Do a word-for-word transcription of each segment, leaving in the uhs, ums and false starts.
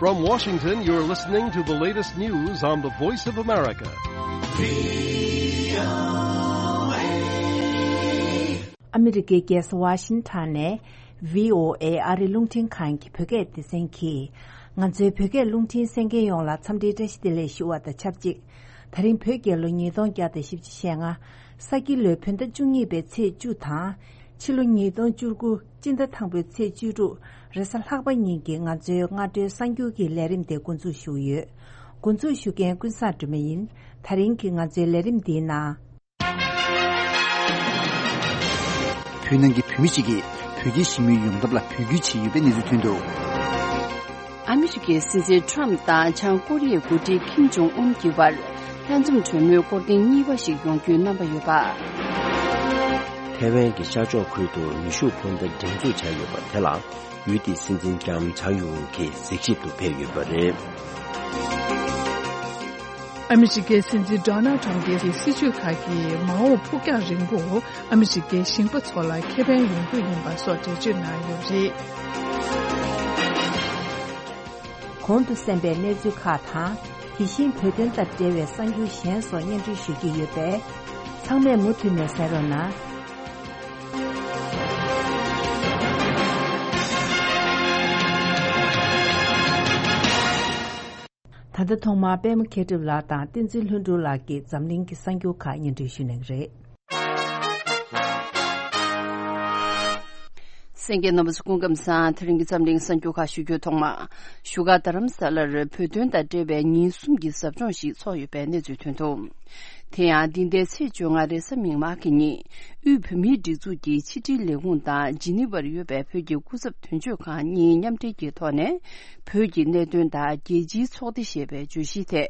From Washington, you're listening to the latest news on the Voice of America. ཨ་མི་རི་ཀའི་རྒྱལ་ས་ཝ་ཤིང་ཊོན་ནས་བྷི་ཨོ་ཨེ་ཨ་རིའི་རླུང་འཕྲིན་ཁང་གི་བོད་སྐད་སྡེ་ཚན་གྱིས། ང་ཚོའི་བོད་སྐད་རླུང་འཕྲིན་གསན་མཁན་ཡོངས་ལ་འཚམས་འདྲིའི་བཀྲ་ཤིས་བདེ་ལེགས་ཞུ་བ་དང་ཆབས་ཅིག་དེ་རིང་བོད་རྒྱལ་ལོ་ཉིས་སྟོང་བརྒྱ་དང་བཞི་བཅུ་ཞེ་ལྔ། ས་ཁྱི་ལོའི་བོད་ཟླ་བཅུ་གཉིས་པའི་ཚེས་བཅུ་དང་། ཕྱི་ལོ་ཉིས་སྟོང་བཅུ་དགུ་སྤྱི་ཟླ་དང་པོའི་ཚེས་བཅུ་དྲུག་རེས་གཟའ་ལྷག་པ་ཉིན་གྱི་ང་ཚོའི་སྔ་དྲོའི་གསར་འགྱུར་གྱི་ལས་རིམ་དེ་འགོ་འཛུགས་ཞུ་གི་ཡོད། འགོ་འཛུགས་ཞུ་མཁན་ཀུན་བཟང་སྒྲོལ་མ་ཡིན། དེ་རིང་གི་ང་ཚོའི་ལས་རིམ་འདིའི་ནང་། བོད་ནང་གི་བོད་མི་ཞིག་གིས་བོད་རྒྱའི་ཞི་མོལ་ཡོང་ཐབས་ལ་འབོད་སྐུལ་བྱས་ཡོད་པའི་གནས་ཚུལ་ཐོན་འདུག་ཨ་མི་རི་ཀའི་སྲིད་འཛིན་ཊམ་དང་བྱང་ཀོ་རི་ཡའི་འགོ་ཁྲིད་ཁིམ་ཇོང་ཨུན་གྱི་བར་ལྷན་འཛོམས་གྲོས་མོལ་སྐོར་ཐེངས་གཉིས་པ་ཞིག་ཡོང་རྒྱུའི་རྣམ་པ་ཡོད་པ། ཐའེ་ཝན་གྱི་ཤར་ཕྱོགས་ཁུལ་དུ་ནུས་ཤུགས་འཕུར་མདའ་སྒྲེང་འཛུགས་བྱས་ཡོད་པ་དེ་ལ་ཡུལ་དེའི་སྲིད་འཛིན་ལྕམ་ཚའེ་ཡུང་གིས་གཟིགས་ཞིབ་ཏུ་ཕེབས་ཡོད་པ་རེད། ཨ་མི་རི་ཀའི་སྲིད་འཛིན་ཌོ་ནལ་ཊམ་གྱི་སྲིད་བྱུས་ཁག་གིས་མ་འོངས་ཕུགས་རྒྱང་རིང་པོ་ཨ་མི་རི་ཀའི་ཞིང་པ་ཚོ་ལ་ཁེ་ཕན་ཡོང་རྒྱུ་ཡིན་པ་སོགས་འགྲེལ་བརྗོད་གནང་ཡོད་པ་རེད། གོང་དུ་གསན་པའི་གནས་ཚུལ་ཁག་དང་། དེ་བཞིན་བོད་དོན་དང་འབྲེལ་བའི་གསར་འགྱུར་གཞན་སོགས་སྙན་སྒྲོན་ཞུ་རྒྱུ་ཡོད་པས། ཚང་མས་མུ་མཐུད་ནས་གསན་རོགས་གནང་། ད་ལྟ་ཐོག་མར་པད་མ་མཁས་གྲུབ་ལགས་དང་བསྟན་འཛིན་ལྷུན་གྲུབ་ལགས་ཀྱིས་འཛམ་གླིང་གི་གསར་འགྱུར་ཁག་སྙན་སྒྲོན་ཞུ་གནང་གི་རེད། གསན་མཁན་རྣམ་པ་ཚོ་སྐུ་ཁམས་བཟང་། དེ་རིང་གི་འཛམ་གླིང་གསར་འགྱུར་ཁག་ཞུ་རྒྱུའི་ཐོག་མ། བཞུགས་སྒར་རྡ་རམ་ས་ལར་བོད་དོན་དང་འབྲེལ་བའི་ཉིན་གསུམ་གྱི་ཟབ་སྦྱོང་ཞིག་ཚོགས་ཡོད་པའི་གནས་ཚུལ་ཐོན་འདུག་དེ་ཡང་འདི་ཟླའི་ཚེས་བཅོ་ལྔ་རེས་གཟའ་མིག་དམར་གྱི་ཉིན། དབུས་བོད་མིའི་སྒྲིག་འཛུགས་ཀྱི་ཕྱི་དྲིལ་ལས་ཁུངས་དང་ཇི་ནི་ཝར་ཡོད་པའི་བོད་ཀྱི་སྐུ་ཚབ་དོན་གཅོད་ཁང་གཉིས་མཉམ་འབྲེལ་གྱི་ཐོག་ནས། བོད་ཀྱི་གནད་དོན་དང་རྒྱལ་སྤྱིའི་ཚོགས་སྡེ་ཞེས་པའི་བརྗོད་གཞིའི་ཐད།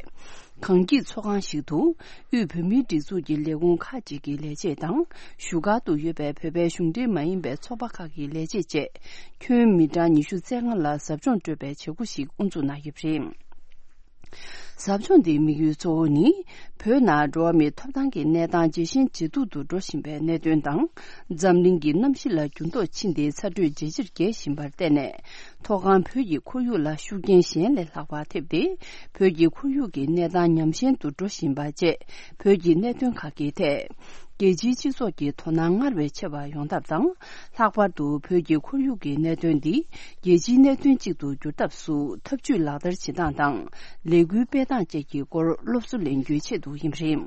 གངས་སྐྱིད་ཚོགས་ཁང་ཞིག་ཏུ། དབུས་བོད་མིའི་སྒྲིག་འཛུགས་ཀྱི་ལས་ཁུངས་ཁག་ཅིག་གི་ལས་བྱེད་དང་། བཞུགས་སྒར་དུ་ཡོད་པའི་བོད་པའི་གཞུང་འབྲེལ་མ་ཡིན་པའི་ཚོགས་པ་ཁག་གི་ལས་བྱེད་བཅས། ཁྱོན་མི་གྲངས་ཉི་ཤུ་རྩ་ལྔ་ལ་ཟབ་སྦྱོང་སྤྲོད་པའི་བྱེད་སྒོ་ཞིག་དབུ་འཛུགས་གནང་ཡོད་པ་རེད། ཟབ་སྦྱོང་འདིའི་དམིགས་ཡུལ་གཙོ་བོ་ནི། བོད་ནང་འགྲོ་བ་མིའི་ཐོབ་ཐང་གི་གནས་སྟངས་ཇེ་ཞན་ཇེ་སྡུག་ཏུ་འགྲོ་བཞིན་པའི་གནད་དོན་དང་། འཛམ་གླིང་གི་གནམ་གཤིས་ལ་འགྱུར་ལྡོག་ཕྱིན་ཏེ་ཚ་དྲོད་ཇེ་ཆེར་རྒྱས་བཞིན་པར་བརྟེན་ནས། མཐོ་སྒང་བོད་ཀྱི་ཁོར་ཡུག་ལ་ཤུགས་རྐྱེན་གཞན་ལས་ལྷག་པ་ཐེབས་ཏེ། བོད་ཀྱི་ཁོར་ཡུག་གི་གནས་སྟངས་ཉམས་ཞན་དུ་འགྲོ་བཞིན་པ་བཅས། བོད་ཀྱི་གནད་དོན་ཁག་གི་ཐད། རྒྱལ་སྤྱིའི་སྤྱི་ཚོགས་ཀྱི་དོ་སྣང་སྔར་བས་ཆེ་བ་ཡོང་ཐབས་དང་། ལྷག་པར་དུ་བོད་ཀྱི་ཁོར་ཡུག་གི་གནད་དོན་འདི་རྒྱལ་སྤྱིའི་གནད་དོན་གཅིག་ཏུ་འགྱུར་ཐབས་སུ་འཐབ་ཇུས་ལག་བསྟར་བྱེད་སྟངས་དང་། ལས་འགུལ་སྤེལ་སྟངས་བཅས་ཀྱི་སྐོར་སློབ་གསོ་ལེན་རྒྱུའི་ཆེད་དུ་ཡིན་པ་རེད།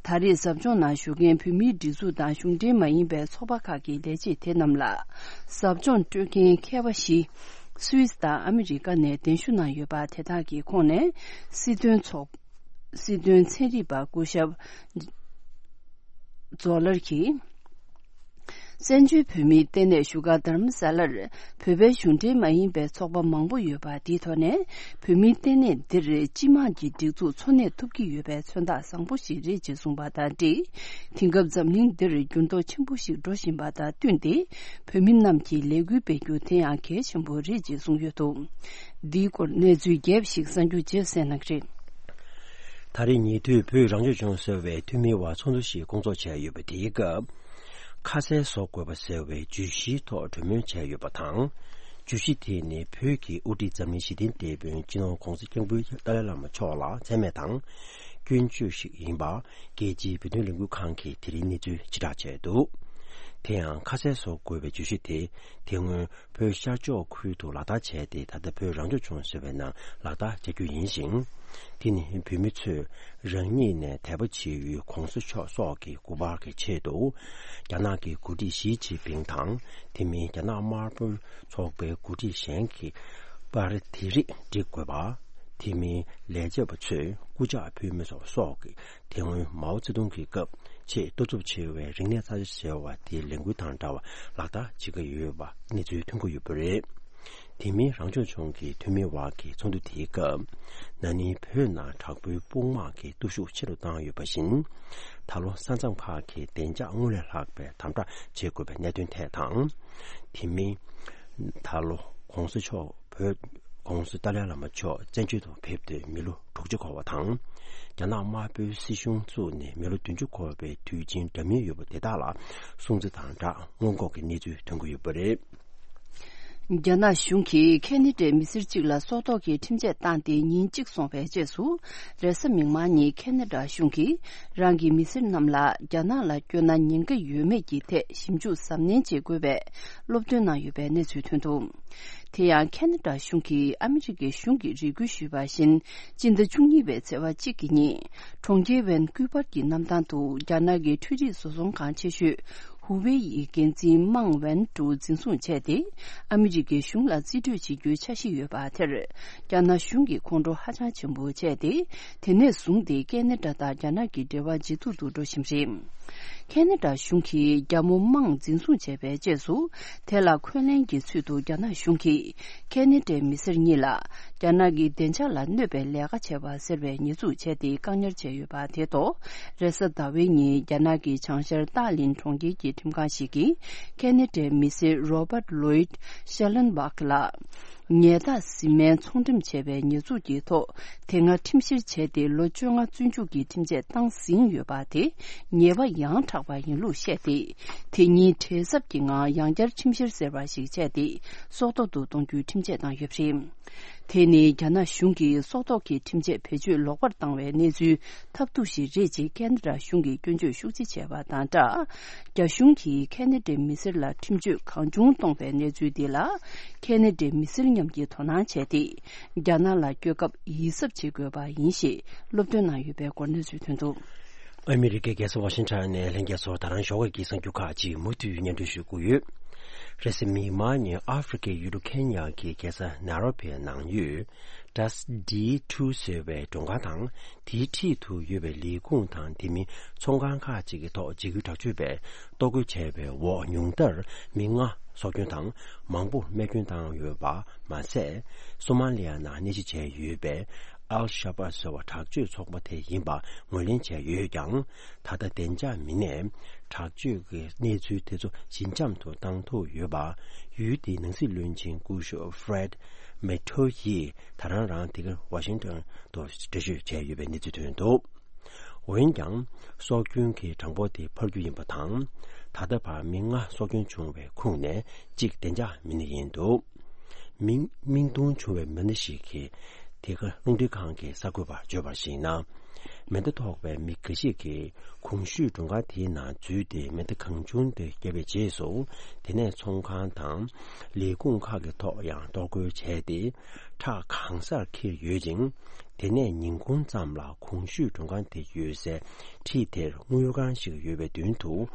ད་རེས་ཟབ་སྦྱོང་ནང་ཞུགས་མཁན་བོད་མིའི་སྒྲིག་འཛུགས་དང་གཞུང་འབྲེལ་མ་ཡིན་པའི་ཚོགས་པ་ཁག་གི་ལས་བྱེད་དེ་རྣམས་ལ། ཟབ་སྦྱོང་སྤྲོད་མཁན་མཁས་པ་བཞི། སུད་སི་དང་ཨ་མི་རི་ཀ་ནས་གདན་ཞུ་གནང་ཡོད་པ་དེ་དག་གི་ཁོངས་ནས། སྲིད་དོན་ཚོགས། སྲིད་དོན་ཚན་རིག་པ་སྐུ་ཞབས་ཛོ་ལར་གྱིས། བཙན་བྱོལ་བོད་མིའི་ལྟེ་གནས་བཞུགས་སྒར་རྡ་རམ་ས་ལར། བོད་པའི་གཞུང་འབྲེལ་མ་ཡིན་པའི་ཚོགས་པ་མང་པོ་ཡོད་པ་དེའི་ཐོག་ནས། བོད་མིའི་ལྟེ་གནས་འདིར་སྤྱི་དམངས་ཀྱི་སྒྲིག་འཛུགས་འཚོ་གནས་ཐུབ་ཀྱི་ཡོད་པའི་མཚོན་རྟགས་བཟང་པོ་ཞིག་རེད་ཅེས་གསུངས་པ་དང་འབྲེལ། དེང་སྐབས་འཛམ་གླིང་འདིར་འགྱུར་ལྡོག་ཆེན་པོ་ཞིག་འགྲོ་བཞིན་པ་དང་བསྟུན་ཏེ། བོད་མི་རྣམས་ཀྱིས་ལས་འགུལ་སྤེལ་རྒྱུ་དེ་ཡང་གལ་ཆེན་པོ་རེད་ཅེས་གསུངས་ཡོད་འདུག་འདིའི་སྐོར་གནས་ཚུལ་རྒྱས་པ་ཞིག་གསར་འགྱུར་རྗེས་གསན་གནང་གི་རེད། ད་རེས་ཉེ་དུས་བོད་རང་སྐྱོང་ལྗོངས་ཟེར་བའི་འཐུས་མིའི་དབར་ཚོགས་འདུ་ཞིག་སྐོང་ཚོགས་བྱས་ཡོད་པ་དེའི་སྐབས། ཁ་གསལ་བཟོ་དགོས་པ་ཟེར་བའི་བརྗོད་གཞིའི་ཐོག་གྲོས་མོལ་བྱས་ཡོད་པ་དང་། བརྗོད་གཞི་དེ་ནི་བོད་ཀྱི་དབུ་ཁྲིད་འཛམ་གླིང་ཞི་བདེའི་དེད་དཔོན་སྤྱི་ནོར་༧གོང་ས་༧སྐྱབས་མགོན་ཏཱ་ལའི་བླ་མ་མཆོག་ལ་མཚན་སྨད་དང་། སྐྱོན་བརྗོད་ཞིག་ཡིན་པ། རྒྱལ་སྤྱིའི་བོད་དོན་ལས་འགུལ་ཁང་གིས་དེ་རིང་གནས་ཚུལ་ཕྱིར་བསྒྲགས་བྱས་འདུག་དེ་ཡང་ཁ་གསལ་བཟོ་དགོས་པའི་བརྗོད་གཞི་དེ། དེ་སྔོན་བོད་ཤར་ཕྱོགས་ཁུལ་དུ་ལག་བསྟར་བྱས་ཏེ། ད་ལྟ་བོད་རང་སྐྱོང་ལྗོངས་ཟེར་བའི་ནང་ལག་བསྟར་བྱ་རྒྱུ་ཡིན་ཞིང་། དེ་ནི་བོད་མི་ཚོས་རང་ཉིད་ནས་དད་པ་བྱེད་ཡུལ་༧གོང་ས་མཆོག་སོགས་ཀྱི་སྐུ་པར་གྱི་ཆེད་དུ། རྒྱ་ནག་གི་འགོ་ཁྲིད་ཞི་ཅིན་ཕིང་དང་། དེ་མིན་རྒྱ་ནག་དམར་པོའི་ཚོགས་པའི་འགོ་ཁྲིད་གཞན་གྱི་པར་དེ་རིགས་བསྒྲིག་དགོས་པ། དེ་མིན་ལས་བྱེད་པ་ཚོས་སྐུ་ཕྱག་ཕུལ་མི་སོགས་སོགས་ཀྱི། དེ་སྔོན་མའོ་ཙེ་ཏུང་གི་སྐབས་ཆེས་ལྟ་གྲུབ་ཆེ་བའི་རིག་གནས་གསར་བརྗེ་ཟེར་བ་དེའི་ལས་འགུལ་དང་འདྲ་བ་ལག་བསྟར་བྱེད་ཀྱི་ཡོད་པ་གནས་ཚུལ་ཐོན་གྱི་ཡོད་པ་རེད། དེ་མིན་རང་སྐྱོང་ལྗོངས་ཀྱི་འཐུས་མིའི་དབར་གྱི་ཚོགས་འདུ་དེའི་སྐབས། ན་ནིང་བོད་ནང་དྲག་པོའི་དཔུང་དམག་གི་སྟོབས་ཤུགས་ཆེ་རུ་བཏང་ཡོད་པ་བཞིན། ད་ལོ་ས་མཚམས་ཁག་གི་བདེ་འཇགས་སྔར་ལས་ལྷག་པའི་དམ་དྲག་བྱེད་དགོས་པའི་གནད་དོན་ཐད་དང་། དེ་མིན། ད་ལོ་༧གོང་ས་མཆོག་བོད་༧གོང་ས་ཏཱ་ལའི་བླ་མ་མཆོག་བཙན་བྱོལ་དུ་ཕེབས་ཏེ་མི་ལོ་དྲུག་ཅུ་འཁོར་བ་དང་། རྒྱ་ནག་དམར་པོའི་སྲིད་གཞུང་བཙུགས་ནས་མི་ལོ་བདུན་ཅུ་འཁོར་བའི་དུས་ཆེན་འདྲ་མིན་ཡོད་པ་དེ་དག་ལ་སྲུང་བརྩི་དང་སྦྲགས་སྔོན་འགོག་གི་གནས་ཚུལ་ཐོན་གྱི་ཡོད་པ་རེད། རྒྱ་ནག་གཞུང་གིས་ཁེ་ན་ཌའི་མི་སེར་གཅིག་ལ་སྲོག་ཐོག་གི་ཁྲིམས་ཆད་བཏང་སྟེ་ཉིན་གཅིག་སོང་བའི་རྗེས་སུ། རེས་གཟའ་མིག་དམར་ཉིན་ཁེ་ན་ཌ་གཞུང་གིས་རང་གི་མི་སེར་རྣམས་ལ་རྒྱ་ནག་ལ་བསྐྱོད་ན་ཉེན་ཁ་ཡོད་མེད་ཀྱི་ཐད་ཞིབ་འཇུག་གཟབ་ནན་བྱེད་དགོས་པའི་སློབ་སྟོན་གནང་ཡོད་པའི་གནས་ཚུལ་ཐོན་འདུག་དེ་ཡང་ཁེ་ན་ཌ་གཞུང་གིས་ཨ་མི་རི་ཀའི་གཞུང་གིས་རེ་སྐུལ་ཞུས་པ་བཞིན། སྤྱི་ཟླ་བཅུ་གཉིས་པའི་ཚེས་པ་གཅིག་གི་ཉིན། གྲོང་ཁྱེར་ཝན་ཀུ་པར་གྱི་གནམ་ཐང་དུ་རྒྱ་ནག་གི་འཕྲུལ་རིག་བཟོ་ཚོང་ཁང་ཆེ་ཤོས་ཧུ་ཝེ་ཡི་འགན་འཛིན་མང་ཝན་ཀྲུ་འཛིན་བཟུང་བྱས་ཏེ། ཨ་མི་རི་ཀའི་གཞུང་ལ་རྩིས་སྤྲོད་བྱེད་རྒྱུའི་འཆར་གཞི་ཡོད་པ་དེར། རྒྱ་ནག་གཞུང་གིས་ཁོང་ཁྲོ་ཧ་ཅང་ཆེན་པོ་བྱས་ཏེ། དེ་ནས་བཟུང་སྟེ་ཁེ་ན་ཌ་དང་རྒྱ་ནག་གི་འབྲེལ་བ་ཇེ་སྡུག་ཏུ་འགྲོ་བཞིན་རེད། ཁེ་ན་ཌ་གཞུང་གིས་རྒྱ་མོ་མང་འཛིན་བཟུང་བྱས་པའི་རྗེས་སུ། དེ་ལ་འཁོན་ལན་གྱི་ཚུལ་དུ་རྒྱ་ནག་གཞུང་གིས་ཁེ་ན་ཌའི་མི་སེར་གཉིས་ལ། རྒྱ་ནག་གི་བདེ་འཇགས་ལ་གནོད་པའི་ལས་ཀ་བྱས་པ་ཟེར་བའི་ཉེས་འཛུགས་བྱས་ཏེ་བཀག་ཉར་བྱས་ཡོད་པ་དེ་ཐོག་རེས་གཟའ་ཟླ་བའི་ཉིན་རྒྱ་ནག་གི་བྱང་ཤར་ཏཱ་ལིན་གྲོང་ཁྱེར་གྱི་ཁྲིམས་ཁང་ཞིག་གིས་ཁེ་ན་ཌའི་མི་སེར་Robert Lloyd Schellenbach ལ། ཉལ་ཐ་བཟི་སྨན་ཚོང་འགྲེམས་བྱས་པའི་ཉེས་འཛུགས་ཀྱི་ཐོག་དེ་སྔ་ཁྲིམས་བཤེར་བྱས་ཏེ་ལོ་བཅོ་ལྔ་བཙོན་འཇུག་གི་ཁྲིམས་ཆད་བཏང་ཟིན་ཡོད་པ་དེ་ཉེས་པ་ཡང་དྲག་པ་ཡིན་ལུགས་བཤད་དེ། དེ་ཉིན་བྲེལ་འཚབ་ཀྱི་ངང་ཡང་བསྐྱར་ཁྲིམས་བཤེར་ཟེར་བ་ཞིག་བྱས་ཏེ། སྲོག་ཐོག་ཏུ་གཏོང་རྒྱུའི་ཁྲིམས་ཆད་བཏང་ཡོད་པ་རེད། དེ་ནི་རྒྱ་ནག་གཞུང་གིས་སྲོག་ཐོག་གི་ཁྲིམས་ཆད་བེད་སྤྱོད་ལོག་པར་བཏང་བའི་གནས་ཚུལ་ཐབས་སྡུག་ཞིག་རེད་ཅེས་ཁེ་ན་ཌ་གཞུང་གིས་སྐྱོན་བརྗོད་ཤུགས་ཆེ་བྱས་པ་དང་སྦྲགས། རྒྱ་གཞུང་གིས་ཁེ་ན་ཌའི་མི་སེར་ལ་ཁྲིམས་གཅོད་གང་བྱུང་གཏོང་བའི་གནས་ཚུལ་འདི་ལ། ཁེ་ན་ཌའི་མི་སེར་མཉམ་གྱིས་དོ་སྣང་བྱས་ཏེ། རྒྱ་ནག་ལ་བསྐྱོད་སྐབས་ཡིད་གཟབ་བྱེད་དགོས་པ་ཡིན་ཞེས་སློབ་སྟོན་གནང་ཡོད་པའི་སྐོར་གནས་ཚུལ་ཐོན་འདུག་ཨ་མི་རི་ཀའི་རྒྱལ་ས་ཝ་ཤིང་ཊོན་ནས་ལྷན་རྒྱས་ཚོར་ད་རང་ཞོགས་ཀྱི་གསར་འགྱུར་ཁག་ཅིག་མུ་མཐུད་སྙན་སྒྲོན་ཞུ་གི་ཡོད། རེས་གཟའ་མིག་དམར་ཉིན་ཨ་ཧྥེ་རི་ཁའི་ཡུལ་གྲུ་ཁེན་ཡ་གི་རྒྱལ་ས་ནཱ་རོ་བྷི་ནང་ཡོད། Das D two ཟེར་བའི་མགྲོན་ཁང་དང་། དེའི་འཁྲིས་དུ་ཡོད་པའི་ལས་ཁུངས་དང་དེ་མིན་ཚོང་ཁང་ཁག་ཅིག་གི་ཐོག་འཇིགས་སྐུལ་དྲག་སྤྱོད་པས་གཏོར་རྒོལ་བྱས་པའི་འོག་ཉུང་མཐར་མི་ལྔ་སྲོག་སྐྱོན་དང་མང་པོ་རྨས་སྐྱོན་བཏང་ཡོད་པ་མ་ཟད། སོ་མ་ལི་ཡ་ནང་གནས་གཞི་བྱས་ཡོད་པའི་ཨལ་ཤ་བྷ་ཟེར་བ་དྲག་སྤྱོད་ཚོགས་པ་དེ་ཡིན་པ་ངོས་ལེན་བྱས་ཡོད་ཀྱང་། ད་ལྟ་བདེ་འཇགས་མི་སྣས་དྲག་སྤྱོད་ཀྱི་གནས་ཚུལ་དེ་ཚོ་ཞི་འཇམ་དུ་བཏང་ཐུབ་ཡོད་པ། ཡུལ་དེའི་ནང་སྲིད་བློན་ཆེན་སྐུ་ཞབས་Fred Matoe ཡིས་ད་རང་རང་དེ་གར་ཝ་ཤིང་ཏོན་དུ་འགྲེལ་བརྗོད་བྱས་ཡོད་པའི་གནས་ཚུལ་ཐོན་འདུག་འོན་ཀྱང་། སྲོག་སྐྱོན་གྱི་གྲངས་འབོར་དེ་འཕར་རྒྱུ་ཡིན་པ་དང་། ད་ལྟ་བར་མི་ལྔ་སྲོག་སྐྱོན་བྱུང་བའི་ཁོངས་ནས་གཅིག་བདེ་འཇགས་མི་སྣ་ཡིན་འདུག་མིང་མིང་སྟོང་བྱུང་བའི་མི་སྣ་ཞིག་གིས་དེ་ག་རླུང་འཕྲིན་ཁང་གི་གསར་འགོད་པར་བརྗོད་པར་གཞིགས་ན། མེ་མདའ་ཐོགས་པའི་མི་འགའ་ཞིག་གིས་གོང་ཞུས་མགྲོན་ཁང་དེའི་ནང་འཛུལ་ཏེ་མེ་མདའ་གང་བྱུང་དུ་བརྒྱབ་པའི་རྗེས་སུ། དེ་ནས་ཚོང་ཁང་དང་ལས་ཁུངས་ཁག་གི་ཐོག་ཡང་གཏོར་རྒོལ་བྱས་ཏེ། ཁྲག་གང་སར་འཁྱིལ་ཡོད་ཅིང་། དེ་ནས་ཉིན་གུང་ཙམ་ལ་གོང་ཞུས་མགྲོན་ཁང་དེ་ཡོད་སའི་འཁྲིས་དེར་དངུལ་ཁང་ཞིག་ཡོད་པའི་མདུན་དུ།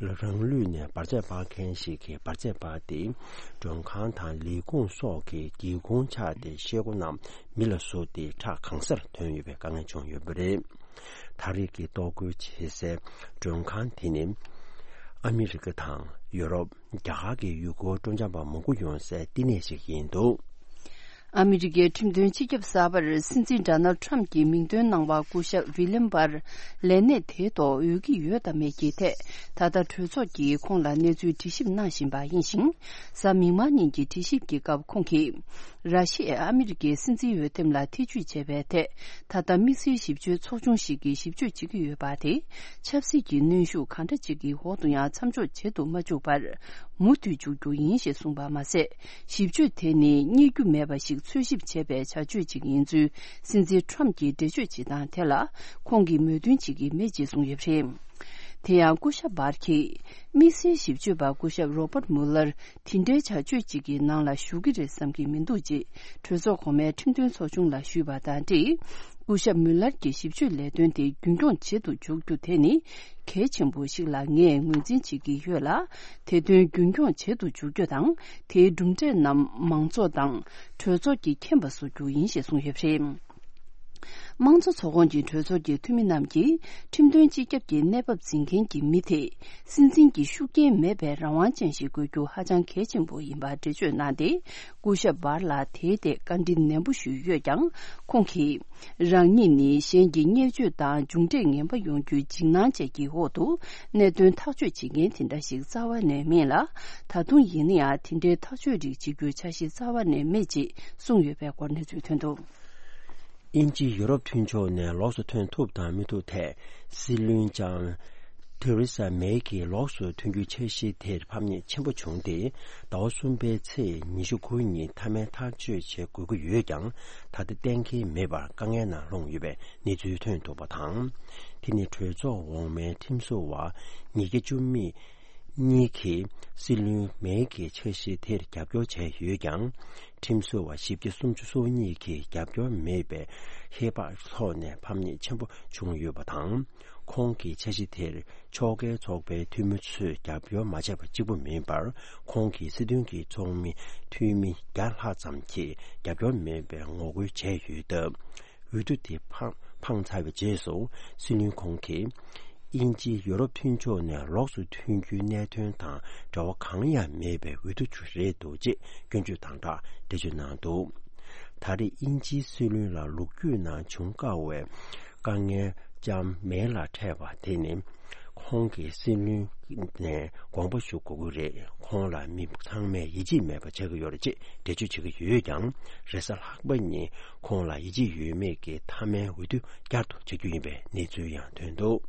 རང་ལུས་ནས་འབར་རྫས་སྤར་མཁན་ཞིག་གིས་འབར་རྫས་སྤར་ཏེ། མགྲོན་ཁང་དང་ལས་ཁུངས་སོགས་ཀྱི་སྒེའུ་ཁུང་ཕྱགས་ཏེ་ཤེལ་སྒོ་རྣམས་མེ་ལ་བཟོས་ཏེ་ཁྲག་གང་སར་ཐོན་ཡོད་པའི་དཀའ་ངལ་བྱུང་ཡོད་པ་རེད། ད་རེས་ཀྱི་གཏོར་རྒོལ་བྱེད་སའི་མགྲོན་ཁང་དེ་ནི། ཨ་མི་རི་ཀ་དང་ཡོ་རོབ། རྒྱ་གར་གྱི་ཡུལ་སྐོར་སྤྲོ་འཆམ་པ་མང་པོ་ཡོང་སའི་བསྟི་གནས་ཤིག་ཡིན་འདུག་ཨ་མི་རི་ཀའི་ཁྲིམས་དོན་སྤྱི་ཁྱབ་གསར་པར་སྲིད་འཛིན་ཌོ་ནལ་ཌི་ཊརམ་ཕི་གྱི་མིང་འདོན་གནང་བ་སྐུ་ཞབས་ཝི་ལིམ་བར་ལས་གནས་དེའི་ཐོག་འོས་ཀྱི་ཡོད་དམ་མེད་ཀྱི་ཐད། ད་ལྟ་གྲོས་ཚོགས་ཀྱིས་ཁོང་ལ་གནས་ཚུལ་དྲི་ཞིབ་གནང་བཞིན་པ་ཡིན་ཞིང་། གཟའ་མིག་དམར་ཉིན་གྱི་དྲི་ཞིབ་ཀྱི་སྐབས་ཁོང་གིས། ར་ཤི་ཡས་ཨ་མི་རི་ཀའི་སྲིད་འཛིན་འོས་འདེམས་ལ་ཐེ་ཇུས་བྱས་པའི་ཐད། ད་ལྟ་དམིགས་བསལ་ཞིབ་དཔྱོད་ཚོགས་ཆུང་ཞིག་གིས་ཞིབ་དཔྱོད་བྱེད་ཀྱི་ཡོད་པ་དེ། ཆབ་སྲིད་ཀྱི་གནོན་ཤུགས་གང་འདྲ་ཅིག་གི་འོག་ཏུ་ཡང་མཚམས་འཇོག་བྱེད་དུ་མ་བཅུག་པར། མུ་མཐུད་འཇུག་རྒྱུ་ཡིན་ཞེས་གསུངས་པ་མ་ཟད། ཞིབ་དཔྱོད་དེ་ནི་རྙེད་རྒྱུ་མེད་པ་ཞིག་འཚོལ་ཞིབ་བྱས་པའི་བྱ་སྤྱོད་ཅིག་ཡིན་ཚུལ་སྲིད་འཛིན་ཊརམ་གྱིས་འགྲེལ་བརྗོད་བྱེད་སྟངས་དེ་ལ་ཁོང་གིས་མོས་མཐུན་བྱེད་ཀྱི་མེད་ཅེས་གསུངས་ཡོད་པ་རེད། དེ་ཡང་སྐུ་ཞབས་བར་གྱིས་དམིགས་བསལ་ཞིབ་དཔྱོད་པ་སྐུ་ཞབས་རོ་པར་མུ་ལར་དེ་འདྲའི་བྱ་སྤྱོད་ཅིག་གི་ནང་ལ་ཞུགས་ཀྱི་རེད་བསམ་གྱི་མི་འདུག་ཅེས་གྲོས་ཚོགས་གོང་མའི་ཁྲིམས་དོན་ཚོགས་ཆུང་ལ་ཞུས་པ་དང་འབྲེལ། སྐུ་ཞབས་མུ་ལར་གྱི་ཞིབ་དཔྱོད་ལས་དོན་དེ་རྒྱུན་འཁྱོངས་བྱེད་དུ་འཇུག་རྒྱུ་དེ་ནི་གལ་ཆེན་པོ་ཞིག་ལ་ངས་ངོས་འཛིན་བྱེད་ཀྱི་ཡོད་ལ། དེ་དོན་རྒྱུན་འཁྱོངས་བྱེད་དུ་འཇུག་རྒྱུ་དང་། དེའི་གྲུབ་འབྲས་རྣམས་མང་ཚོགས་དང་གྲོས་ཚོགས་ཀྱིས་མཁྱེན་པ་བཟོ་རྒྱུ་ཡིན་ཞེས་གསུངས་ཡོད་པ་རེད། དམངས་གཙོ་ཚོགས་ཁོངས་ཀྱི་གྲོས་ཚོགས་ཀྱི་འཐུས་མི་རྣམས་ཀྱིས་ཁྲིམས་དོན་སྤྱི་ཁྱབ་ཀྱི་གནས་བབ་འཛིན་མཁན་གྱི་མི་དེས་སྲིད་འཛིན་གྱི་ཤུགས་རྐྱེན་མེད་པའི་རང་དབང་ཅན་ཞིག་དགོས་རྒྱུ་ཧ་ཅང་གལ་ཆེན་པོ་ཡིན་པ་འགྲེལ་བརྗོད་གནང་སྟེ། སྐུ་ཞབས་བར་ལ་དེའི་ཐད་བཀའ་འདྲི་ནན་པོ་ཞུས་ཡོད་ཀྱང་། ཁོང་གིས་རང་ཉིད་ནི་གཞན་གྱི་བརྙས་བཅོས་དང་མཇུག་འབྲས་ངན་པ་ཡོང་རྒྱུའི་འཇིགས་སྣང་བཅས་ཀྱི་འོག་ཏུ་གནད་དོན་ཐག་གཅོད་བྱེད་མཁན་དེ་འདྲ་ཞིག་རྩ་བ་ནས་མིན་ལ། ད་དུང་ཡིན་ན་ཡང་དེ་འདྲའི་ཐག་གཅོད་རིགས་བྱེད་རྒྱུའི་འཆར་གཞི་རྩ་བ་ནས་མེད་ཅེས་གསུངས་ཡོད་པའི་སྐོར་གནས་ཚུལ་ཐོན་འདུག་དབྱིན་ཇི་ཡུ་རོབ་མཐུན་ཕྱོགས་ནས་ལོགས་སུ་ཐོན་ཐུབ་དང་མི་ཐུབ་ཐད་སྲིད་བློན་ལྕམ་ ཐེ་རེ་ས་མེ་གི་ལོགས་སུ་ཐོན་རྒྱུའི་འཆར་གཞི་དེར་ཕམ་ཉེས་ཆེན་པོ་བྱུང་སྟེ། ཟླ་བ་གསུམ་པའི་ཚེས་ཉི་ཤུ་དགུ་ཉིན་མཐའ་མའི་ཐག་གཅོད་བྱེད་དགོས་ཀྱི་ཡོད་ཀྱང་། ད་ལྟ་གཏན་འཁེལ་མེད་པར་དཀའ་ངལ་ནང་ལྷུང་ཡོད་པའི་གནས་ཚུལ་ཐོན་འདུག་པ་དང་། དེ་ནི་གྲོས་ཚོགས་འོག་མའི་ཁྲིམས་བཟོ་བ་ཉིས་བརྒྱ་བཅུ་མེད་གཉིས་ཀྱིས་སྲིད་བློན་མེ་གི་འཆར་གཞི་དེར་རྒྱབ་སྐྱོར་བྱས་ཡོད་ཀྱང་། ཁྲིམས་བཟོ་བ་བཞི་བརྒྱ་སུམ་ཅུ་སོ་གཉིས་ཀྱིས་རྒྱབ་སྐྱོར་མེད་པའི་ཧེ་བག་ཐོག་ནས་ཕམ་ཉེས་ཆེན་པོ་བྱུང་ཡོད་པ་དང་། ཁོང་གི་འཆར་གཞི་དེར་ཕྱོགས་འགལ་ཚོགས་པའི་འཐུས་མི་ཚོས་རྒྱབ་སྐྱོར་མ་བྱས་པ་གཅིག་པུ་མིན་པར། ཁོང་གི་སྲིད་དོན་གྱི་ཚོགས་མི་འཐུས་མི་བརྒྱ་ལྷག་ཙམ་གྱིས་རྒྱབ་སྐྱོར་མེད་པའི་ངོ་རྒོལ་བྱས་ཡོད་སྟབས། འོས་བསྡུ་དེ་འཕངས་འཕངས་ཚར་བའི་རྗེས་སུ། སྲིད་བློན་ཁོང་གིས་དབྱིན་ཇི་ཡོ་རོབ་མཐུན་ཕྱོགས་ནས་ལོགས་སུ་ཐོན་རྒྱུའི་གནད་དོན་དང་འབྲེལ་བ་གང་ཡང་མེད་པའི་འོས་བསྡུ་ཅིག་རེད་འདུག་ཅེས་སྐྱོན་བརྗོད་དང་སྦྲགས་འགྲེལ་བརྗོད་གནང་འདུག་ད་རེས་དབྱིན་ཇིའི་སྲིད་བློན་ལ་ལོ་རྒྱུས་ནང་བྱུང་དཀའ་བའི་དཀའ་ངལ་ལྕམ་མེ་ལ་འཕྲད་པ་དེ་ནི། ཁོང་གིས་སྲིད་བློན་ནས་དགོངས་པ་ཞུ་དགོས་ཀྱི་རེད། ཁོང་ལ་མི་ཚང་མས་ཡིད་ཆེས་མེད་པ་ཆགས་ཀྱི་ཡོད་རེད་ཅེས་འགྲེལ་བརྗོད་བྱེད་ཀྱི་ཡོད་ཀྱང་། རེས་གཟའ་ལྷག་པ་ཉིན་ཁོང་ལ་ཡིད་ཆེས་ཡོད་མེད་ཀྱི་མཐའ་མའི་འོས་བསྡུ་བསྐྱར་དུ་བྱ་རྒྱུ་ཡིན་པའི་གནས་ཚུལ་ཡང་ཐོན་འདུག་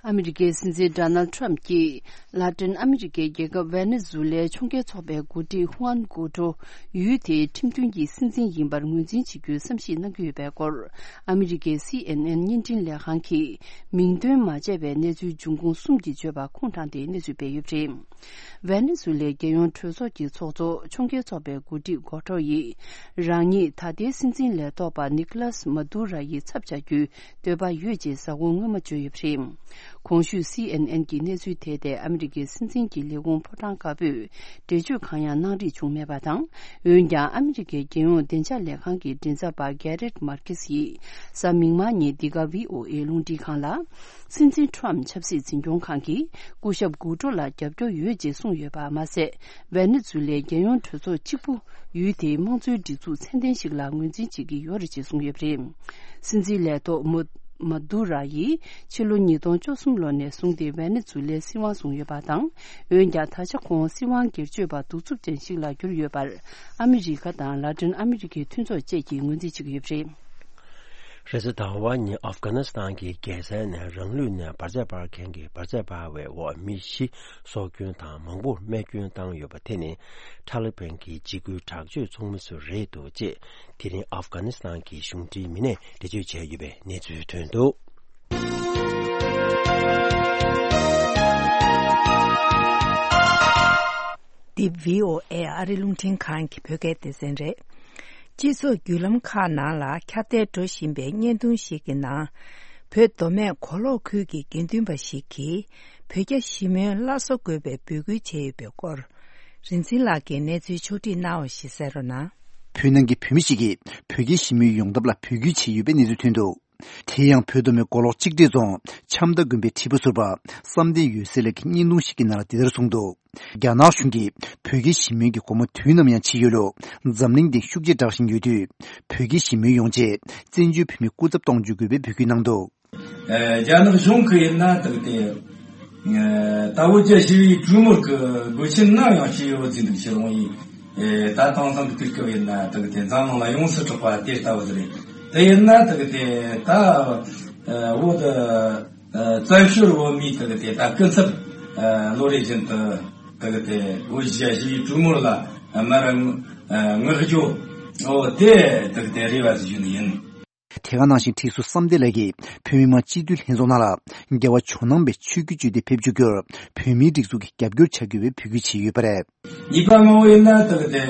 ཨ་མི་རི་ཀའི་སྲིད་འཛིན་ཌོ་ནལ་ཌི་ཊརམ་གྱིས་ལ་ཏིན་ཨ་མི་རི་ཀའི་རྒྱལ་ཁབ་ཝེ་ནེ་ཛུ་ལའི་ཕྱོགས་འགལ་ཚོགས་པའི་འགོ་ཁྲིད་ཧུའན་གུའུ་ཀྲོ་ཡུལ་དེའི་ཁྲིམས་མཐུན་གྱི་སྲིད་འཛིན་ཡིན་པར་ངོས་འཛིན་བྱེད་རྒྱུའི་བསམ་གཞིག་གནང་གི་ཡོད་པའི་སྐོར། ཨ་མི་རི་ཀའི་སི་ཨེན་ཨེན་བརྙན་འཕྲིན་ལས་ཁང་གིས་མིང་འདོན་མ་བྱས་པའི་གནས་ཚུལ་འབྱུང་ཁུངས་གསུམ་གྱིས་བརྗོད་པ་ཁུངས་དྲངས་ཏེ་གནས་ཚུལ་སྤེལ་ཡོད་པ་རེད། ཝེ་ནེ་ཛུ་ལའི་རྒྱལ་ཡོངས་གྲོས་ཚོགས་ཀྱི་ཚོགས་གཙོ་ཕྱོགས་འགལ་ཚོགས་པའི་འགོ་ཁྲིད་གོ་ཏྲོ་ཡིས། རང་ཉིད་ད་ལྟའི་སྲིད་འཛིན་ལས་ཐོག་པ་ནི་ཀོ་ལཱས་མ་དུ་ར་ཡི་ཚབ་བྱ་རྒྱུའི་འདོད་པ་ཡོད་ཅེས་གཟའ་འཁོར་སྔོན་མ་བརྗོད་ཡོད་པ་རེད། གོང་ཞུས་སི་ཨེན་ཨེན་གྱིས་གནས་ཚུལ་དེ་ཐད་ཨ་མི་རི་ཀའི་སྲིད་འཛིན་གྱི་ལས་ཁུངས་ཕོ་བྲང་དཀར་པོས་འགྲེལ་བརྗོད་གང་ཡང་གནང་རིགས་བྱུང་མེད་པ་དང་། འོན་ཀྱང་ཨ་མི་རི་ཀའི་རྒྱལ་ཡོངས་བདེ་འཇགས་ལས་ཁང་གི་མགྲིན་ཚབ་པ་གྷེ་རེད་མར་ཁེ་སི་ཡིས་གཟའ་མིག་དམར་ཉིན་འདི་ག་བྷི་ཨོ་ཨེ་རླུང་འཕྲིན་ཁང་ལ། སྲིད་འཛིན་ཊརམ་ཆབ་སྲིད་འཛིན་སྐྱོང་ཁང་གིས་སྐུ་ཞབས་གུའུ་ཀྲོ་ལ་རྒྱབ་སྐྱོར་ཡོད་ཅེས་གསུངས་ཡོད་པ་མ་ཟད། ཝེ་ནེ་ཛུ་ལའི་རྒྱལ་ཡོངས་གྲོས་ཚོགས་གཅིག་པུ་ཡུལ་དེའི་དམངས་གཙོའི་སྒྲིག་འཛུགས་ཚད་ལྡན་ཞིག་ལ་ངོས་འཛིན་བྱེད་ཀྱི་ཡོད་རེད་ཅེས་གསུངས་ཡོད་པ་རེད། སྲིད་འཛིན་ལས་ཐོག་མུ་མ་དུ་ར་ཡིས་ཕྱི་ལོ་ཉིས་སྟོང་བཅུ་གསུམ་ལོ་ནས་བཟུང་སྟེ་ཝེ་ནེ་ཛུ་ལའི་སྲིད་དབང་བཟུང་ཡོད་པ་དང་། འོན་ཀྱང་ད་ཆ་ཁོང་སྲིད་དབང་སྒེར་གཅོད་པ་གདུག་རྩུབ་ཅན་ཞིག་ལ་གྱུར་ཡོད་པར། ཨ་མི་རི་ཀ་དང་ལ་ཏིན་ཨ་མི་རི་ཀའི་མཐུན་ཚོགས་བཅས་ཀྱིས་ངོས་འཛིན་བྱེད་ཀྱི་ཡོད་པ་རེད། རེས་གཟའ་ཟླ་བ་ཉིན་ཨབ་གྷ་ནི་སི་ཐན་གྱི་རྒྱལ་ས་ནས་རང་ལུས་ནས་འབར་རྫས་སྤར་མཁན་གྱི་འབར་རྫས་སྤར་བའི་འོག་མི་བཞི་སྲོག་སྐྱོན་དང་མང་པོར་རྨས་སྐྱོན་བཏང་ཡོད་པ་དེ་ནི་ཐ་ལི་བན་གྱི་འཇིགས་སྐུལ་དྲག་སྤྱོད་ཚོགས་མི་ཚོ་རེད་འདུག་ཅེས་དེ་རིང་ཨབ་གྷ་ནི་སི་ཐན་གྱི་གཞུང་འབྲེལ་མི་སྣས་འགྲེལ་བརྗོད་བྱས་ཡོད་པའི་གནས་ཚུལ་ཐོན་འདུག་འདི་བྷི་ཨོ་ཨེ་ཨ་རི་རླུང་འཕྲིན་ཁང་གི་བོད་སྐད་སྡེ་ཚན་རེད། སྤྱི་ཚོགས་བརྒྱུད་ལམ་ཁག་ནང་ལ་ཁྱབ་གདལ་འགྲོ་བཞིན་པའི་བརྙན་ཐུང་ཞིག་གི་ནང་། བོད་མདོ་སྨད་མགོ་ལོག་ཁུལ་གྱི་དགེ་འདུན་པ་ཞིག་གིས་བོད་རྒྱ་ཞི་མོལ་སླར་གསོ་དགོས་པའི་འབོད་སྐུལ་བྱས་ཡོད་པའི་སྐོར། རིན་ཆེན་ལགས་ཀྱིས་གནས་ཚུལ་ཕྱོགས་སྒྲིག་གནང་བ་ཞིག་གསན་རོགས་གནང་། བོད་ནང་གི་བོད་མི་ཞིག་གིས་བོད་རྒྱའི་ཞི་མོལ་ཡོང་ཐབས་ལ་འབོད་སྐུལ་བྱས་ཡོད་པའི་གནས་ཚུལ་ཐོན་འདུག་དེ་ཡང་བོད་མདོ་སྨད་མགོ་ལོག་གཅིག་སྒྲིལ་རྫོང་ཆམ་མདའ་དགོན་པའི་ཁྲི་པ་ཟུར་པ་བསམ་གཏན་འོད་ཟེར་ལགས་ཀྱིས་བརྙན་ཐུང་ཞིག་གི་ནང་ལ་འདི་ལྟར་གསུངས་འདུག་རྒྱ་ནག་གཞུང་གིས་བོད་རྒྱའི་ཞི་མོལ་གྱི་སྒོ་མོ་དུས་ནམ་ཡང་ཕྱེ་ཡོད་ལུགས་འཛམ་གླིང་སྟེང་ཤུགས་ཆེ་བསྒྲགས་བཞིན་ཡོད་དུས། བོད་རྒྱའི་ཞི་མོལ་ཡོང་ཆེད་བཙན་བྱོལ་བོད་མི་སྐུ་ཚབ་གཏོང་འཇུག་དགོས་པའི་འབོད་སྐུལ་གནང་འདུག་ཨ། རྒྱ་ནག་གཞུང་གིས་ཡིན་ན་དག་དེ། ཨ། ད་བོད་རྒྱ་ཞི་བའི་གྲོས་མོལ་གྱི་དགོས་ཆེན་ནམ་ཡང་ཞིག་ཡོད་ཟིན་འདུག་ཕྱི་རོང་ཡིན། ཨ། ད་དེང་སང་གི་དུས་སྐབས་ཡིན་ན་དག་དེ་འཛམ་གླིང་ལ་ཡོངས་སུ་གྲགས་པ་དེ་ལྟ་བུ་ཟིག་རེད། དེ་ཡིན་ན་དག་དེ་ད་ཨ། བོད་ཨ། བཙན་བྱོལ་བོད་མིའི་དག་དེ་ད་སྐུ་ཚབ་ཨ། ལོ་རེ་བཞིན་དུ་དག་དེ་བོད་རྒྱ་ཞི་བའི་གྲོས་མོལ་ལ་ཨ། མར་ཨ། ངོ་སྦྱོར་འོ་དེ་དག་དེ་རེ་བ་ཟིག་ཞུ་ནི་ཡིན། དེ་ག་ནང་བཞིན་ཁྲི་ཟུར་བསམ་གཏན་ལགས་ཀྱིས་བོད་མི་མང་སྤྱི་འཐུས་ལྷན་ཚོགས་ནང་ལ་རྒྱལ་བ་ཇོ་ནང་པའི་ཆོས་བརྒྱུད་སྤྱོད་དེ་ཕེབས་བཅུག་རྒྱུར་བོད་མིའི་སྒྲིག་འཛུགས་ཀྱིས་རྒྱབ་སྐྱོར་བྱ་དགོས་པའི་འབོད་སྐུལ་བྱས་ཡོད་པ་རེད། ཉིས་པ་མང་བོ་ཡིན་ན་དག་དེ་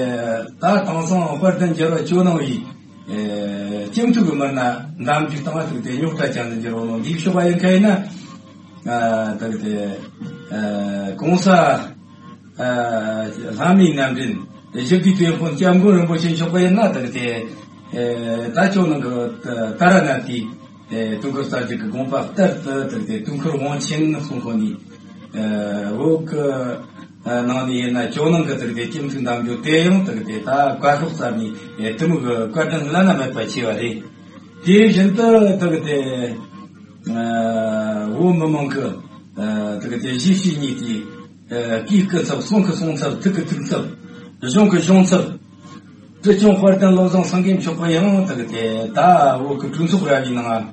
ད་དེང་སང་དཔལ་ལྡན་རྒྱལ་བ་ཇོ་ནང་པའི་ཨེ། སྤྱི་འཐུས་ཀྱི་མི་སྣ་འདེམས་རྒྱུ་དང་དག་དེ་རྙོག་དྲ་ཅན་དུ་འགྱུར་བ་ནང་འདིའི་ཕྱོགས་པ་ཡིན་མཁན་ཡིན་ན། ཨ། དག་དེ་ཨ། གོང་ས་ཨ། ལྷ་མིའི་རྣམ་འདྲེན་ཞི་བདེའི་དེད་དཔོན་སྐྱབས་མགོན་རིན་པོ་ཆེ་མཆོག་པ་ཡིན་ན་དག་དེ་ཨེ། ད་ཇོ་ནང་གི་ད་ར་ནཱ་ཐའི་ཨེ། དུས་འཁོར་གསར་བརྗེ་གི་དགོངས་པ་ལྟར་དུ་དག་དེ་དུས་འཁོར་དབང་ཆེན་གསུང་ཁོ་ནི་ཨེ། བོད་གི་ཨེ། ནང་ནས་ཡིན་ན་ཇོ་ནང་གི་དག་དེ་སྤྱི་འཐུས་འདེམས་རྒྱུ་དེ་ཡང་དག་དེ་ད་བཀའ་ཤོག་ཙམ་ནས་ཨེ། དེ་མོ་གི་བཀའ་དྲིན་བླ་ན་མེད་པ་ཆེ་བ་རེད། དེ་བཞིན་དུ་དག་དེ་ཨ། བོད་མི་མང་གི་ཨ། དག་དེ་གཞིས་བྱེས་གཉིས་ཀྱི་ཨ། སྐུའི་སྐུ་ཚབ། སྲུང་གི་སྲུང་ཚབ། ཐུགས་ཀྱི་ཐུགས་ཚབ། གཞུང་གི་གཞུང་ཚབ། ཁྲི་སྐྱོང་དཔལ་ལྡན་བློ་བཟང་སེང་གེ་མཆོག་པ་ཡང་དག་དེ་ད་བོད་ཀྱི་གྲོས་ཚོགས་ར་བའི་ནང་ཨ།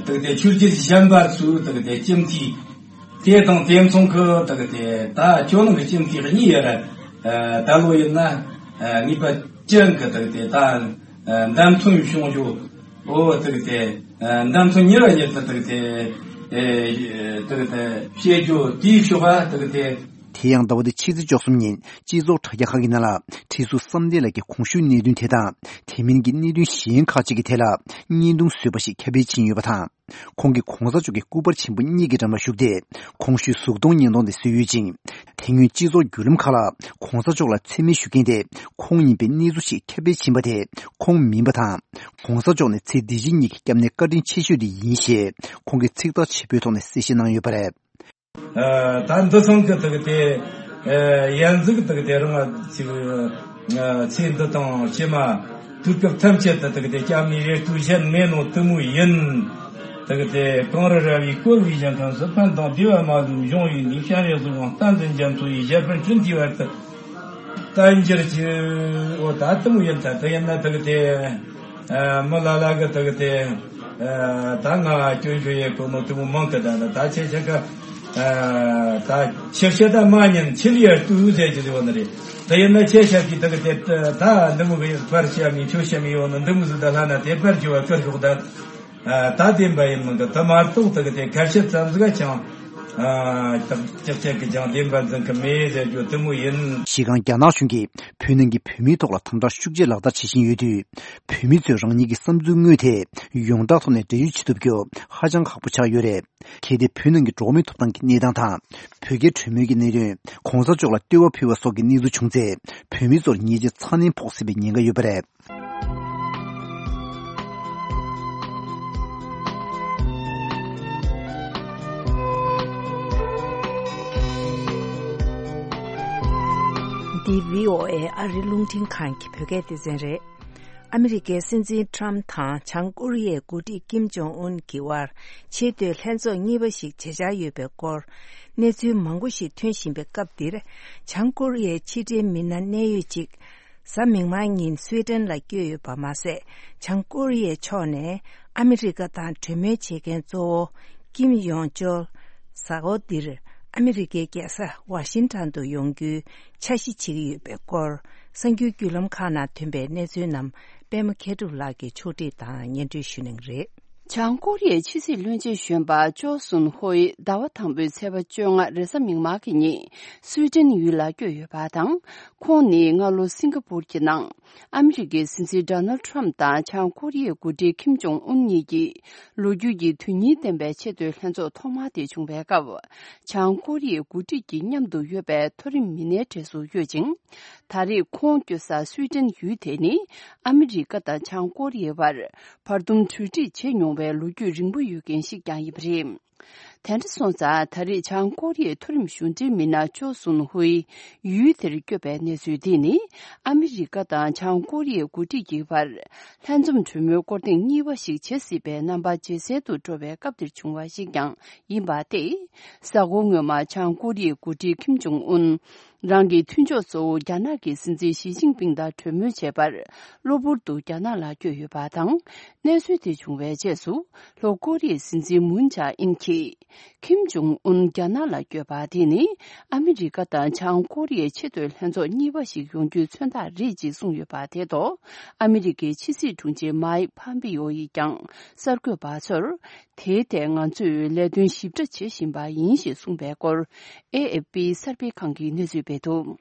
དག་དེ་ཆོས་བརྒྱུད་གཞན་པ་ཚོའི་དག་དེ་སྤྱི་འཐུས་ དེ་དང་དེ་མཚུངས་ཀྱི་དག་དེ་ད་ཇོ་ནང་གི་སྤྱི་འཐུས་གཉིས་ཡོད་རེད། ད་ལོ་ཡིན་ན་ངེས་པ་ཅན་གྱི་དག་དེ་ད་མདའ་མཐུན་བྱུང་རྒྱུ། འོ་དག་དེ་མདའ་མཐུན་གཉིས་ལ་གཉིས་དག་དེ་དག་དེ་བཤད་རྒྱུ་དེའི་ཤོག་པ་དག་དེ། དེ་ཡང་ཟླ་བ་འདི་ཕྱི་ཚེས་བཅུ་གསུམ་ཉིན་སྤྱི་ཚོགས་དྲ་རྒྱ་ཁག་གི་ནང་ལ་ཁྲི་ཟུར་བསམ་གཏན་ལགས་ཀྱི་གོང་ཞུས་གནད་དོན་དེ་དང་དེ་མིན་གྱི་གནད་དོན་གཞན་ཁག་ཅིག་གི་ཐད་ལ་བརྙན་ཐུང་བཟོས་པ་ཞིག་ཁྱབ་སྤེལ་ཕྱིན་ཡོད་པ་དང་། ཁོང་གིས་གོང་ས་མཆོག་གི་སྐུ་པར་ཆེན་པོ་གཉིས་ཀྱི་འགྲམ་ལ་བཞུགས་ཏེ་གོང་ཞུས་གཟུགས་མཐོང་བརྙན་ཐུང་དེ་བཟོས་ཡོད་ཅིང་། དེ་སྔོན་སྤྱི་ཚོགས་བརྒྱུད་ལམ་ཁག་ལ་གོང་ས་མཆོག་ལ་མཚན་སྨད་ཞུ་མཁན་དེ་ཁོང་ཡིན་པའི་གནས་ཚུལ་ཞིག་ཁྱབ་སྤེལ་ཕྱིན་པ་དེ་ཁོང་མིན་པ་དང་། གོང་ས་མཆོག་ནས་ཚེ་འདི་ཕྱི་གཉིས་ཀྱི་སྐྱབས་གནས་བཀའ་དྲིན་ཆེ་ཤོས་དེ་ཡིན་ཞེས་ཁོང་གིས་ཚིག་ཐག་ཆོད་པོའི་ཐོག་ནས་གསལ་བཤད་གནང་ཡོད་པ་རེད། ད་འདི་ཚང་གི་དག་དེ་ཡན་ཟིག་དག་དེ་རང་ཅིག་ཚེ་འདི་དང་ཕྱི་མ་དུས་སྐབས་ཐམས་ཅད་དུ་དག་དེ་སྐྱབས་གནས་རེ་ལྟོས་བྱེད་མེད་ནོ་དེ་མོ་ཡིན། དག་དེ་གངས་རི་ར་བས་བསྐོར་བའི་ཞིང་ཁམས་སུ་ཕན་དང་བདེ་བ་མ་ལུས་འབྱུང་བའི་གནས། སྤྱན་རས་གཟིགས་དབང་བསྟན་འཛིན་རྒྱ་མཚོ་ཡི་ཞབས་པད་སྤྲིན་གྱི་བར་དུ་བརྟན་གྱུར་ཅིག་འོ་ད་དེ་མོ་ཡིན་ད་དེ་ཡིན་ན་དག་དེ། མི་ལ་ལ་གི་དག་དེ། ད་ང་སྐྱོན་བརྗོད་ཡེ་གོ་ནོ་དེ་མོ་མང་གི་ད་ད་ད་ཆེ་ཆེ་ག་ད་ཆེ་ཆེ་ད་མ་ཉན་ཆེ་ལི་ཡར་ཏུ་ཟེར་གྱི་ཡོད་ནི་རེད། དེ་ཡིན་ན་ཆེ་ཆེ་གི་དག་དེ་ད་འདི་མོ་གི་པར་བཤད་མི་ཁྱོད་བཤད་མི་ཡོད་ནི་འདི་མོ་ཟིག་ད་ལྷ་ན་དེ་པར་གྱི་བ་ཀར་ཞོག་ད། ད་བདེན་པ་ཡིན་མིན་གི་དེ་མ་གཏོགས་དག་དེ་ཁ་བཤད་ཙམ་ཟིག་ཀྱང་། ཨ། ཏག་ཅག་ཅག་གི་ཀྱང་བདེན་པ་འཛིན་གི་མེད་ཟེར་རྒྱུ་དེ་མོ་ཡིན། གཞི་རྐང་རྒྱ་ནག་གཞུང་གིས་བོད་ནང་གི་བོད་མིའི་ཐོག་ལ་དམ་དྲག་ཤུགས་ཆེ་ལག་བསྟར་བྱེད་བཞིན་ཡོད་དུས། བོད་མི་ཚོས་རང་ཉིད་ཀྱི་བསམ་ཚུལ་དངོས་དེ་ཡོངས་གྲགས་ཐོག་ནས་འབྲེལ་ཡོད་བྱེད་ཐུབ་རྒྱུ་ཧ་ཅང་ཁག་པོ་ཆགས་ཡོད་རེད། གལ་ཏེ་བོད་ནང་གི་འགྲོ་བ་མིའི་ཐོབ་ཐང་གི་གནས་སྟངས་དང་། བོད་རྒྱའི་གྲོས་མོལ་གྱི་གནད་དོན། གོང་ས་མཆོག་ལ་བསྟོད་པ་ཕུལ་བ་སོགས་ཀྱི་གནས་ཚུལ་བྱུང་ཚེ། བོད་མི་ཚོར་ཉེས་ཆད་ཚ་ནན་ཕོག་སྲིད་པའི་ཉེན་ཁ་ཡོད་པ་རེད། འདི་བྷི་ཨོ་ཨེ་ཨ་རིའི་རླུང་འཕྲིན་ཁང་གི་བོད་སྐད་སྡེ་ཚན་རེད། ཨ་མི་རི་ཀའི་སྲིད་འཛིན་ཁྲམ་དང་བྱང་ཀོ་རི་ཡའི་འགོ་ཁྲིད་ཀིམ་ཇོང་ཨུན་གྱི་དབར་ཆེས་མཐོའི་ལྷན་ཚོགས་གཉིས་པ་ཞིག་བྱེད་འཆར་ཡོད་པའི་སྐོར་གནས་ཚུལ་མང་པོ་ཞིག་ཐོན་བཞིན་པའི་སྐབས་འདིར། བྱང་ཀོ་རི་ཡའི་ཕྱི་འབྲེལ་མི་སྣ་གནད་ཡོད་ཅིག་གཟའ་མིག་དམར་ཉིན་སུའེ་ཏེན་ལ་བསྐྱོད་ཡོད་པ་མ་ཟད། བྱང་ཀོ་རི་ཡའི་ཕྱོགས་ནས་ཨ་མི་རི་ཀ་དང་གྲོས་མོལ་བྱེད་མཁན་གཙོ་བོ་ཀིམ་ཡོང་ཅོལ་གཟའ་འཁོར་འདིར་ཨ་མི་རི་ཀའི་རྒྱལ་ས་ཝ་ཤིང་ཊོན་དུ་ཡོང་རྒྱུའི་འཆར་གཞི་བྱེད་ཀྱི་ཡོད་པའི་སྐོར། གསར་འགྱུར་བརྒྱུད་ལམ་ཁག་ནང་ཐོན་པའི་གནས་ཚུལ་རྣམས་པད་མ་མཁས་གྲུབ་ལགས་ཀྱིས་ཕྱོགས་སྒྲིག་དང་སྙན་སྒྲོན་ཞུ་གནང་གི་རེད། བྱང་ཀོ་རི་ཡའི་ཕྱི་སྲིད་བློན་ཆེན་གཞོན་པ་ཅོ་སུན་ཧོའེ་ཟླ་བ་དང་པོའི་ཚེས་པ་བཅོ་ལྔ་རེས་གཟའ་མིག་དམར་གྱི་ཉིན་སུའེ་ཏེན་ཡུལ་ལ་བསྐྱོད་ཡོད་པ་དང་། ཁོང་ནི་སྔ་ལོ་སིང་ག་པུར་གྱི་ནང་ཨ་མི་རི་ཀའི་སྲིད་འཛིན་ཌོ་ནལ་ཁྲམ་དང་བྱང་ཀོ་རི་ཡའི་འགོ་ཁྲིད་ཁིམ་ཇོང་ཨུན་གཉིས་ཀྱིས་ལོ་རྒྱུས་ཀྱི་དོན་སྙིང་ལྡན་པའི་ཆེས་མཐོའི་ལྷན་ཚོགས་ཐོག་མ་དེ་བྱུང་བའི་སྐབས། བྱང་ཀོ་རི་ཡའི་འགོ་ཁྲིད་ཀྱི་མཉམ་དུ་ཡོད་པའི་མཐོ་རིམ་མི་སྣའི་གྲས་སུ་ཡོད་ཅིང་། ད་རེས་ཁོང་བསྐྱོད་ས་སུའེ་ཏེན་ཡུལ་དེ་ནི་ཨ་མི་རི་ཀ་དང་བྱང་ཀོ་རི་ཡའི་བར་བར་འདུམ་གྲོས་འགྲིག་བྱེད་མྱོང་བའི་ལོ་རྒྱུས་རིང་པོ་ཡོད་མཁན་ཞིག་ཀྱང་ཡིན་པ་རེད། དེ་འདྲ་སོང་ཙང་ད་རེས་བྱང་ཀོ་རི་ཡའི་མཐོ་རིམ་གཞུང་འབྲེལ་མི་སྣ་ཅོ་སུན་ཧུའེ་ཡུལ་དེར་བསྐྱོད་པའི་གནས་ཚུལ་འདི་ནི་ཨ་མི་རི་ཀ་དང་བྱང་ཀོ་རི་ཡའི་འགོ་ཁྲིད་ཀྱི་བར་ལྷན་འཛོམས་གྲོས་མོལ་སྐོར་ཐེངས་གཉིས་པ་ཞིག་བྱེད་སྲིད་པའི་རྣམ་པ་ཇེ་གསལ་དུ་འགྲོ་བའི་སྐབས་འདིར་བྱུང་བ་ཞིག་ཀྱང་ཡིན་པ་སྟེ། གཟའ་འཁོར་སྔོན་མ་བྱང་ཀོ་རི་ཡའི་འགོ་ཁྲིད་ཁིམ་ཇོང་ཨུན། རང་གི་མཐུན་ཕྱོགས་གཙོ་བོ་རྒྱ་ནག་གི་སྲིད་འཛིན་ཞི་ཅིན་ཕིང་དང་གྲོས་མོལ་བྱེད་པར་གློ་བུར་དུ་རྒྱ་ནག་ལ་བསྐྱོད་ཡོད་པ་དང་། གནས་ཚུལ་དེ་བྱུང་བའི་རྗེས་སུ། ལྷོ་ཀོ་རི་ཡའི་སྲིད་འཛིན་མུན་ཇཱ་ཨིན་གྱིས། ཁིམ་ཇོང་ཨུན་རྒྱ་ནག་ལ་བསྐྱོད་པ་དེ་ནི། ཨ་མི་རི་ཀ་དང་བྱང་ཀོ་རི་ཡའི་ཆེས་མཐོའི་ལྷན་ཚོགས་གཉིས་པ་ཞིག་ཡོང་རྒྱུའི་མཚོན་རྟགས་རེད་ཅེས་གསུངས་ཡོད་པ་དེ་ཐོག་ཨ་མི་རི་ཀའི་ཕྱི་སྲིད་དྲུང་ཆེ་མཱིག་ཕམ་པི་ཡོ་ཡིས་ཀྱང་གསར་འགོད་པ་ཚོར། དེའི་ཐད་ང་ཚོས་ལས་དོན་ཞིབ་ཕྲ་བྱེད་བཞིན་པ་ཡིན་ཞེས་གསུངས་པའི་སྐོར། ཨེ་ཨེཕ་པི་གསར་སྤེལ་ཁང་གིས་གནས་ཚུལ་སྤེལ་འདུག་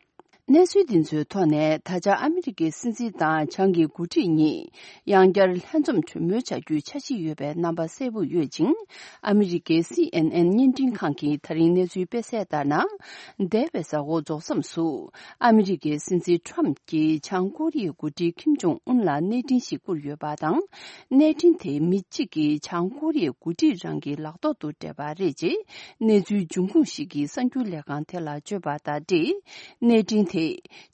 གནས་ཚུལ་འདི་ཚོའི་ཐོག་ནས། ད་ཆ་ཨ་མི་རི་ཀའི་སྲིད་འཛིན་དང་བྱང་གི་འགོ་ཁྲིད་གཉིས་ཡང་བསྐྱར་ལྷན་འཛོམས་གྲོས་མོལ་བྱ་རྒྱུའི་འཆར་གཞི་ཡོད་པའི་རྣམ་པ་གསལ་པོ་ཡོད་ཅིང་། ཨ་མི་རི་ཀའི་སི་ཨེན་ཨེན་བརྙན་འཕྲིན་ཁང་གིས་ད་རིང་གནས་ཚུལ་སྤེལ་གསལ་ལྟར་ན། འདས་པའི་གཟའ་འཁོར་རྫོགས་མཚམས་སུ། ཨ་མི་རི་ཀའི་སྲིད་འཛིན་ཁྲམ་གྱིས་བྱང་ཀོ་རི་ཡའི་འགོ་ཁྲིད་ཁིམ་ཇོང་ཨུན་ལ་གནས་འཕྲིན་ཞིག་བསྐུར་ཡོད་པ་དང་། གནས་འཕྲིན་དེ་མི་གཅིག་གིས་བྱང་ཀོ་རི་ཡའི་འགོ་ཁྲིད་རང་གི་ལག་ཐོག་ཏུ་སྤྲད་པ་རེད་ཅེས་གནས་ཚུལ་འབྱུང་ཁུངས་ཤིག་གིས་གསར་འགྱུར་ལས་ཁང་དེ་ལ་བརྗོད་པ་དང་འབྲེལ། གནས་འཕྲིན་དེ་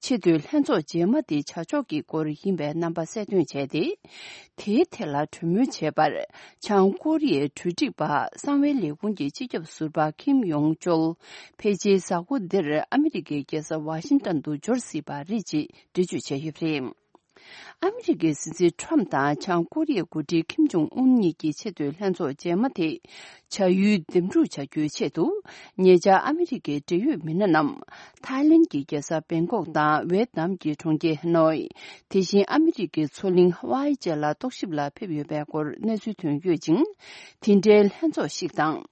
ཆེས་མཐོའི་ལྷན་ཚོགས་རྗེས་མ་དེ་བྱ་ཕྱོགས་ཀྱི་སྐོར་ཡིན་པའི་རྣམ་པ་གསལ་སྟོན་བྱས་ཏེ། དེའི་ཐད་ལ་གྲོས་མོལ་བྱེད་པར་བྱང་ཀོ་རི་ཡའི་གྲོས་སྒྲིག་པ་གསང་བའི་ལས་ཁུངས་ཀྱི་སྤྱི་ཁྱབ་ཟུར་པ་ཁིམ་ཡོང་ཅོལ་ཕལ་ཆེར་གཟའ་འཁོར་འདིར་ཨ་མི་རི་ཀའི་རྒྱལ་ས་ཝ་ཤིང་ཏོན་དུ་འབྱོར་སྲིད་པ་རེད་ཅེས་འགྲེལ་བརྗོད་བྱས་ཡོད་པ་རེད། ཨ་མི་རི་ཀའི་སྲིད་འཛིན་ཁྲོམ་དང་བྱང་ཀོ་རི་ཡའི་འགོ་ཁྲིད་ཁིམ་ཇོང་ཨུན་གཉིས་ཀྱི་ཆེས་མཐོའི་ལྷན་ཚོགས་རྗེས་མ་དེ་བྱ་ཡུལ་འདེམས་སྒྲུག་བྱ་རྒྱུའི་ཆེད་དུ། ཉེ་ཆར་ཨ་མི་རི་ཀའི་འབྲེལ་ཡོད་མི་སྣ་རྣམས་ཐའི་ལེན་གྱི་རྒྱལ་ས་བེང་ཀོག་དང་ཝེད་ནམ་གྱི་གྲོང་ཁྱེར་ཧ་ནོའི། དེ་བཞིན་ཨ་མི་རི་ཀའི་མཚོ་གླིང་ཧ་ཝའི་བཅས་ལ་རྟོག་ཞིབ་ལ་ཕེབས་ཡོད་པའི་སྐོར་གནས་ཚུལ་ཐོན་ཡོད་ཅིང་། དེ་འདྲའི་ལྷན་ཚོགས་ཤིག་དང་།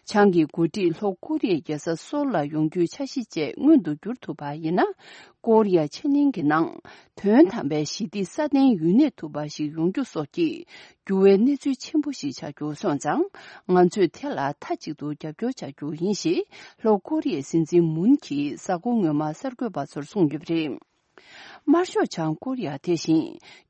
བྱང་གི་འགོ་ཁྲིད་ལྷོ་ཀོ་རི་ཡའི་རྒྱལ་ས་སོལ་ལ་ཡོང་རྒྱུའི་འཆར་གཞི་བཅས་མངོན་དུ་འགྱུར་ཐུབ་པ་ཡིན་ན། ཀོ་རི་ཡ་ཕྱེད་གླིང་གི་ནང་དོན་དམ་པའི་ཞི་བདེ་སྲ་བརྟན་ཡུན་གནས་ཐུབ་པ་ཞིག་ཡོང་རྒྱུ་སོགས་ཀྱི་འགྱུར་བའི་གནས་ཚུལ་ཆེན་པོ་ཞིག་ཆགས་རྒྱུ་སོང་ཙང་། ང་ཚོས་དེ་ལ་མཐའ་གཅིག་ཏུ་རྒྱབ་སྐྱོར་བྱ་རྒྱུ་ཡིན་ཞེས་ལྷོ་ཀོ་རི་ཡའི་སྲིད་འཛིན་མུན་གྱིས་གཟའ་འཁོར་སྔོན་མ་གསར་འགོད་པ་ཚོར་གསུངས་ཡོད་པ་རེད། དམར་ཤོག་བྱང་ཀོ་རི་ཡ་དེ་བཞིན་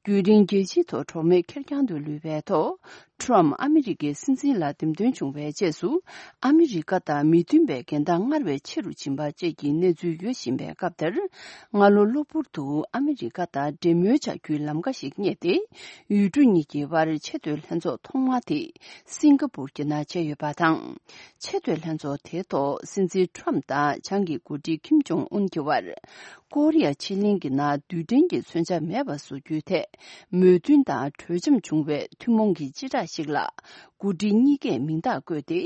རྒྱུན་རིང་རྒྱལ་སྤྱིའི་ཐོག་གྲོགས་མེད་ཁེར་རྐྱང་དུ་ལུས་པའི་ཐོག། ཁྲོམ་ཨ་མི་རི་ཀའི་སྲིད་འཛིན་ལ་འདེམས་ཐོན་བྱུང་བའི་རྗེས་སུ། ཨ་མི་རི་ཀ་དང་མི་མཐུན་པའི་འགལ་ཟླ་སྔར་བས་ཆེ་རུ་ཕྱིན་པ་བཅས་ཀྱི་གནས་ཚུལ་ཡོད་བཞིན་པའི་སྐབས་དེར། སྔ་ལོ་གློ་བུར་དུ་ཨ་མི་རི་ཀ་དང་འབྲེལ་མོལ་བྱ་རྒྱུའི་ལམ་ཁ་ཞིག་རྙེད་དེ། ཡུལ་གྲུ་གཉིས་ཀྱི་དབར་ཆེས་མཐོའི་ལྷན་ཚོགས་ཐོག་མ་དེ་སིང་ག་པུར་གྱི་ནང་བྱས་ཡོད་པ་དང་། ཆེས་མཐོའི་ལྷན་ཚོགས་དེའི་ཐོག་སྲིད་འཛིན་ཁྲོམ་དང་བྱང་གི་འགོ་ཁྲིད་ཁིམ་ཇོང་ཨུན་གྱི་དབར། ཀོ་རི་ཡ་ཕྱེད་གླིང་གི་ནང་རྡུལ་ཕྲན་གྱི་མཚོན་ཆ་མེད་པ་བཟོ་རྒྱུའི་ཐད་མོས་མཐུན་དང་གྲོས་འཆམ་བྱུང་བའི་ཐུན་མོང་གི་སྤྱི་བསྒྲགས་ཤིག་ལ། འགོ་ཁྲིད་གཉིས་ཀས་མིང་རྟགས་བཀོད་དེ།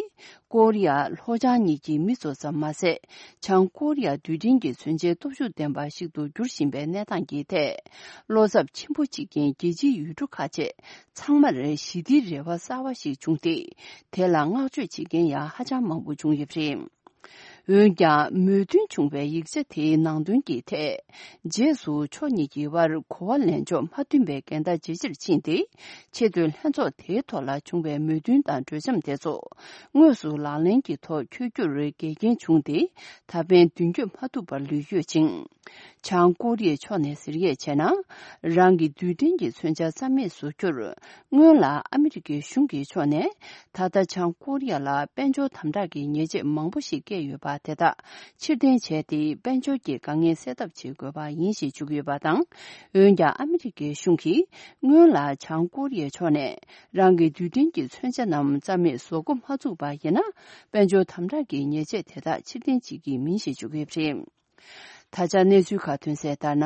ཀོ་རི་ཡ་ལྷོ་བྱང་གཉིས་ཀྱི་མི་ཚོ་ཙམ་མ་ཟད། བྱང་ཀོ་རི་ཡ་རྡུལ་ཕྲན་གྱི་མཚོན་ཆའི་སྟོབས་ཤུགས་ལྡན་པ་ཞིག་ཏུ་འགྱུར་བཞིན་པའི་གནས་སྟངས་ཀྱི་ཐད། བློ་འཚབ་ཆེན་པོ་བྱེད་མཁན་རྒྱལ་སྤྱིའི་ཡུལ་གྲུ་ཁག་ཅིག་ཚང་མར་ཞི་བདེའི་རེ་བ་གསར་བ་ཞིག་བྱུང་སྟེ། དེ་ལ་བསྔགས་བརྗོད་བྱེད་མཁན་ཡང་ཧ་ཅང་མང་པོ་བྱུང་ཡོད་པ་རེད། འོན་ཀྱང་མོས་མཐུན་བྱུང་བའི་ཡིག་ཆ་དེའི་ནང་དོན་གྱི་ཐད། རྗེས་སུ་ཕྱོགས་གཉིས་ཀྱི་དབར་གོ་བ་ལེན་ཕྱོགས་མ་མཐུན་པའི་འགལ་ཟླ་ཇེ་ཆེར་ཕྱིན་ཏེ། ཆེས་མཐོའི་ལྷན་ཚོགས་དེའི་ཐོག་ལ་བྱུང་བའི་མོས་མཐུན་དང་གྲོས་འཆམ་དེ་ཚོ་དངོས་སུ་ལག་ལེན་གྱི་ཐོག་འཁྱོལ་རྒྱུར་འགལ་རྐྱེན་བྱུང་སྟེ། ད་ཕན་མདུན་སྐྱོད་མ་ཐུབ་པར་ལུས་ཡོད་ཅིང་། བྱང་ཀོ་རི་ཡའི་ཕྱོགས་ནས་ཟེར་ཡས་བྱས་ན། རང་གི་རྡུལ་ཕྲན་གྱི་མཚོན་ཆ་རྩ་མེད་བཟོ་རྒྱུར། སྔོན་ལ་ཨ་མི་རི་ཀའི་གཞུང་གི་ཕྱོགས་ནས། ད་ལྟ་བྱང་ཀོ་རི་ཡ་ལ་དཔལ་འབྱོར་དམ་དྲག་གི་ཉེས་ཆད་མང་པོ་ཞིག་བཀལ་ཡོད་པ་དེ་དག་ཕྱིར་འཐེན་བྱས་ཏེ། དཔལ་འབྱོར་གྱི་དཀའ་ངལ་སེལ་ཐབས་བྱེད་དགོས་པ་ཡིན་ཞེས་བརྗོད་ཀྱི་ཡོད་པ་དང་། འོན་ཀྱང་ཨ་མི་རི་ཀའི་གཞུང་གིས་སྔོན་ལ་བྱང་ཀོ་རི་ཡའི་ཕྱོགས་ནས་རང་གི་རྡུལ་ཕྲན་གྱི་མཚོན་ཆ་རྣམས་རྩ་མེད་བཟོ་འགོ་མ་བཙུགས་པ་ཡིན་ན། དཔལ་འབྱོར་དམ་དྲག་གི་ཉེས་ཆད་དེ་དག་ཕྱིར་འཐེན་བྱེད་ཀྱི་མིན་ཞེས་བརྗོད་ཀྱི་ཡོད་པ་རེད། ད་ཆ་གནས་ཚུལ་ཁག་ཐོན་གསལ་ལྟར་ན།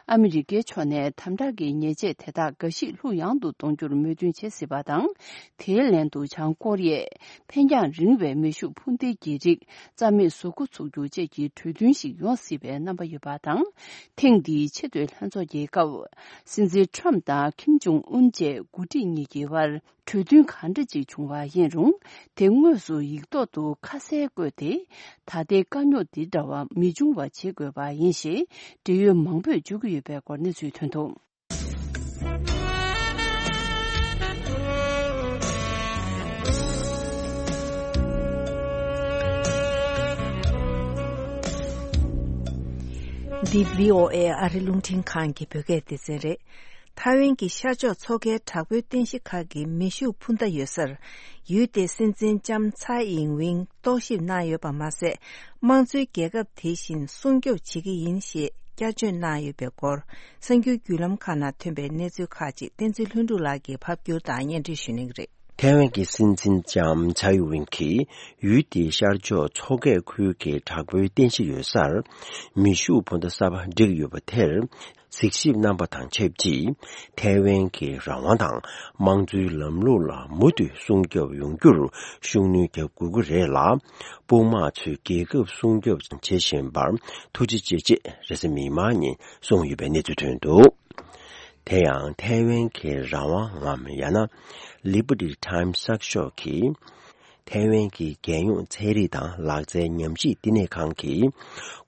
ཨ་མི་རི་ཀའི་ཕྱོགས་ནས་དམ་དྲག་གི་ཉེས་ཆད་དེ་དག་འགའ་ཞིག་ལྷུག་ཡངས་དུ་གཏོང་རྒྱུར་མོས་མཐུན་བྱེད་སྲིད་པ་དང་། དེའི་ལན་དུ་བྱང་ཀོ་རི་ཡས་འཕེན་རྒྱང་རིང་བའི་མེ་ཤུགས་འཕུར་མདེལ་གྱི་རིགས་རྩ་མེད་བཟོ་འགོ་ཚུགས་རྒྱུ་བཅས་ཀྱི་གྲོས་མཐུན་ཞིག་ཡོང་སྲིད་པའི་རྣམ་པ་ཡོད་པ་དང་། ཐེངས་འདིའི་ཆེས་མཐོའི་ལྷན་ཚོགས་ཀྱི་སྐབས། སྲིད་འཛིན་ཁྲོམ་དང་ཁིམ་ཇོང་ཨུན་བཅས་འགོ་ཁྲིད་གཉིས་ཀྱི་དབར། གྲོས་མཐུན་གང་འདྲ་ཅིག་བྱུང་བ་ཡིན་རུང་། དེ་དངོས་སུ་ཡིག་ཐོག་ཏུ་ཁ་གསལ་བཀོད་དེ། ད་ལྟའི་དཀའ་རྙོག་འདི་འདྲ་བ་མི་འབྱུང་བ་བྱེད་དགོས་པ་ཡིན་ཞེས་འབྲེལ་ཡོད་མང་པོས་བརྗོད་ཀྱི་ཡོད་པའི་སྐོར་གནས་ཚུལ་ཐོན་འདུག། འདི་བྷི་ཨོ་ཨེ་ཨ་རི་རླུང་འཕྲིན་ཁང་གི་བོད་སྐད་སྡེ་ཚན་རེད། ཐའེ་ཝན་གྱི་ཤར་ཕྱོགས་མཚོ་ཁའི་དྲག་པོའི་རྟེན་གཞི་ཁག་གི་མེ་ཤུགས་འཕུར་མདའ་ཡོད་སར། ཡུལ་དེའི་སྲིད་འཛིན་ལྕམ་ཚའེ་ཨིང་ཝིང་རྟོག་ཞིབ་གནང་ཡོད་པ་མ་ཟད། དམངས་གཙོའི་རྒྱལ་ཁབ་དེ་བཞིན་སྲུང་སྐྱོབ་བྱེད་ཀྱི་ཡིན་ཞེས་བསྐྱར་བརྗོད་གནང་ཡོད་པའི་སྐོར། གསར་འགྱུར་བརྒྱུད་ལམ་ཁག་ནང་ཐོན་པའི་གནས་ཚུལ་ཁག་ཅིག་བསྟན་འཛིན་ལྷུན་གྲུབ་ལགས་ཀྱིས་ཕབ་བསྒྱུར་དང་སྙན་སྒྲོན་ཞུ་གནང་གི་རེད། ཐའེ་ཝན་གྱི་སྲིད་འཛིན་ལྕམ་ཚའེ་ཝིང་གིས་ཡུལ་དེའི་ཤར་ཕྱོགས་མཚོ་ཁའི་ཁུལ་གྱི་དྲག་པོའི་རྟེན་གཞི་ཡོད་སར། མེ་ཤུགས་འཕུར་མདའ་གསར་པ་བསྒྲིགས་ཡོད་པ་དེར། གཟིགས་ཞིབ་གནང་པ་དང་ཆབས་ཅིག། ཐའེ་ཝན་གྱི་རང་དབང་དང་དམངས་གཙོའི་ལམ་ལུགས་ལ་མུ་མཐུད་སྲུང་སྐྱོབ་ཡོང་རྒྱུར་ཤུགས་སྣོན་རྒྱག་དགོས་ཀྱི་རེད་ལ། དཔུང་དམག་ཚོས་རྒྱལ་ཁབ་སྲུང་སྐྱོབ་བྱེད་བཞིན་པར་ཐུགས་རྗེ་ཆེ་ཅེས་རེས་གཟའ་མིག་དམར་ཉིན་གསུངས་ཡོད་པའི་གནས་ཚུལ་ཐོན་འདུག། དེ་ཡང་ཐའེ་ཝན་གྱི་རང་དབང་ངམ་ཡང་ན་Liberty Times གསར་ཤོག་གིས། ཐའེ་ཝན་གྱི་རྒྱལ་ཡོངས་ཚན་རིག་དང་ལག་རྩལ་ཉམས་ཞིབ་བསྟི་གནས་ཁང་གིས།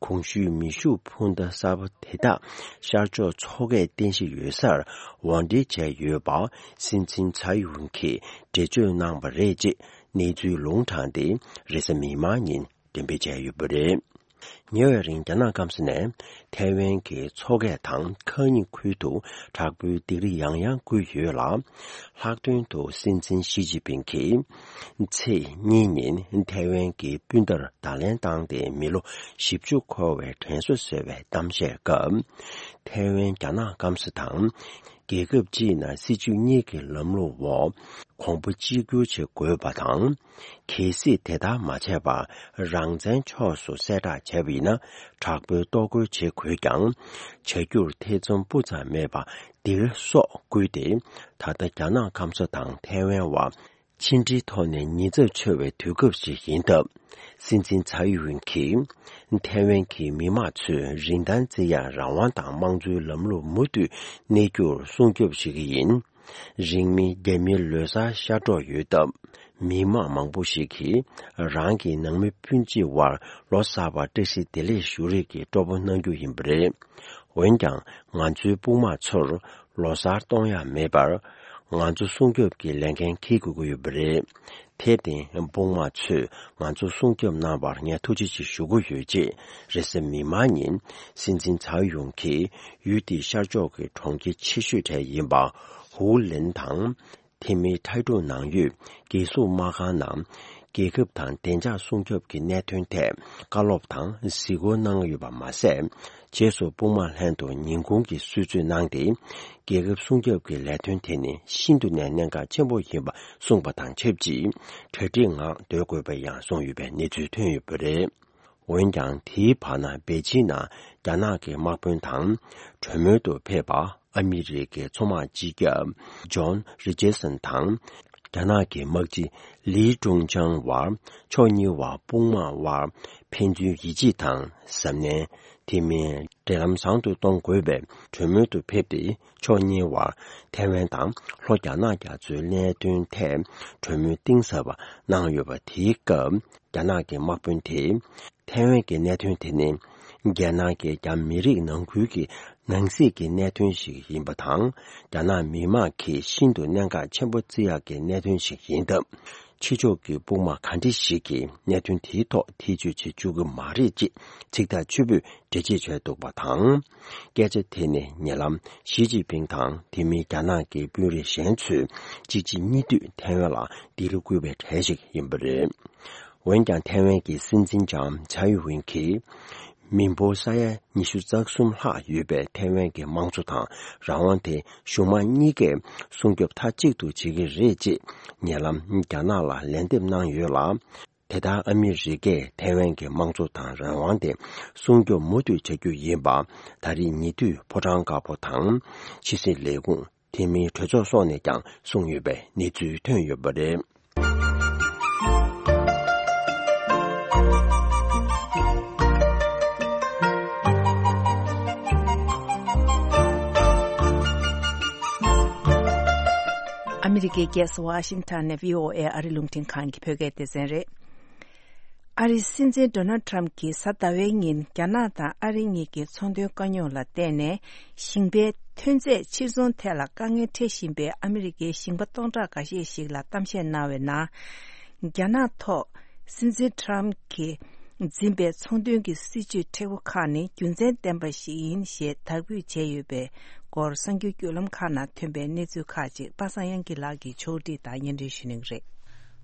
གོང་ཞུས་མེ་ཤུགས་འཕུར་མདའ་གསར་པ་དེ་དག་ཤར་ཕྱོགས་མཚོ་ཁའི་རྟེན་གཞི་ཡོད་སར་དབོར་འདྲེན་བྱས་ཡོད་པ། སྲིད་འཛིན་ཚའེ་ཝུན་གྱིས་འགྲེལ་བརྗོད་གནང་བ་རེད་ཅེས་གནས་ཚུལ་ལུང་དྲངས་ཏེ། རེས་གཟའ་མིག་དམར་ཉིན་འགྲེམས་སྤེལ་བྱས་ཡོད་པ་རེད། ཉེ་བའི་རིང་རྒྱ་ནག་སྐམ་ས་ནས་ཐའེ་ཝན་གྱི་མཚོ་ཁ་དང་ཁ་ཉིན་ཁུལ་དུ་དྲག་པོའི་སྡིགས་ར་ཡང་ཡང་བསྐུལ་ཡོད་ལ། ལྷག་དོན་དུ་སྲིད་འཛིན་ཞི་ཅིན་ཕིང་གིས་ཚེས་གཉིས་ཉིན་ཐའེ་ཝན་གྱི་སྤུན་ཟླར་བརྡ་ལན་བཏང་སྟེ། མི་ལོ་བཞི་བཅུ་འཁོར་བའི་དྲན་གསོ་ཟེར་བའི་གཏམ་བཤད་སྐབས། ཐའེ་ཝན་རྒྱ་ནག་སྐམ་ས་དང་། རྒྱལ་ཁབ་སྤྱིའི་ནང་སྲིད་ཇུས་གཉིས་ཀྱི་ལམ་ལུགས་འོག་གོང་བུ་གཅིག་གྱུར་བྱེད་དགོས་པ་དང་། གལ་སྲིད་དེ་ལྟར་མ་བྱས་པར་རང་བཙན་ཕྱོགས་སུ་གསལ་བསྒྲགས་བྱས་པ་ཡིན་ན། དྲག་པོའི་གཏོར་རྒོལ་བྱེད་དགོས་ཀྱང་། བྱ་རྒྱུར་ཐེ་ཚོམ་སྤུ་ཙམ་མེད་པར་འདིར་སོགས་བསྐུལ་ཏེ། ད་ལྟ་རྒྱ་ནག་ཁམས་བཟོ་དང་ཐའེ་ཝན་བར་ཕྱི་འབྲེལ་ཐོག་ནས་ཉེན་ཚབས་ཆེ་བའི་དུས་སྐབས་ཤིག་ཡིན་སྟབས། སྲིད་འཛིན་ཚའེ་ཡུན་གྱིས་ཐའེ་ཝན་གྱི་མི་དམངས་ཚོས་རིན་ཐང་བརྩི་ཡག་རང་དབང་དང་དམངས་གཙོའི་ལམ་ལུགས་མུ་མཐུད་གནས་རྒྱུར་སྲུང་སྐྱོབ་བྱེད་ཀྱི་ཡིན། རིང་མིན་རྒྱ་མིའི་ལོ་གསར་ཤར་འགྲོ་ཡོད་སྟབས། མི་དམངས་མང་པོ་ཞིག་གིས་རང་གི་ནང་མི་སྤུན་མཆེད་དབར་ལོ་གསར་པར་བཀྲ་ཤིས་བདེ་ལེགས་ཞུ་རེས་ཀྱི་སྤྲོ་པོ་གནང་རྒྱུ་ཡིན་པ་རེད། འོན་ཀྱང་། ང་ཚོའི་དཔུང་དམག་ཚོར་ལོ་གསར་གཏོང་ཡག་མེད་པར། ང་ཚོ་སྲུང་སྐྱོབ་ཀྱི་ལས་འགན་འཁྱེར་དགོས་ཀྱི་ཡོད་པ་རེད། དེར་བརྟེན། དཔུང་དམག་ཚོས་ང་ཚོ་སྲུང་སྐྱོབ་གནང་བར་ངས་ཐུགས་རྗེ་ཆེ་ཞུ་གི་ཡོད། ཅེས་རེས་གཟའ་མིག་དམར་ཉིན་སྲིད་འཛིན་ཚའོ་ཡུང་གིས་ཡུལ་དེའི་ཤར་ཕྱོགས་ཀྱི་གྲོང་ཁྱེར་ཆེ་ཤོས་གྲས་ཡིན་པ་ཧུའུ་ལིན་དང་། དེ་མིན་ཐའེ་ཀྲུའུ་ནང་ཡོད་རྒྱལ་སྲུང་དམག་ཁང་ནང་། རྒྱལ་ཁབ་དང་བདེ་འཇགས་སྲུང་སྐྱོབ་ཀྱི་གནད་དོན་ཐད་བཀའ་སློབ་དང་གཟིགས་སྐོར་གནང་ཡོད་པ་མ་ཟད། རྗེས་སུ་དཔུང་དམག་ལྷན་དུ་ཉིན་གུང་གི་གསོལ་ཚིགས་གནང་སྟེ། རྒྱལ་ཁབ་སྲུང་སྐྱོབ་ཀྱི་ལས་དོན་དེ་ནི་ཤིན་ཏུ་ནས་གནད་འགག་ཆེན་པོ་ཡིན་པ་གསུངས་པ་དང་ཆབས་ཅིག་གྲ་སྒྲིག་ངང་སྡོད་དགོས་པ་ཡང་གསུངས་ཡོད་པའི་གནས་ཚུལ་ཐོན་ཡོད་པ་རེད། འོན་ཀྱང་། དེའི་བར་ན་པེ་ཅིན་ནང་རྒྱ་ནག་གི་དམག་དཔོན་དང་གྲོས་མོལ་དུ་ཕེབས་པ། ཨ་མི་རི་ཀའི་མཚོ་དམག་སྤྱི་ཁྱབ་ཇོན་རི་ཅར་སན་དང་། རྒྱ་ནག་གི་དམག་སྤྱི་ལི་ཀྲུང་ཅང་བར། ཕྱོགས་གཉིས་བར་དཔུང་དམག་དབར་ཕན་ཚུན་ཡིད་ཆེས་དང་གཟབ་ནན། དེ་མིན། འབྲེལ་ལམ་བཟང་དུ་གཏོང་དགོས་པའི་གྲོས་མོལ་དུ་ཕེབས་ཏེ། ཕྱོགས་གཉིས་བར་ཐའེ་ཝན་དང་ལྷོ་རྒྱ་ནག་རྒྱ་མཚོའི་གནད་དོན་ཐད་གྲོས་མོལ་གཏིང་ཟབ་པ་གནང་ཡོད་པ། དེའི་སྐབས། རྒྱ་ནག་གི་དམག་དཔོན་དེས། ཐའེ་ཝན་གྱི་གནད་དོན་དེ་ནི། རྒྱ་ནག་གི་རྒྱ་མི་རིགས་ནང་ཁུལ་གྱི་ནང་སྲིད་ཀྱི་གནད་དོན་ཞིག་ཡིན་པ་དང་། རྒྱ་ནག་མི་དམངས་ཀྱིས་ཤིན་ཏུ་གནད་འགག་ཆེན་པོ་བརྩི་ཡག་གི་གནད་དོན་ཞིག་ཡིན་སྟབས། ཕྱི་ཕྱོགས་ཀྱི་དཔུང་དམག་ག་འདྲ་ཞིག་གིས་གནད་དོན་དེའི་ཐོག་ཐེ་བྱུས་བྱེད་བཅུག་གི་མ་རེད། ཅེས་ཚིག་ཐག་ཆོད་པོས་འགྲེལ་བརྗོད་བྱས་འདུག་པ་དང་། སྐད་ཆ་དེ་ནི་ཉེ་ལམ་ཞི་ཅིན་ཕིང་དང་དེ་མིན་རྒྱ་ནག་གི་དཔོན་རིགས་གཞན་ཚོས་གཅིག་རྗེས་གཉིས་མཐུད་ཐའེ་ཝན་ལ་ལྡི་ལི་བསྐུལ་བའི་གྲས་ཤིག་ཡིན་པ་རེད། འོན་ཀྱང་། ཐའེ་ཝན་གྱི་སྲིད་འཛིན་ལྕམ་ཚའེ་ཝེན་གྱིས། མི་འབོར་ས་ཡ་ཉི་ཤུ་རྩ་གསུམ་ལྷག་ཡོད་པའི་ཐའེ་ཝན་གྱི་དམངས་གཙོ་དང་རང་དབང་དེ་གཞུང་མང་གཉིས་ཀས་སྲུང་སྐྱོབ་མཐའ་གཅིག་ཏུ་བྱེད་ཀྱི་རེད། ཅེས་ཉེ་ལམ་རྒྱ་ནག་ལ་ལན་འདེབས་གནང་ཡོད་ལ། དེ་ལྟར་ཨ་མི་རི་ཀས་ཐའེ་ཝན་གྱི་དམངས་གཙོ་དང་རང་དབང་དེ་སྲུང་སྐྱོབ་མུ་མཐུད་བྱ་རྒྱུ་ཡིན་པ། ད་རེས་ཉེ་དུས་ཕོ་བྲང་དཀར་པོ་དང་ཕྱི་སྲིད་ལས་ཁུངས། དེ་མིན་གྲོས་ཚོགས་སོགས་ནས་ཀྱང་གསུངས་ཡོད་པའི་གནས་ཚུལ་ཐོན་ཡོད་པ་རེད། ཨ་མི་རི་ཀའི་རྒྱལ་ས་ཝ་ཤིང་ཊོན་ནས་བྷི་ཨོ་ཨེ་ཨ་རི་རླུང་འཕྲིན་ཁང་གི་བོད་སྐད་སྡེ་ཚན་རེད། ཨ་རིའི་སྲིད་འཛིན་ཌོ་ནལ་ཊམ་གྱིས་གཟའ་ཟླ་བའི་ཉིན་རྒྱ་ནག་དང་ཨ་རི་གཉིས་ཀྱི་ཚོང་དོན་དཀའ་རྙོག་ལ་བརྟེན་ནས་ཞིང་པའི་ཐོན་རྫས་ཕྱིར་ཚོང་ཐད་ལ་དཀའ་ངལ་འཕྲད་བཞིན་པའི་ཨ་མི་རི་ཀའི་ཞིང་པ་སྟོང་ཕྲག་འགའ་ཤས་ཤིག་ལ་གཏམ་བཤད་གནང་བའི་ནང་། རྒྱ་ནག་ཐོག་སྲིད་འཛིན་ཊམ་གྱིས་འཛིན་པའི་ཚོང་དོན་གྱི་སྲིད་ཇུས་མཁྲེགས་པོ་ཁག་ནི་རྒྱུ་མཚན་ལྡན་པ་ཞིག་ཡིན་ཞེས་དག་འབུལ་བྱས་ཡོད་པའི་སྐོར་གསར་འགྱུར་བརྒྱུད་ལམ་ཁག་ནང་ཐོན་པའི་གནས་ཚུལ་ཁག་ཅིག་པ་སངས་དབྱངས་སྐྱིད་ལགས་ཀྱིས་ཕྱོགས་སྒྲིག་དང་སྙན་སྒྲོན་ཞུ་གནང་གི་རེད།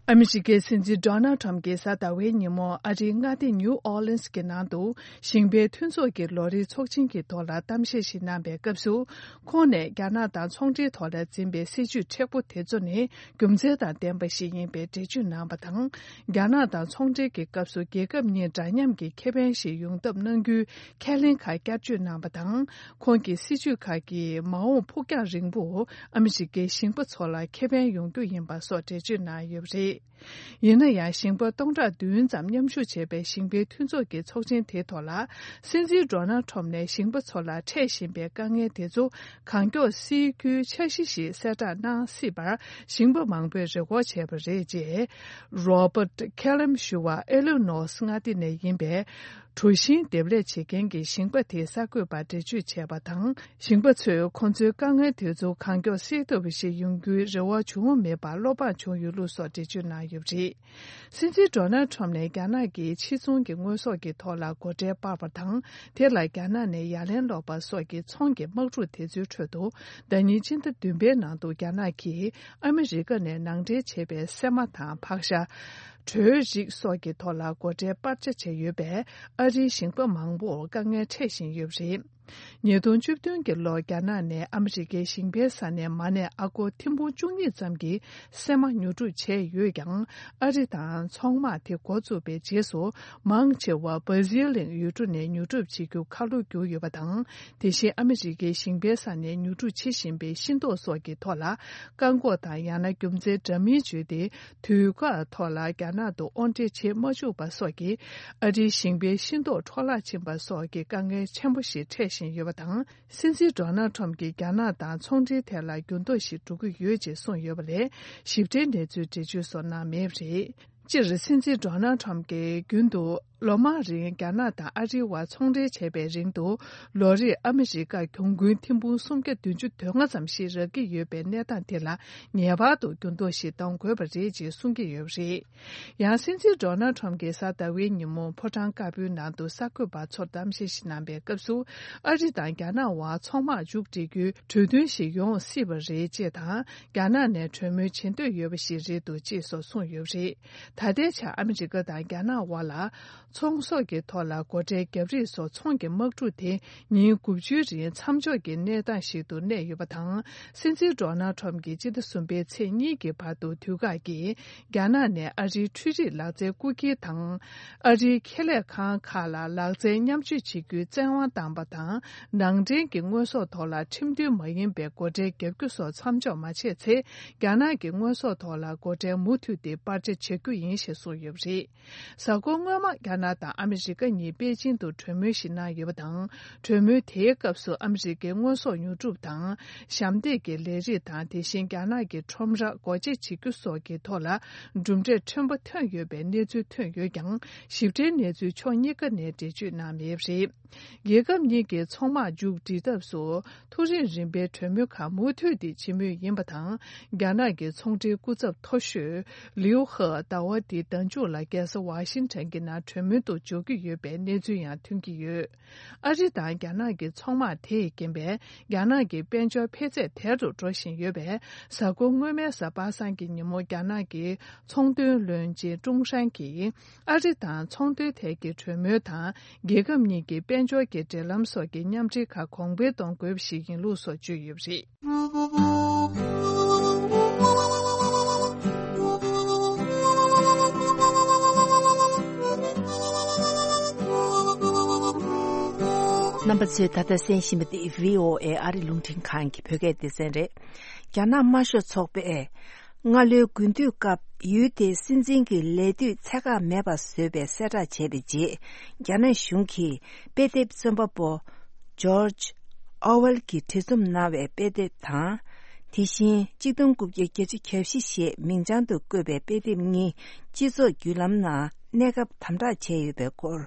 ཨ་མི་རི་ཀའི་སྲིད་འཛིན་ཌོ་ནལ་ཊམ་གྱིས་གཟའ་ཟླ་བའི་ཉིན་མོ་ཨ་རིའི་མངའ་སྡེ་ནིའུ་ཨོ་ལིན་སི་གི་ནང་དུ་ཞིང་པའི་མཐུན་ཚོགས་ཀྱི་ལོ་རེའི་ཚོགས་ཆེན་གྱི་ཐོག་ལ་གཏམ་བཤད་ཞིག་གནང་བའི་སྐབས་སུ། ཁོང་ནས་རྒྱ་ནག་དང་ཚོང་འབྲེལ་ཐོག་ལ་འཛིན་པའི་སྲིད་ཇུས་མཁྲེགས་པོ་དེ་ཚོ་ནི་རྒྱུ་མཚན་དང་ལྡན་པ་ཞིག་ཡིན་པའི་འགྲེལ་བརྗོད་གནང་བ་དང་། རྒྱ་ནག་དང་ཚོང་འབྲེལ་གྱི་སྐབས་སུ་རྒྱལ་ཁབ་གཉིས་འདྲ་མཉམ་གྱི་ཁེ་ཕན་ཞིག་ཡོང་ཐབས་གནང་རྒྱུའི་ཁས་ལེན་ཁག་བསྐྱར་བརྗོད་གནང་བ་དང་། ཁོང་གི་སྲིད་ཇུས་ཁག་གིས་མ་འོངས་ཕུགས་རྒྱང་རིང་པོ་ཨ་མི་རི་ཀའི་ཞིང་པ་ཚོ་ལ་ཁེ་ཕན་ཡོང་རྒྱུ་ཡིན་པ་སོགས་འགྲེལ་བརྗོད་གནང་ཡོད་པ་རེད། ཡིན་ན་ཡང་། ཞིང་པ་སྟོང་ཕྲག་བདུན་ཙམ་མཉམ་ཞུགས་བྱས་པའི་ཞིང་པའི་མཐུན་ཚོགས་ཀྱི་ཚོགས་ཆེན་དེའི་ཐོག་ལ། སྲིད་འཛིན་ཌོ་ནལ་ཊམ་ནས་ཞིང་པ་ཚོ་ལ་འཕྲད་བཞིན་པའི་དཀའ་ངལ་དེ་ཚོ་གང་མགྱོགས་སེལ་རྒྱུའི་འཆར་གཞི་ཞིག་གསལ་བསྒྲགས་གནང་སྲིད་པར་ཞིང་པ་མང་པོས་རེ་སྐུལ་བྱས་པ་རེད། ཅེས་རོ་བྷར་ཊ་ཁེ་ལམ་ཞུ་བ་ཨེ་ལི་ནོ་སི་མངའ་སྡེ་ནས་ཡིན་པའི་གྲུ་ཤིང་འདེབས་ལས་བྱེད་མཁན་གྱི་ཞིང་པ་དེས་གསར་འགོད་པར་འགྲེལ་བརྗོད་བྱས་པ་དང་། ཞིང་པ་ཚོས་ཁོང་ཚོའི་དཀའ་ངལ་དེ་ཚོ་གང་མགྱོགས་སེལ་ཐུབ་པ་ཞིག་ཡོང་རྒྱུའི་རེ་བ་བྱུང་མེད་པར་བློ་ཕམ་བྱུང་ཡོད་ལུགས་སོགས་འགྲེལ་བརྗོད་གནང་ཡོད་པ་རེད། སྲིད་འཛིན་ཌོ་ནལ་ཊམ་ནས་རྒྱ་ནག་གིས་ཕྱིར་ཚོང་གི་དངོས་ཟོག་གི་ཐོག་ལ་སྒོ་ཁྲལ་སྤར་བ་དང་། དེ་ལ་རྒྱ་ནག་ནས་ཡ་ལན་སློག་པ་སོགས་ཀྱི་ཚོང་གི་དམག་འཁྲུག་དེ་ཚོའི་ཁྲོད་དུ། ཟླ་ཉིན་སྤྱི་ཟླ་བདུན་པའི་ནང་དུ་རྒྱ་ནག་གིས་ཨ་མི་རི་ཀ་ནས་ནང་འདྲེན་བྱས་པའི་སྲན་མ་དང་ཕག་ཤ། གྲོའི་རིགས་སོགས་ཀྱི་ཐོག་ལ་སྒོ་ཁྲལ་སྤར་ཆ་བྱས་ཡོད་པས། ཨ་རིའི་ཞིང་པ་མང་པོར་དཀའ་ངལ་འཕྲད་བཞིན་ཡོད་པ་རེད། ཉིས་སྟོང་བཅུ་བདུན་གྱི་ལོར་རྒྱ་ནག་ནས་ཨ་མི་རི་ཀའི་ཞིང་པའི་ས་ནས་མ་ཎི་ཨ་སྒོར་ཐེར་འབུམ་བཅུ་གཉིས་ཙམ་གྱི་སྲན་མ་ཉོ་སྒྲུབ་བྱས་ཡོད་ཀྱང་། ཨ་རི་དང་ཚོང་དམག་དེ་འགོ་བཙུགས་པའི་རྗེས་སུ། མང་ཆེ་བ་སྦ་ཟིལ་གླིང་ཡུལ་གྲུ་ནས་ཉོ་སྒྲུབ་བྱེད་རྒྱུ་ཁ་ལོ་བསྒྱུར་ཡོད་པ་དང་། དེ་བཞིན་ཨ་མི་རི་ཀའི་ཞིང་པའི་ས་ནས་ཉོ་སྒྲུབ་བྱེད་བཞིན་པའི་ཤིང་ཏོག་སོགས་ཀྱི་ཐོག་ལ། བཀག་འགོག་དང་ཡང་ན་རྒྱུ་མཚན་འདྲ་མིན་བརྗོད་དེ། དུས་བཀག་ཐོག་ལ་རྒྱ་ནག་ཏུ་དབོར་འདྲེན་བྱེད་མ་བཅུག་པ་སོགས་ཀྱིས། ཨ་རིའི་ཞིང་པའི་ཤིང་ཏོག་འཕྲོ་བརླག་ཕྱིན་པ་སོགས་ཀྱི་དཀའ་ངལ་ཆེན་པོ་ཞིག་འཕྲད་བཞིན་ཡོད་པ་དང་། སྲིད་འཛིན་ཌོ་ནལ་ཁྲོམ་གྱིས་རྒྱ་ནག་དང་ཚོང་འབྲེལ་ཐད་ལ་འགྱུར་ལྡོག་ཞིག་འགྲོ་གི་ཡོད་ཅེས་གསུངས་ཡོད་པ་ལས། ཞིབ་ཕྲའི་གནས་ཚུལ་འགྲེལ་བརྗོད་སོགས་གནང་མེད་པ་རེད། སྤྱིར་སྲིད་འཛིན་ཌོ་ནལ་ཁྲོམ་གྱིས་རྒྱུན་དུ་ལོ་མང་རིང་རྒྱ་ནག་དང་ཨ་རིའི་བར་ཚོང་འབྲེལ་བྱས་པའི་རིང་དུ། ལོ་རེར་ཨ་མི་རི་ཀར་གྱོང་གུན་ཐེར་འབུམ་སུམ་བརྒྱ་བདུན་ཅུ་དོན་ལྔ་ཙམ་ཞིག་རག་གི་ཡོད་པའི་གནས་སྟངས་དེ་ལ་ངེས་པར་དུ་འགྱུར་ལྡོག་ཞིག་གཏོང་དགོས་པ་རེད་ཅེས་གསུང་གི་ཡོད་པ་རེད། ཡང་སྲིད་འཛིན་ཌོ་ནལ་ཁྲོམ་གྱིས་གཟའ་ཟླ་བའི་ཉིན་མོ་ཕོ་བྲང་དཀར་པོའི་ནང་དུ་གསར་འགོད་པ་ཚོར་གཏམ་བཤད་ཞིག་གནང་པའི་སྐབས་སུ། ཨ་རི་དང་རྒྱ་ནག་དབར་ཚོང་དམག་མཇུག་སྒྲིལ་རྒྱུའི་གྲོས་མཐུན་ཞིག་ཡོང་སྲིད་པ་རེད་ཅེས་དང་། རྒྱ་ནག་ནས་གྲོས་མོལ་བྱེད་འདོད་ཡོད་པ་ཞིག་རེད་འདུག་ཅེས་སོགས་གསུངས་ཡོད་པ་རེད། ད་ལྟའི་ཆར་ཨ་མི་རི་ཀ་དང་རྒྱ་ནག་དབར་ལ། ཚོང་ཟོག་གི་ཐོག་ལ་སྒོ་ཁྲལ་བརྒྱབ་རིགས་སོགས་ཚོང་གི་དམག་འཁྲུག་དེ་ཉིན་དགུ་བཅུའི་རིང་མཚམས་འཇོག་གི་གནས་སྟངས་ཤིག་ཏུ་གནས་ཡོད་པ་དང་། སྲིད་འཛིན་ཌོ་ནལ་ཁྲོམ་གྱིས་སྤྱི་ཟླ་གསུམ་པའི་ཚེས་གཉིས་ཀྱི་བར་དུ་དུས་བཀག་གིས་རྒྱ་ནག་ནས་ཨ་རིའི་འཕྲུལ་རིག་ལག་རྩལ་རྐུ་འཁྱེར་དང་། ཨ་རིའི་ཁེ་ལས་ཁང་ཁག་ལ་ལག་རྩལ་མཉམ་སྤྱོད་བྱེད་རྒྱུའི་བཙན་དབང་བཏང་པ་དང་། ནང་འདྲེན་གྱི་དངོས་ཟོག་ཐོག་ལ་ཁྲིམས་མཐུན་མ་ཡིན་པའི་སྒོ་ཁྲལ་བརྒྱབ་རྒྱུ་སོགས་མཚམས་འཇོག་མ་བྱས་ཚེ། རྒྱ་ནག་གི་དངོས་ཟོག་ཐོག་ལ་སྒོ་ཁྲལ་མུ་མཐུད་དེ་སྤར་ཆ་བྱ་རྒྱུ་ཡིན་ཞེས་གསུངས་ཡོད་པ་རེད། གཟའ་འཁོར་སྔོན་མ་རྒྱ་ནག་དང་ཨ་མི་རི་ཀ་གཉིས་པེ་ཅིང་དུ་གྲོས་མོལ་ཞིག་གནང་ཡོད་པ་དང་། གྲོས་མོལ་དེའི་སྐབས་སུ་ཨ་མི་རི་ཀའི་དངོས་ཟོག་ཉོ་སྒྲུབ་དང་། ཞབས་འདེགས་ཀྱི་ལས་རིགས་དང་། དེ་བཞིན་རྒྱ་ནག་གི་ཁྲོམ་ར་སྒོ་འབྱེད་བྱེད་རྒྱུ་སོགས་ཀྱི་ཐོག་ལ་གྲུབ་འབྲས་ཕྲན་བུ་ཐོན་ཡོད་པའི་གནས་ཚུལ་ཐོན་ཡོད་ཀྱང་། ཞིབ་ཕྲའི་གནས་ཚུལ་ཕྱོགས་གཉིས་ཀ་ནས་འགྲེལ་བརྗོད་གནང་མེད་པ་རེད། རྒྱལ་ཁབ་གཉིས་ཀྱི་ཚོང་དམག་མཇུག་སྒྲིལ་ཐབས་སུ། མཐོ་རིམ་རིམ་པའི་གྲོས་མོལ་ཁག་མུ་མཐུད་དེ་བྱེད་མུས་ཡིན་པ་དང་། རྒྱ་ནག་གི་ཚོང་འབྲེལ་སྐུ་ཚབ་མཐོ་ཤོས་ལིའུ་ཧེ་ཟླ་བ་འདིའི་ཟླ་མཇུག་ལ་རྒྱལ་ས་ཝ་ཤིང་ཊོན་གྱི་ནང་གྲོས་མོལ་དུ་འཇུག་གི་ཡོད་པའི་གནས་ཚུལ་ཡང་ཐོན་གྱི་ཡོད། ཨ་རི་དང་རྒྱ་ནག་གི་ཚོང་དམག་དེས་རྐྱེན་པས་རྒྱ་ནག་གི་དཔལ་འབྱོར་འཕེལ་ཚད་དལ་དུ་འགྲོ་བཞིན་ཡོད་པས། གཟའ་འཁོར་སྔོན་མའི་གཟའ་པ་སངས་ཀྱི་ཉིན་མོ་རྒྱ་ནག་གི་ཚོང་དོན་བློན་ཆེན་ཀྲུང་ཧྲན་གྱིས། ཨ་རི་དང་ཚོང་དོན་ཐད་ཀྱི་གྲོས་མོལ་དང་། རྒྱལ་ཁབ་གཉིས་ཀྱི་དཔལ་འབྱོར་གྱི་འབྲེལ་ལམ་སོགས་ཀྱི་མཉམ་འབྲེལ་ཁག་གོང་འཕེལ་གཏོང་དགོས་པ་ཞིག་ཡིན་ལུགས་སོགས་བརྗོད་ཡོད་པ་རེད། རྣམ་པ་ཚོས་ད་ལྟ་གསན་བཞིན་པ་འདི་བྷི་ཨོ་ཨེ་ཨ་རི་རླུང་འཕྲིན་ཁང་གི་བོད་སྐད་སྡེ་ཚན་རེད། རྒྱ་ནག་དམར་ཤོག་ཚོགས་པས། སྔ་ལོའི་དགུན་དུས་སྐབས་ཡུལ་དེའི་སྲིད་འཛིན་གྱི་ལས་དུས་ཚད་བཀག་མེད་པ་བཟོས་པའི་གསལ་བསྒྲགས་བྱས་པའི་རྗེས། རྒྱ་ནག་གཞུང་གིས་དཔེ་དེབ་རྩོམ་པ་པོ་ཇོརྗ་ཨོ་ཝེལ་གྱིས་བྲིས་རྩོམ་གནང་བའི་དཔེ་དེབ་དང་། དེ་བཞིན་གཅིག་སྟོང་དགུ་བརྒྱ་བརྒྱད་ཅུ་གྱ་བཞི་ཞེས་མིང་བྱང་དུ་བཀོད་པའི་དཔེ་དེབ་གཉིས་སྤྱི་ཚོགས་བརྒྱུད་ལམ་ནང་གནས་སྐབས་དམ་དྲག་བྱས་ཡོད་པའི་སྐོར།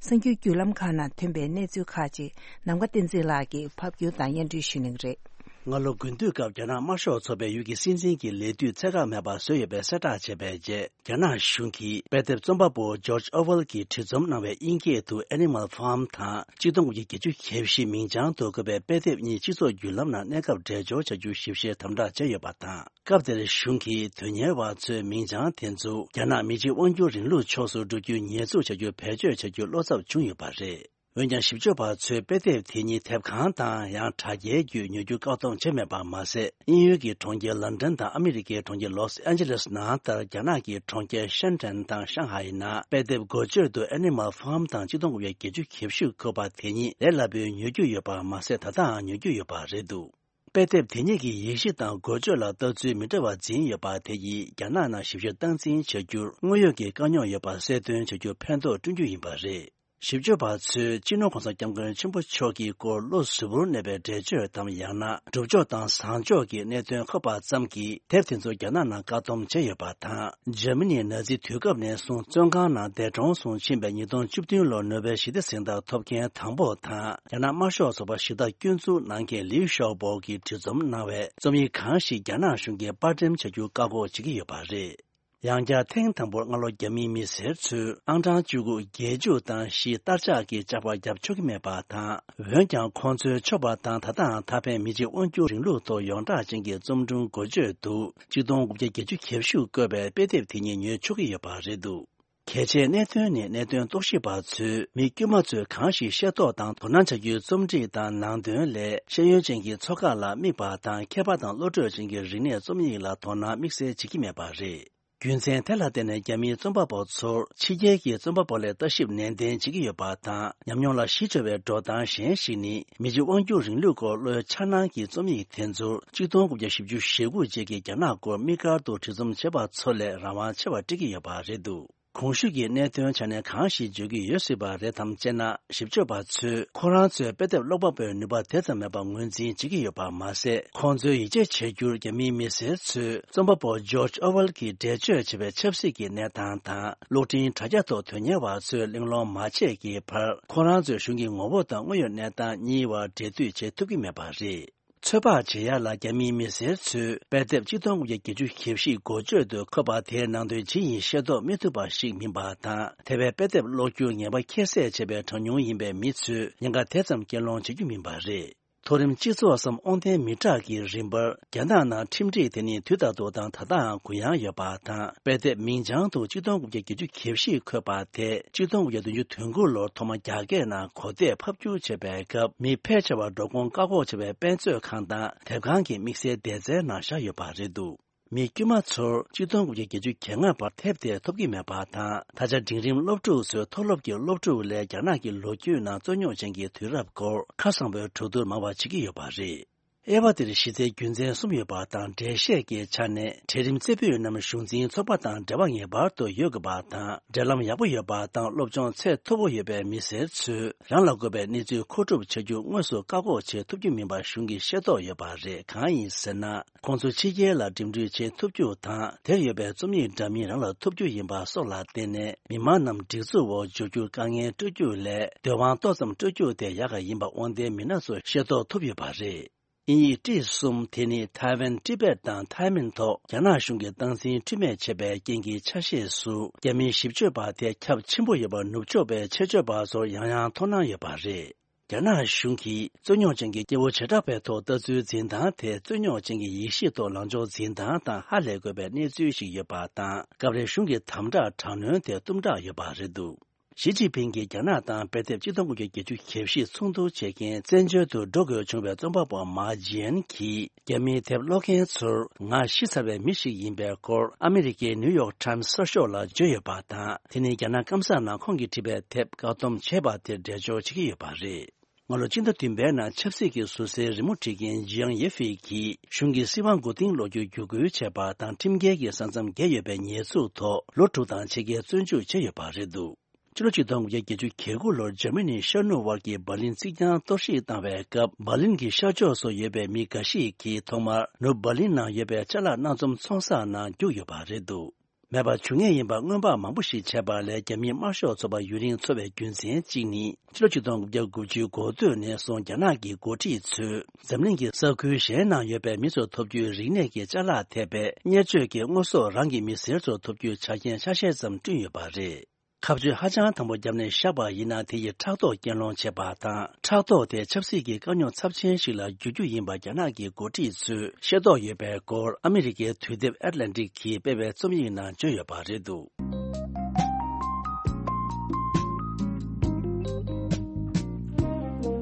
གསར་འགྱུར་བརྒྱུད་ལམ་ཁག་ནང་ཐོན་པའི་གནས་ཚུལ་ཁག་ཅིག་ནམ་མཁའ་བསྟན་འཛིན་ལགས་ཀྱིས་ཕབ་སྒྱུར་དང་སྙན་སྒྲོན་ཞུ་གནང་གི་རེད། སྔ་ལོ་དགུན་དུས་སྐབས་རྒྱ་ནག་དམར་ཤོག་ཚོགས་པའི་ཡུལ་གྱི་སྲིད་འཛིན་གྱི་ལས་དུས་ཚད་བཀག་མེད་པ་བཟོས་ཡོད་པའི་གསལ་བསྒྲགས་བྱས་པའི་རྗེས། རྒྱ་ནག་གཞུང་གིས་དཔེ་དེབ་རྩོམ་པ་པོ་ཇོརྗ་ཨོ་ཝེལ་གྱིས་བྲིས་རྩོམ་གནང་བའི་དབྱིན་སྐད་དུ་Animal Farm དང་གཅིག་སྟོང་དགུ་བརྒྱ་བརྒྱད་ཅུ་གྱ་བཞི་མིང་བྱང་དུ་བཀོད་པའི་དཔེ་དེབ་གཉིས་སྤྱི་ཚོགས་བརྒྱུད་ལམ་ནང་གནས་སྐབས་འགྲེལ་སྦྱོར་བྱ་རྒྱུ་ཞིབ་བཤེར་དམ་དྲག་བྱས་ཡོད་པ་དང་། སྐབས་དེར་གཞུང་གིས་དོན་གཉེར་བ་ཚོའི་མིང་བྱང་དེ་ཚོ་རྒྱ་ནག་མི་གཅིག་དབང་སྒྱུར་རིང་ལུགས་ཕྱོགས་སུ་འགྲོ་རྒྱུའི་ཉེས་འཛུགས་བྱ་རྒྱུ་བེད་སྤྱོད་བྱ་རྒྱུ་བློ་འཚབ་བྱུང་ཡོད་པ་རེད། འོན་ཀྱང་། ཞིབ་དཔྱོད་པ་ཚོས་དཔེ་དེབ་དེ་ཉིད་དེབ་ཁང་དང་ཡང་དྲ་རྒྱའི་བརྒྱུད་ཉོ་རྒྱུ་བཀག་སྡོམ་བྱས་མེད་པ་མ་ཟད། དབྱིན་ཡུལ་གྱི་གྲོང་ཁྱེར་ལན་ཀྲན་དང་ཨ་མི་རི་ཀའི་གྲོང་ཁྱེར་ལོས་ཨན་ཇེ་ལེས་ནང་ལྟར། རྒྱ་ནག་གི་གྲོང་ཁྱེར་ཤན་ཀྲན་དང་ཤང་ཧའེ་ནང་དཔེ་དེབ་འགོ་བརྗོད་དུ་Animal Farm དང་གཅིག་སྟོང་དགུ་བརྒྱ་བརྒྱད་ཅུ་གྱ་བཞི་བཀོད་པ་དེ་ཉིད་ལས་སླ་པོའི་ཉོ་རྒྱུ་ཡོད་པ་མ་ཟད། ད་ལྟའང་ཉོ་རྒྱུ་ཡོད་པ་རེད་འདུག་དཔེ་དེབ་དེ་ཉིད་ཀྱི་ཡིག་གཞི་དང་འགོ་བརྗོད་ལ་ལྟ་ཚུལ་མི་འདྲ་བ་འཛིན་ཡོད་པ་དེ་ཡིས་རྒྱ་ནག་ནང་ཞིབ་བཤེར་སྟངས་འཛིན་བྱ་རྒྱུར་དངོས་ཡོད་ཀྱི་དཀའ་རྙོག་ཡོད་པ་གསལ་སྟོན་བྱ་རྒྱུར་ཕན་ཐོགས་བསྐྲུན་རྒྱུ་ཡིན་པ་རེད། ཞིབ་དཔྱོད་པ་ཚོས་སྤྱི་ནོར་༸གོང་ས་༸སྐྱབས་མགོན་ཆེན་པོ་མཆོག་གི་སྐོར་བློ་གཟུ་བོར་གནས་པའི་འགྲེལ་བརྗོད་དམ། ཡང་ན་སྒྲུབ་ཕྱོགས་དང་བཟང་ཕྱོགས་ཀྱི་གནད་དོན་ཁོག་པ་ཙམ་གྱིས་དེབ་དེ་ཚོ་རྒྱ་ནག་ནང་བཀག་སྡོམ་བྱས་ཡོད་པ་དང་། འཇར་མ་ནིའི་ནཱ་ཛི་དུས་སྐབས་ནས་བཟུང་བཙོན་ཁང་ནང་འདས་གྲོངས་སུ་ཕྱིན་པའི་ཉིས་སྟོང་བཅུ་བདུན་ལོར་ནོ་བེལ་ཞི་བདེ་གཟེངས་རྟགས་ཐོབ་མཁན་དང་པོ་དང་། རྒྱ་ནག་དམར་ཤོག་ཚོགས་པ་ཞི་བདག་སྐྱོན་འཛུགས་གནང་མཁན་ལིའུ་ཞའོ་པོ་གིས་བྲིས་རྩོམ་གནང་བའི་རྩོམ་ཡིག་གང་ཞིག་རྒྱ་ནག་གཞུང་གིས་པར་འགྲེམས་བྱ་རྒྱུ་བཀག་འགོག་བྱེད་ཀྱི་ཡོད་པ་རེད། ཡང་བསྐྱར་ཐེངས་དང་པོར་སྔ་ལོ་རྒྱ་མིའི་མི་སེར་ཚོས་ཨང་གྲངས་བཅུ་དགུ་བརྒྱད་ཅུ་དང་བཞི་བསྟར་ཆགས་ཀྱི་ལྕགས་པར་བརྒྱབ་ཆོག་གི་མེད་པ་དང་། འོན་ཀྱང་། ཁོང་ཚོའི་ཆོག་པ་དང་ད་ལྟའང་ད་ཕན་མི་གཅིག་དབང་སྒྱུར་རིང་ལུགས་ཐོག་ཡོངས་གྲགས་ཅན་གྱི་རྩོམ་སྒྲུང་འགོ་བརྗོད་དུ་གཅིག་སྟོང་དགུ་བརྒྱ་བརྒྱད་ཅུ་གྱ་བཞི་བཀོད་པའི་དཔེ་དེབ་དེ་ཉིད་ཉོ་ཆོག་གི་ཡོད་པ་རེད་འདུག་གལ་ཆེའི་གནད་དོན་ནི་གནད་དོན་རྟོག་ཞིབ་པ་ཚོས་མི་དཀྱུས་མ་ཚོས་གང་ཞིག་ཤེས་རྟོགས་དང་དོ་སྣང་བྱ་རྒྱུའི་རྩོམ་སྒྲིག་དང་ནང་དོན་ལས་ཤེས་ཡོན་ཅན་གྱི་ཚོགས་ཁག་ལ་དམིགས་པ་དང་མཁས་པ་དང་བློ་གྲོས་ཅན་གྱི་རིག་གནས་རྩོམ་ཡིག་ལ་དོ་སྣང་དམིགས་བསལ་བྱེད་ཀྱི་མེད་པ་རེད། རྒྱུ་མཚན་དེ་ལ་བརྟེན་ནས་རྒྱ་མིའི་རྩོམ་པ་པོ་ཚོར་ཕྱི་རྒྱལ་གྱི་རྩོམ་པ་པོ་ལས་ལྟ་ཞིབ་ནན་ཏན་བྱེད་ཀྱི་ཡོད་པ་དང་། ཉམས་མྱོང་ལ་གཞི་བཅོལ་བའི་འགྲོ་སྟངས་གཞན་ཞིག་ནི། མི་རྗེ་དབང་སྒྱུར་རིང་ལུགས་སྐོར་བློའི་འཆར་སྣང་གི་རྩོམ་ཡིག་དེ་ཚོར་གཅིག་སྟོང་དགུ་བརྒྱ་བཞི་བཅུ་ཞེ་དགུ་རྗེས་ཀྱི་རྒྱ་ནག་སྐོར་དམིགས་བཀར་དུ་བྲིས་རྩོམ་བྱས་པ་ཚོ་ལས་རང་དབང་ཆེ་བ་སྤྲད་ཀྱི་ཡོད་པ་རེད་འདུག་གོང་ཞུས་ཀྱི་གནད་དོན་ཆ་ནས་གང་ཞིག་བརྗོད་ཀྱི་ཡོད་སྲིད་པ་རེད་དམ་ཅེ་ན། ཞིབ་དཔྱོད་པ་ཚོས་ཁོ་རང་ཚོའི་དཔེ་དེབ་ཀློག་པ་པོའི་ནུས་པ་དེ་ཙམ་མེད་པ་ངོས་འཛིན་བྱེད་ཀྱི་ཡོད་པ་མ་ཟད། ཁོང་ཚོའི་ཡིད་ཆེས་བྱ་རྒྱུར་རྒྱ་མིའི་མི་སེར་ཚོས་རྩོམ་པ་པོ་ཇོརྗ་ཨོ་ཝེལ་གྱིས་འགྲེལ་བརྗོད་བྱས་པའི་ཆབ་སྲིད་ཀྱི་གནས་སྟངས་དང་། གློག་འཕྲིན་དྲ་རྒྱ་ཐོག་དོན་གཉེར་བ་ཚོས་གླེང་སློང་མ་བྱས་ཀྱི་བར། ཁོ་རང་ཚོའི་གཞུང་གི་ངོ་བོ་དང་དངོས་ཡོད་གནས་སྟངས་གཉིས་བར་འབྲེལ་མཐུད་བྱེད་ཐུབ་ཀྱི་མེད་པ་རེད། ཚོད་དཔག་བྱེད་ཡ་ལ་རྒྱ་མིའི་མི་སེར་ཚོས་དཔེ་དེབ་གཅིག་སྟོང་དགུ་བརྒྱ་བརྒྱད་ཅུ་གྱ་བཞི་འགོ་བརྗོད་དུ་འཁོད་པ་དེའི་ནང་དོན་ཇི་ཡིན་ཤེས་རྟོགས་མི་ཐུབ་པ་ཞིག་མིན་པ་དང་། དེ་བས་དཔེ་དེབ་ཀློག་རྒྱུར་ངེས་པ་ཁྱད་བསད་བྱས་པའི་གྲངས་ཉུང་ཡིན་པའི་མི་ཚོས་ཉེན་ཁ་དེ་ཙམ་སྐྱེལ་སློང་བྱེད་རྒྱུ་མིན་པ་རེད། མཐོ་རིམ་སྤྱི་ཚོགས་སམ་དབང་ལྡན་མི་དྲག་གི་རིམ་པར་རྒྱ་ནག་ནང་ཁྲིམས་སྒྲིག་དེ་ནི་དུས་ལྟར་དུ་དང་ད་ལྟའང་གུ་ཡངས་ཡོད་པ་དང་། དཔེ་དེབ་མིང་བྱང་དུ་གཅིག་སྟོང་དགུ་བརྒྱ་བརྒྱད་ཅུ་གྱ་བཞི་འཁོད་པ་དེ་གཅིག་སྟོང་དགུ་བརྒྱ་བདུན་ཅུ་དོན་དགུ་ལོར་ཐོག་མ་རྒྱ་སྐད་ནང་གོ་བརྡས་ཕབ་བསྒྱུར་བྱས་པའི་སྐབས། མི་ཕལ་ཆེ་བར་འགྲོ་ཁུངས་བཀག་འགོག་བྱས་པའི་དཔེ་མཛོད་ཁང་དང་དེབ་ཁང་གི་དམིགས་བསལ་སྡེ་ཚན་ནང་བཞག་ཡོད་པ་རེད་འདུག་མི་དཀྱུས་མ་ཚོར་གཅིག་སྟོང་དགུ་བརྒྱ་བརྒྱད་ཅུ་གྱ་ལྔ་བར་དེབ་དེ་ཐོབ་ཀྱི་མེད་པ་དང་། ད་ཆ་འབྲིང་རིམ་སློབ་ཕྲུག་ཚོའི་མཐོ་སློབ་ཀྱི་སློབ་ཕྲུག་ལས་རྒྱ་ནག་གི་ལོ་རྒྱུས་ནང་རྩོད་རྙོག་ཅན་གྱི་དུས་རབས་སྐོར་ཁ་གསང་པོའི་གྲོས་བསྡུར་མང་བ་བྱེད་ཀྱི་ཡོད་པ་རེད། དབྱེ་བ་འདིར་གཞི་རྩའི་རྒྱུ་མཚན་གསུམ་ཡོད་པ་དང་། འགྲེལ་བཤད་ཀྱི་ཆ་ནས། གྲལ་རིམ་རྩེ་ཕུད་རྣམས་གཞུང་འཛིན་ཚོགས་པ་དང་འབྲེལ་བ་ངེས་པར་དུ་ཡོད་དགོས་པ་དང་། འབྲེལ་ལམ་ཡག་པོ་ཡོད་པ་དང་། སློབ་སྦྱོང་ཚད་མཐོ་པོ་ཡོད་པའི་མི་སེར་ཚོས་རང་ལ་དགོས་པའི་གནས་ཚུལ་མཁོ་སྒྲུབ་བྱ་རྒྱུ་དངོས་སུ་བཀག་འགོག་བྱེད་ཐུབ་རྒྱུ་མིན་པ་གཞུང་གིས་ཤེས་རྟོགས་ཡོད་པ་རེད། གང་ཡིན་ཟེར་ན། ཁོང་ཚོ་ཕྱི་རྒྱལ་ལ་འགྲིམ་འགྲུལ་བྱེད་ཐུབ་རྒྱུ་དང་། དེར་ཡོད་པའི་རྩོམ་ཡིག་འདྲ་མིན་རང་ལ་ཐོབ་རྒྱུ་ཡིན་པ་སོགས་ལ་བརྟེན་ནས། མི་མང་རྣམས་སྒྲིག་འཛུགས་འོག་འཇུག་རྒྱུར་དཀའ་ངལ་སྤྲོད་རྒྱུ་ལས། འདོད་དབང་ཏོག་ཙམ་སྤྲོད་རྒྱུ་དེ་ཡག་ག་ཡིན་པ་དབང་ལྡན་མི་སྣ་ཚོས་ཤེས་རྟོགས་ཐུབ་ཡོད་པ་རེད། དབྱིན་ཡིག་ཊི་གསུམ་དེ་ནི་ཐའེ་ཝན། ཊི་བེཊ་དང་ཐའེ་མིན་ཐོག་རྒྱ་ནག་གཞུང་གིས་སྟངས་འཛིན་འཁྲུལ་མེད་བྱས་པའི་རྐྱེན་གྱི་ཆ་ཤས་སུ། རྒྱ་མིའི་ཞིབ་དཔྱོད་པ་དེ་ཁྱབ་ཆེན་པོ་ཡོད་པ་ནུབ་ཕྱོགས་པའི་ཆེད་སྤྱོད་པ་ཚོར་ཡང་ཡང་དོ་སྣང་ཡོད་པ་རེད། རྒྱ་ནག་གཞུང་གིས་རྩོད་རྙོག་ཅན་གྱི་སྐྱེ་བོ་བྱེ་བྲག་པའི་ཐོག་ལྟ་ཚུལ་འཛིན་སྟངས་དེ། རྩོད་རྙོག་ཅན་གྱི་ཡེ་ཤེས་ཐོག་ལངས་ཕྱོགས་འཛིན་སྟངས་དང་ཧ་ལས་དགོས་པའི་གནས་ཚུལ་ཞིག་ཡོད་པ་དང་། སྐབས་རེ་གཞུང་གི་དམ་དྲག་དྲག་གནོན་དེ་གཏུམ་དྲག་ཡོད་པ་རེད་འདུག་ཞི་ཅིན་ཕིང་གིས་རྒྱ་ནག་དང་དཔེ་དེབ་གཅིག་སྟོང་དགུ་བརྒྱ་བརྒྱད་ཅུ་གྱ་བཞི་ཚོགས་འདུ་བྱེད་མཁན་བཙན་བྱོལ་དུ་འགྲོ་དགོས་བྱུང་བའི་རྩོམ་པ་པོ་མཱ་ཇི་ཡན་གྱིས། རྒྱ་མིའི་དེབ་ཀློག་མཁན་ཚོར་ང་ཤི་ཚར་བའི་མི་ཞིག་ཡིན་པའི་སྐོར་ཨ་མི་རི་ཀའི་ནིའུ་ཡོག་ཊའིམ་གསར་ཤོག་ལ་བརྗོད་ཡོད་པ་དང་། དེ་ནི་རྒྱ་ནག་སྐམ་ས་ནང་ཁོང་གིས་བྲིས་པའི་དེབ་བཀག་སྡོམ་བྱས་པ་དེར་འགྲེལ་བརྗོད་བྱེད་ཀྱི་ཡོད་པ་རེད། སྔ་ལོ་སྤྱི་ཟླ་བདུན་པའི་ནང་ཆབ་སྲིད་ཀྱི་ཟུར་སའི་རི་མོ་བྲིས་མཁན་ཇི་ཡང་ཡེ་ཧྥེ་གྱིས་གཞུང་གི་སྲིད་དབང་མགོ་རྟིང་སློག་རྒྱུར་བརྒྱུད་སྐུལ་བྱས་པ་དང་། ཁྲིམས་འགལ་གྱི་ས་མཚམས་བརྒལ་ཡོད་པའི་ཉེས་འཛུགས་ཐོག་ལོ་དྲུག་དང་ཕྱེད་ཀའི་བཙོན་འཇུག་བྱས་ཡོད་པ་རེད་འདུག་ཕྱི་ལོ་ཆིག་སྟོང་དགུ་བརྒྱ་བརྒྱད་ཅུ་གྱ་དགུ་ལོར་འཇར་མ་ནིའི་ཤར་ནུབ་དབར་གྱི་འབར་ལིན་རྩིག་གྱང་གཏོར་བཤིག་བཏང་བའི་སྐབས། འབར་ལིན་གྱི་ཤར་ཕྱོགས་སུ་ཡོད་པའི་མི་འགའ་ཞིག་གིས་ཐོག་མར་ནུབ་འབར་ལིན་ནང་ཡོད་པའི་ཅ་ལག་སྣ་འཛོམས་ཚོང་ས་ནང་རྒྱུགས་ཡོད་པ་རེད་འདུག་མེད་པར་འགྱུར་ངེས་ཡིན་པ་སྔོན་དཔག་མང་པོ་ཞིག་བྱས་པ་ལས། རྒྱ་མིའི་དམར་ཤོག་ཚོགས་པ་ཡུན་རིང་འཚོ་བའི་རྒྱུ་མཚན་གཅིག་ནི། ཕྱི་ལོ་ཆིག་སྟོང་དགུ་བརྒྱ་དགུ་བཅུའི་འགོ་སྟོད་ནས་བཟུང་རྒྱ་ནག་གི་འགོ་ཁྲིད་ཚོས་འཛམ་གླིང་གི་ས་ཁུལ་གཞན་ནང་ཡོད་པའི་མི་ཚོར་ཐོབ་རྒྱུའི་རིག་གནས་ཀྱི་ཅ་ལག་ཐེབས་པའི་གཉེར་སྤྱོད་ཀྱི་དངོས་ཟོག་རང་གི་མི་སེར་ཚོར་ཐོབ་རྒྱུའི་ཆ་རྐྱེན་ཆ་ཤས་ཙམ་བསྐྲུན་ཡོད་པ་རེད། ཁ་གཅོད་ཧ་ཅང་དམ་པོ་བརྒྱབ་ནས་བཞག་པ་ཡིན་ན། དེ་ཡིས་ཕྲག་དོག་གྱེན་སློང་བྱེད་པ་དང་། ཕྲག་དོག་དེ་ཆབ་སྲིད་ཀྱི་དཀའ་རྙོག་ཚབས་ཆེན་ཞིག་ལ་འགྱུར་རྒྱུ་ཡིན་པ་རྒྱ་ནག་གི་འགོ་ཁྲིད་ཚོས་ཤེས་རྟོགས་ཡོད་པའི་སྐོར་ཨ་མི་རི་ཀའི་དུས་དེབ་ཨེཊ་ལན་ཊིག་གིས་སྤེལ་བའི་རྩོམ་ཡིག་ནང་བརྗོད་ཡོད་པ་རེད་འདུག་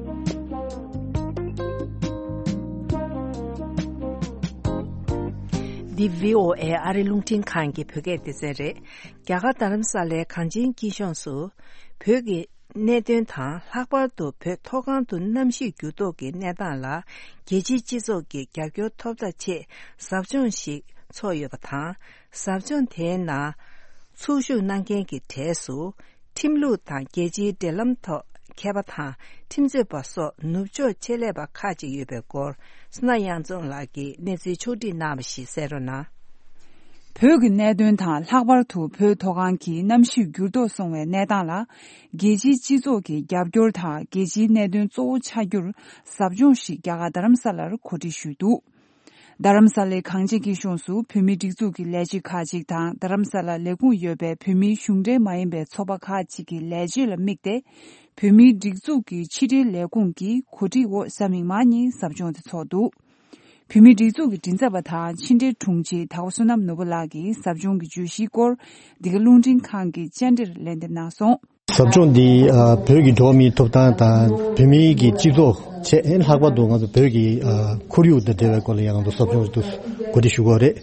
འདི་བྷི་ཨོ་ཨེ་ཨ་རི་རླུང་འཕྲིན་ཁང་གི་བོད་སྐད་སྡེ་ཚན་རེད། རྒྱ་གར་རྡ་རམ་ས་ལའི་གངས་ཅན་སྐྱིད་གཤོངས་སུ། བོད་ཀྱི་གནད་དོན་དང་། ལྷག་པར་དུ་བོད་མཐོ་སྒང་དུ་གནམ་གཤིས་འགྱུར་ལྡོག་གི་གནས་སྟངས་ལ། རྒྱལ་སྤྱིའི་སྤྱི་ཚོགས་ཀྱི་རྒྱབ་སྐྱོར་ཐོབ་ཐབས་ཆེད། ཟབ་སྦྱོང་ཞིག་འཚོགས་ཡོད་པ་དང་། ཟབ་སྦྱོང་དེའི་ནང་ཚོགས་ཞུགས་གནང་མཁན་གྱི་གྲས་སུ། ཁྲིམས་ལུགས་དང་རྒྱལ་སྤྱིའི་འབྲེལ་ལམ་ཐོག་མཁས་པ་དང་། ཁྲིམས་རྩོད་པ་སོགས་ནུབ་ཕྱོགས་ཆེད་ལས་པ་ཁག་ཅིག་ཡོད་པའི་སྐོར། སྣ་གཡང་འཛོམས་ལགས་ཀྱིས་གནས་ཚུལ་ཕྱོགས་བསྒྲིགས་གནང་བ་ཞིག་གསན་རོགས་གནང་། བོད་ཀྱི་གནད་དོན་དང་། ལྷག་པར་དུ་བོད་མཐོ་སྒང་གི་གནམ་གཤིས་འགྱུར་ལྡོག་སོང་བའི་གནས་སྟངས་ལ། རྒྱལ་སྤྱིའི་སྤྱི་ཚོགས་ཀྱི་རྒྱབ་སྐྱོར་དང་། རྒྱལ་སྤྱིའི་གནད་དོན་གཙོ་བོ་ཆགས་རྒྱུར། ཟབ་སྦྱོང་ཞིག་རྒྱ་གར་རྡ་རམ་ས་ལར་གོ་སྒྲིག་ཞུས་འདུག་རྡ་རམ་ས་ལའི་གངས་ཅན་སྐྱིད་གཤོངས་སུ་བོད་མིའི་སྒྲིག་འཛུགས་ཀྱི་ལས་བྱེད་ཁག་ཅིག་དང་། རྡ་རམ་ས་ལར་ལས་ཁུངས་ཡོད་པའི་བོད་མིའི་གཞུང་འབྲེལ་མ་ཡིན་པའི་ཚོགས་པ་ཁག་ཅིག་གི་ལས་བྱེད་ལ་དམིགས་ཏེ། བོད་མིའི་སྒྲིག་འཛུགས་ཀྱི་ཕྱི་དྲིལ་ལས་ཁུངས་ཀྱི་གོ་སྒྲིག་འོག་གཟའ་མིག་དམར་ཉིན་ཟབ་སྦྱོང་དེ་འཚོགས་འདུག་བོད་མིའི་སྒྲིག་འཛུགས་ཀྱི་མགྲིན་ཚབ་པ་དང་ཕྱི་འབྲེལ་དྲུང་ཆེ་དྭགས་པོ་བསོད་ནམས་ནོར་བུ་ལགས་ཀྱིས་ཟབ་སྦྱོང་གི་བརྗོད་གཞིའི་སྐོར་འདི་ག་རླུང་འཕྲིན་ཁང་གི་བཅར་འདྲིར་ལན་འདེབས་གནང་སོང་། ཟབ་སྦྱོང་འདི་ཨ་བོད་ཀྱི་འགྲོ་བ་མིའི་ཐོབ་ཐང་དང་བོད་མིའི་གི་སྤྱི་ཚོགས་བཅས་ལྷག་པར་དུ་ང་ཚོ་བོད་ཀྱི་ཨ་ཁོར་ཡུག་དང་འབྲེལ་བའི་སྐོར་ལ་ཡང་ང་ཚོ་ཟབ་སྦྱོང་ཞིག་ཏུ་གོ་སྒྲིག་ཞུ་དགོས་རེད།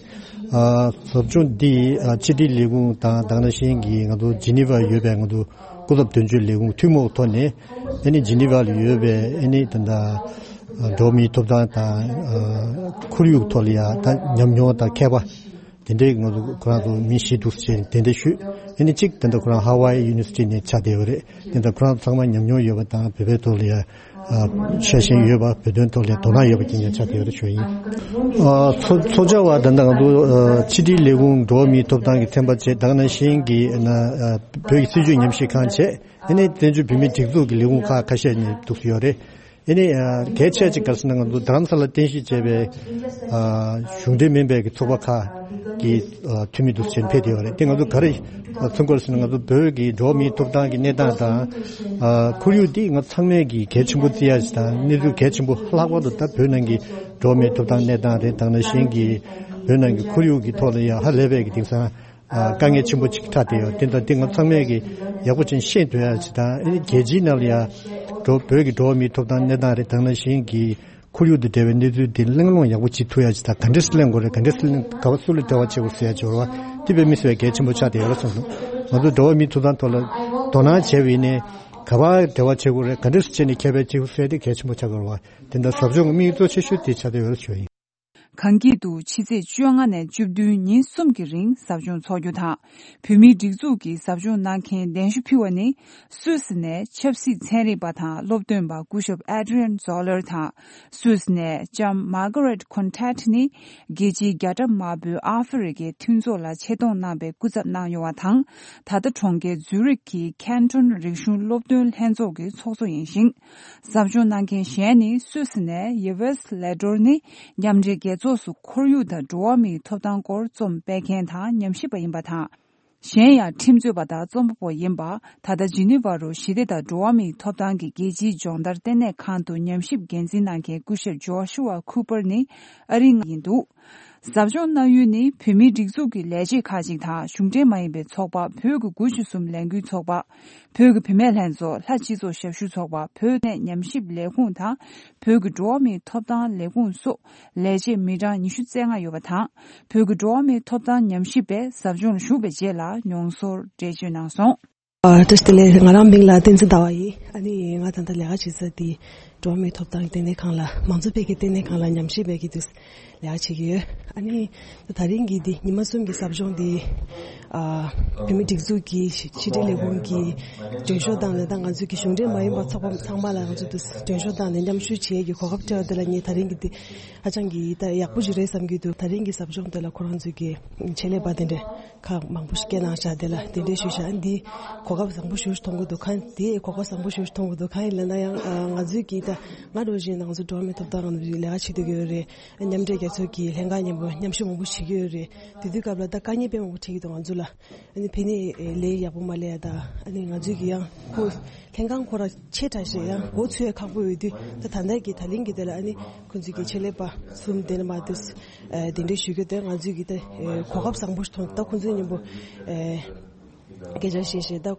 ཨ་ཟབ་སྦྱོང་འདི་ཨ་ཕྱི་དྲིལ་ལས་ཁུངས་དང་དེ་ནང་བཞིན་གྱི་ང་ཚོ་ཇི་ནི་ཝར་ཡོད་པའི་ང་ཚོ་སྐུ་ཚབ་དོན་གཅོད་ལས་ཁུངས་ཐུན་མོང་ཐོག་ནས་ཨ་ནི་ཇི་ནི་ཝར་ལ་ཡོད་པའི་ཨ་ནི་ད་ལྟ་འགྲོ་བ་མིའི་ཐོབ་ཐང་དང་ཨ་ཁོར་ཡུག་ཐོག་ལ་ཡང་ད་ཉམས་མྱོང་དང་མཁས་པ་དེ་འདྲའི་ང་ཚོ་ཁོ་རང་ཚོ་མི་བཞི་འདུག་ཅེས་དེ་འདྲ་ཞུས། ཨ་ནི་གཅིག་ད་ལྟ་ཁོ་རང་ཧ་ཝའི་ཡུ་ནི་ཝར་སི་ཊི་ནས་ཆགས་བསྡད་ཡོད་རེད། དེ་ལྟར་ཁོ་རང་ཚང་མ་ཉམས་མྱོང་ཡོད་པ་དང་བོད་པའི་ཐོག་ལ་ཡང་ཤ་ཞེན་ཡོད་པ། བོད་དོན་ཐོག་ལ་དོ་སྣང་ཡོད་པ་ཅིག་ཀྱང་ཆགས་བསྡད་ཡོད་པ་ཞུ་ཡིན། ཚོགས་བཅར་བ་ད་ལྟ་ང་ཚོ་ཕྱི་དྲིལ་ལས་ཁུངས་འགྲོ་བ་མིའི་ཐོབ་ཐང་གི་ཚན་པ་བཅས་དེ་ནང་བཞིན་གྱི་བོད་ཀྱི་སྲིད་བྱུས་ཉམས་ཞིབ་ཁང་བཅས་ཨ་ནི་བཙན་བྱོལ་བོད་མིའི་སྒྲིག་འཛུགས་ཀྱི་ལས་ཁུངས་ཁག་ཁ་ཤས་ནས་འདུག་སེ་ཡོད་རེད། ཨ་ནི་གལ་ཆེ་ཅིག་ག་རེ་ཟེར་ན་ང་ཚོ་རྡ་རམ་ས་ལ་རྟེན་གཞི་བྱས་པའི་གཞུང་འབྲེལ་མིན་པའི་གི་ཚོགས་པ་ཁག་གི་འཐུས་མི་འདུག་སེ་ཕེབས་བསྡད་ཡོད་རེད། དེ་ང་ཚོ་ག་རེ་མཚོན་གྱི་ཡོད་ཟེར་ན་ང་ཚོ་བོད་ཀྱི་འགྲོ་བ་མིའི་ཐོབ་ཐང་གི་གནས་སྟངས་དང་ཁོར་ཡུག་འདི་ང་ཚང་མས་ཀྱི་གལ་ཆེན་པོ་བརྩི་ཡ་ཞིག་དང་གནས་ཚུལ་གལ་ཆེན་པོ་ལྷག་པར་དུ་ད་བོད་ནང་གི་འགྲོ་བ་མིའི་ཐོབ་ཐང་གནས་སྟངས་རེད། དེ་ནང་བཞིན་གྱི་བོད་ནང་གི་ཁོར་ཡུག་གི་ཐོག་ལ་ཡང་ཧ་ལས་པའི་གི་དེང་སང་དཀའ་ངལ་ཆེན་པོ་ཅིག་འཕྲད་བསྡད་ཡོད། དེ་དང་དེ་ང་ཚང་མས་ཀྱི་ཡག་པོ་ཅིག་ཤེས་འདོད་ཡ་ཅིག་དང་ཨ་ནི་རྒྱལ་སྤྱིའི་ནང་ལ་ཡང་འགྲོ་བོད་ཀྱི་འགྲོ་བ་མིའི་ཐོབ་ཐང་གནས་སྟངས་རེད། དེ་ནང་བཞིན་གྱི་ཁོར་ཡུག་དང་འབྲེལ་བའི་གནས་ཚུལ་དེ་གླེང་སློང་ཡག་པོ་བྱེད་ཐུབ་ཡ་ཅིག་དང་ག་འདྲས་གླེང་དགོས་རེད། ག་འདྲས་གླེང་ག་བ་སུ་ལ་འབྲེལ་བ་བྱེད་དགོས་ཟེར་ཡ་ཅིག་ཡོད་རེད་བ། དེ་དཔེ་མི་སྲིད་པའི་གལ་ཆེན་པོ་ཆགས་བསྡད་ཡོད་རེད་བསམ་སོང་། ང་ཚོ་འགྲོ་བ་མིའི་ཐོབ་ཐང་ཐོག་ལ་དོ་སྣང་བྱས་པ་ཡིན་ནའི་ག་བ་འབྲེལ་བ་བྱེད་དགོས་རེད། ག་འདྲས་བྱས་ནས་ཁྱད་པར་བྱེད་དགོས་ཟེར་ཡ་དེ་གལ་ཆེན་པོ་ཆགས་ཀྱི་ཡོད་རེད་བ། དེ་འདྲ་ཟབ་སྦྱོང་གི་དམིགས་ཡུལ་གཙོ་ཆེ་ཤོས་དེ་ཆགས་བསྡད་ཡོད་རེད་ཞུ་ཡ་ཡིན། གངས་སྐྱིད་དུ་ཕྱི་ཚེས་བཅོ་ལྔ་ནས་བཅུ་བདུན་ཉིན་གསུམ་གྱི་རིང་ཟབ་སྦྱོང་འཚོགས་རྒྱུ་དང་། བོད་མིའི་སྒྲིག་འཛུགས་ཀྱི་ཟབ་སྦྱོང་གནང་མཁན་གདན་ཞུ་ཕུལ་བ་ནི། སུད་སི་ནས་ཆབ་སྲིད་ཚན་རིག་པ་དང་སློབ་སྟོན་པ་སྐུ་ཞབས་Adrian Zoller དང་། སུད་སི་ནས་ལྕམ་Margaret Contat ནི་རྒྱལ་སྤྱིའི་རྒྱ་གྲམ་དམར་པོའི་ཨ་ཧྥེ་རི་ཁའི་མཐུན་ཚོགས་ལ་ཆེད་གཏོང་གནང་བའི་སྐུ་ཚབ་གནང་ཡོད་པ་དང་། ད་ལྟ་གྲོང་ཁྱེར་ཛུ་རིག་གི་ཁན་ཊོན་རིག་གཞུང་སློབ་སྟོན་ལྷན་ཚོགས་ཀྱི་ཚོགས་གཙོ་ཡིན་ཞིང་། ཟབ་སྦྱོང་གནང་མཁན་གཞན་ནི་སུད་སི་ནས་Yves Ledor ནི་མཉམ་འབྲེལ་རྒྱལ་ཚོགས་སུ་ཁོར་ཡུག་དང་འགྲོ་བ་མིའི་ཐོབ་ཐང་སྐོར་རྩོམ་སྤེལ་མཁན་དང་ཉམས་ཞིབ་པ་ཡིན་པ་དང་། གཞན་ཡང་ཁྲིམས་རྩོད་པ་དང་རྩོམ་པ་པོ་ཡིན་པ། ད་ལྟ་ཇི་ནི་ཝ་རུ་ཞི་བདེ་དང་འགྲོ་བ་མིའི་ཐོབ་ཐང་གི་རྒྱལ་སྤྱིའི་སྦྱོང་བརྡར་ལྟེ་གནས་ཁང་དུ་ཉམས་ཞིབ་འགན་འཛིན་གནང་མཁན་སྐུ་ཞབས་Joshua Cooper ནི་ཨ་རིའི་ཡིན་འདུག་ཟབ་སྦྱོང་གནང་ཡུལ་ནི་བོད་མིའི་སྒྲིག་འཛུགས་ཀྱི་ལས་བྱེད་ཁག་ཅིག་དང་གཞུང་འབྲེལ་མ་ཡིན་པའི་ཚོགས་པ་བོད་ཀྱི་དགུ་བཅུ་གསུམ་ལས་འགུལ་ཚོགས་པ། བོད་ཀྱི་བུད་མེད་ལྷན་ཚོགས། ལྷ་སྤྱི་ཚོགས་ཞབས་ཞུ་ཚོགས་པ། བོད་ནས་ཉམས་ཞིབ་ལས་ཁུངས་དང་། བོད་ཀྱི་འགྲོ་བ་མིའི་ཐོབ་ཐང་ལས་ཁུངས་སོགས་ལས་བྱེད་མི་གྲངས་ཉི་ཤུ་རྩ་ལྔ་ཡོད་པ་དང་། བོད་ཀྱི་འགྲོ་བ་མིའི་ཐོབ་ཐང་ཉམས་ཞིབ་པས་ཟབ་སྦྱོང་ལ་ཞུགས་པའི་རྗེས་ལ་མྱོང་ཚོར་འགྲེལ་བརྗོད་གནང་སོང་། ཨ། བཀྲ་ཤིས་བདེ་ལེགས། ང་རང་མིང་ལ་བསྟན་འཛིན་ཟླ་བ་ཡིན། ཨ་ནི་ང་ད་ལྟ་ལས་ཀ་བྱེད་ས་དེ་འགྲོ་བ་མིའི་ཐོབ་ཐང་ལྟེ་གནས་ཁང་ལ་མང་གཙོ་འཕེལ་རྒྱས་ལྟེ་གནས་ཁང་ལ་ཉམས་ཞིབ་པའི་གི་དུས་ལས་ཀ་བྱེད་ཀྱི་ཡོད། ཨ་ནི་ད་རིང་གི་འདི་ཉི་མ་གསུམ་གྱི་ཟབ་སྦྱོང་འདི་ཨ། བོད་མིའི་སྒྲིག་འཛུགས་ཀྱི་ཕྱི་དྲིལ་ལས་ཁུངས་ཀྱི་མགྲོན་ཤོག་དང་ལས་དང་ང་ཚོའི་གི་གཞུང་འབྲེལ་མ་ཡིན་པ་ཚོགས་པ་ཚང་མ་ལ་ང་ཚོ་འདི་མགྲོན་ཤོག་དང་ལས་མཉམ་ཞུགས་བྱེད་ཀྱི་གོ་སྐབས་སྤྲད་པ་དེ་ལ་ངས་ད་རིང་གི་འདི་ཧ་ཅང་གི་ད་ཡག་པོ་ཞིག་རེད་བསམ་གྱི་འདུག་ད་རིང་གི་ཟབ་སྦྱོང་དེ་ལ་ཁོ་རང་ཚོའི་གི་ཆེད་ལས་པ་དེ་འདྲ་ཁག་མང་པོ་ཞིག་སྐད་གནང་བཞག་དེ་ལ་དེ་འདྲའི་ཞུ་བཞག་འདི་གོ་སྐབས་བཟང་པོ་ཞིག་མཐོང་གི་འདུག་གང་དེ་གོ་སྐབས་བཟང་པོ་ཞིག་མཐོང་གི་འདུག་གང་ཡིན་ལབ་ན་ཡང་ང་ཚོའི་གི་ད་ང་འདྲ་བཞིན་ང་ཚོ་འགྲོ་བ་མིའི་ཐོབ་ཐང་ལས་ཀ་བྱེད་བསྡད་ཀྱི་ཡོད་རེད། མཉམ་འབྲེལ་རྒྱལ་ཚོགས་ཀྱི་ལྷན་ཁང་མཉམ་པོ་མཉམ་ཞུགས་མང་པོ་བྱེད་ཀྱི་ཡོད་རེད། དེ་དུས་སྐབས་ལ་ད་དཀའ་ངལ་དཔེ་མང་པོ་འཕྲད་ཀྱི་འདུག་ང་ཚོ་ལ། ཨ་ནི་ཕ་ནས་ལས་ཡག་པོ་མ་ལས་ཡ་ད་ཨ་ནི་ང་ཚོས་ཀྱི་ཡང་ཁོ་ལྷན་ཁང་ཁོ་ར་ཆེ་དྲགས་ཤིག་ཡང་འགོ་ཚུགས་ཡ་ཁག་པོ་ཡོད་དུས་ད་ད་ལྟ་གི་ད་ལན་གི་དེ་ལ་ཨ་ནི་ཁོ་ཚོས་ཀྱི་ཆེད་ལས་པ་གསུམ་དེ་ནས་མ་དུས་གདན་འདྲེན་ཞུ་རྒྱུ་དེ་ང་ཚོས་ཀྱི་ད་གོ་སྐབས་བཟང་པོ་ཞིག་མཐོང་ད་ཁོ་ཚོའི་མཉམ་པོ་སྐད་ཆ་བཤད་བཤད་ད་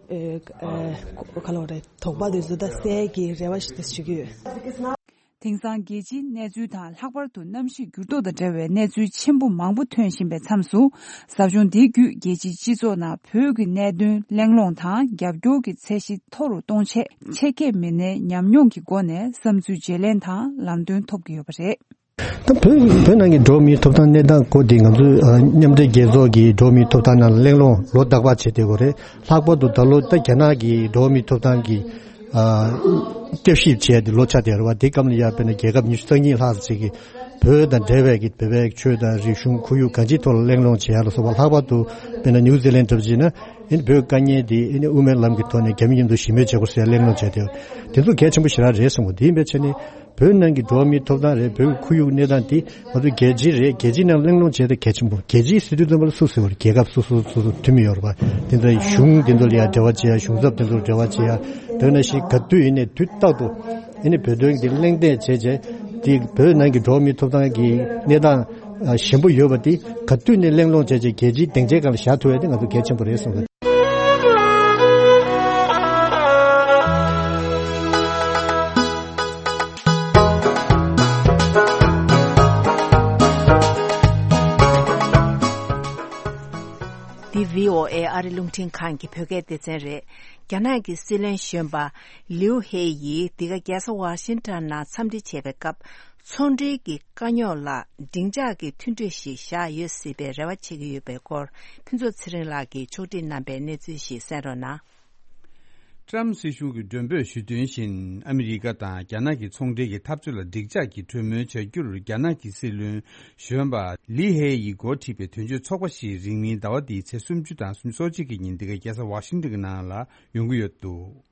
ག་ལ་བ་རེད་དོགས་པ་དེ་ཚོ་ད་སེལ་གྱི་རེ་བ་ཞིག་ད་ཞུ་གི་ཡོད། དེང་སང་རྒྱལ་སྤྱིའི་གནས་ཚུལ་དང་ལྷག་པར་དུ་གནམ་གཤིས་འགྱུར་ལྡོག་དང་འབྲེལ་བའི་གནས་ཚུལ་ཆེན་པོ་མང་པོ་ཐོན་བཞིན་པའི་མཚམས་སུ། ཟབ་སྦྱོང་འདི་བརྒྱུད་རྒྱལ་སྤྱིའི་སྤྱི་ཚོགས་ནང་བོད་ཀྱི་གནད་དོན་གླེང་སློང་དང་རྒྱབ་སྐྱོར་གྱི་ཚད་གཞི་མཐོ་རུ་གཏོང་ཆེད་ཆེད་མཁས་མི་སྣའི་ཉམས་མྱོང་གི་སྒོ་ནས་བསམ་ཚུལ་བརྗེ་ལེན་དང་ལམ་སྟོན་ཐོབ་ཀྱི་ཡོད་པ་རེད། ད་བོད་བོད་ནང་གི་འགྲོ་བ་མིའི་ཐོབ་ཐང་གནས་སྟངས་སྐོར་དེ་ང་ཚོའི་ཨ་མཉམ་འབྲེལ་རྒྱལ་ཚོགས་ཀྱི་འགྲོ་བ་མིའི་ཐོབ་ཐང་ནང་གླེང་སློང་ལོ་རྟག་པར་བྱེད་བསྡད་ཡོད་རེད། ལྷག་པར་དུ་ད་ལོ་ད་རྒྱ་ནག་གི་འགྲོ་བ་མིའི་ཐོབ་ཐང་གི་ཨ་བསྐྱར་ཞིབ་བྱས་ཏེ་ལོ་ཆགས་བསྡད་ཡོད་རེད་བ། དེ་སྐབས་ལ་ཡ་དཔེར་ན་རྒྱལ་ཁབ་ཉི་ཤུ་རྩ་གཉིས་ལྷག་ཅིག་གིས་བོད་དང་འབྲེལ་བའི་གི་བོད་པའི་ཆོས་དང་རིག་གཞུང་ཁོར་ཡུག་གང་ཅིའི་ཐོག་ལ་གླེང་སློང་བྱེད་ཡ་ལ་སོགས་པ། ལྷག་པར་དུ་དཔེར་ན་ནིའུ་ཛི་ལན་འདྲ་པོ་བྱས་ན་ཨ་ནི་བོད་དཀའ་ངལ་དེ་ཨ་ནི་དབུ་མའི་ལམ་གྱི་ཐོག་ནས་རྒྱ་མི་མཉམ་དུ་ཞི་མོལ་བྱེད་དགོས་ཟེར་གླེང་སློང་བྱས་ཏེ། དེ་ཚོ་གལ་ཆེན་པོ་ཞེ་དྲག་རེད་བསམ་གི། དེ་ཡིན་པའི་ཆ་ནས་བོད་ནང་གི་འགྲོ་བ་མིའི་ཐོབ་ཐང་རེད། བོད་ཀྱི་ཁོར་ཡུག་གནས་སྟངས་དེ་ང་ཚོ་རྒྱལ་སྤྱི་རེད། རྒྱལ་སྤྱིའི་ནང་གླེང་སློང་བྱས་ཏེ་གལ་ཆེན་པོ། རྒྱལ་སྤྱིའི་སྲིད་དོན་བཙོན་པ་ལ་སུ་ཟེར་བ་རེད། རྒྱལ་ཁབ་སོ་སོ་སོ་སོ་འཐུས་མི་ཡོད་རེད་བ། དེ་ཚོ་གཞུང་དེ་ཚོ་ལ་ཡང་འབྲེལ་བ་བྱེད་ཡ། གཞུང་ཚབ་དེ་ཚོར་འབྲེལ་བ་བྱེད་ཡ། དེ་ནང་བཞིན་ག་དུས་ཡིན་ནའི་དུས་རྟག་ཏུ་ཨ་ནི་བོད་དོན་གྱི་གླེང་སྟེགས་བྱས་རྗེས་ དེ་བོད་ནང་གི་འགྲོ་བ་མིའི་ཐོབ་ཐང་གི་གནས་སྟངས་ཞན་པོ་ཡོད་པ་དེ་ག་དུས་ནས་གླེང་སློང་བྱས་བྱས་རྒྱལ་སྤྱིའི་སྡིངས་ཆའི་སྒང་ལ་བཞག་ཐུབ་ཡ་དེ་ང་ཚོ་གལ་ཆེན་པོ་རེད་བསམ་གི། འདི་བྷི་ཨོ་ཨེ་ཨ་རི་རླུང་འཕྲིན་ཁང་གི་བོད་སྐད་སྡེ་ཚན་རེད། རྒྱ་ནག་གི་སྲིད་བློན་གཞོན་པ་ལིའུ་ཧེ་ཡིས་འདི་ག་རྒྱལ་ས་ཝ་ཤིང་ཊོན་ནང་འཚམས་འདྲི་བྱས་པའི་སྐབས། ཚོང་འབྲེལ་གྱི་དཀའ་རྙོག་ལ་སྡིངས་ཆ་གི་མཐུན་གྲོས་ཤིག་བཞག་ཡོད་སྲིད་པའི་རེ་བ་བྱེད་ཀྱི་ཡོད་པའི་སྐོར། ཕུན་ཚོགས་ཚེ་རིང་ལགས་ཀྱིས་ཕྱོགས་སྒྲིག་གནང་པའི་གནས་ཚུལ་ཞིག་གསན་རོགས་གནང་། ཀྲམ་སྲིད་གཞུང་གིས་མགྲོན་འབོད་ཞུས་དོན་བཞིན། ཨ་མི་རི་ཀ་དང་རྒྱ་ནག་གི་ཚོང་འབྲེལ་གྱི་འཐབ་རྩོད་ལ་འགྲིག་འཇགས་ཀྱི་གྲོས་མོལ་བྱ་རྒྱུར། རྒྱ་ནག་གི་སྲིད་བློན་གཞོན་པ་ལི་ཧེ་ཡིས་འགོ་ཁྲིད་པའི་དོན་གཅོད་ཚོགས་པ་ཞིག་རིང་མིན་ཟླ་བ་འདིའི་ཚེས་སུམ་ཅུ་དང་སུམ་ཅུ་སོ་གཅིག་གི་ཉིན་འདི་ག་རྒྱལ་ས་ཝ་ཤིང་ཊོན་གྱི་ནང་ལ་ཡོང་གི་ཡོད་འདུག་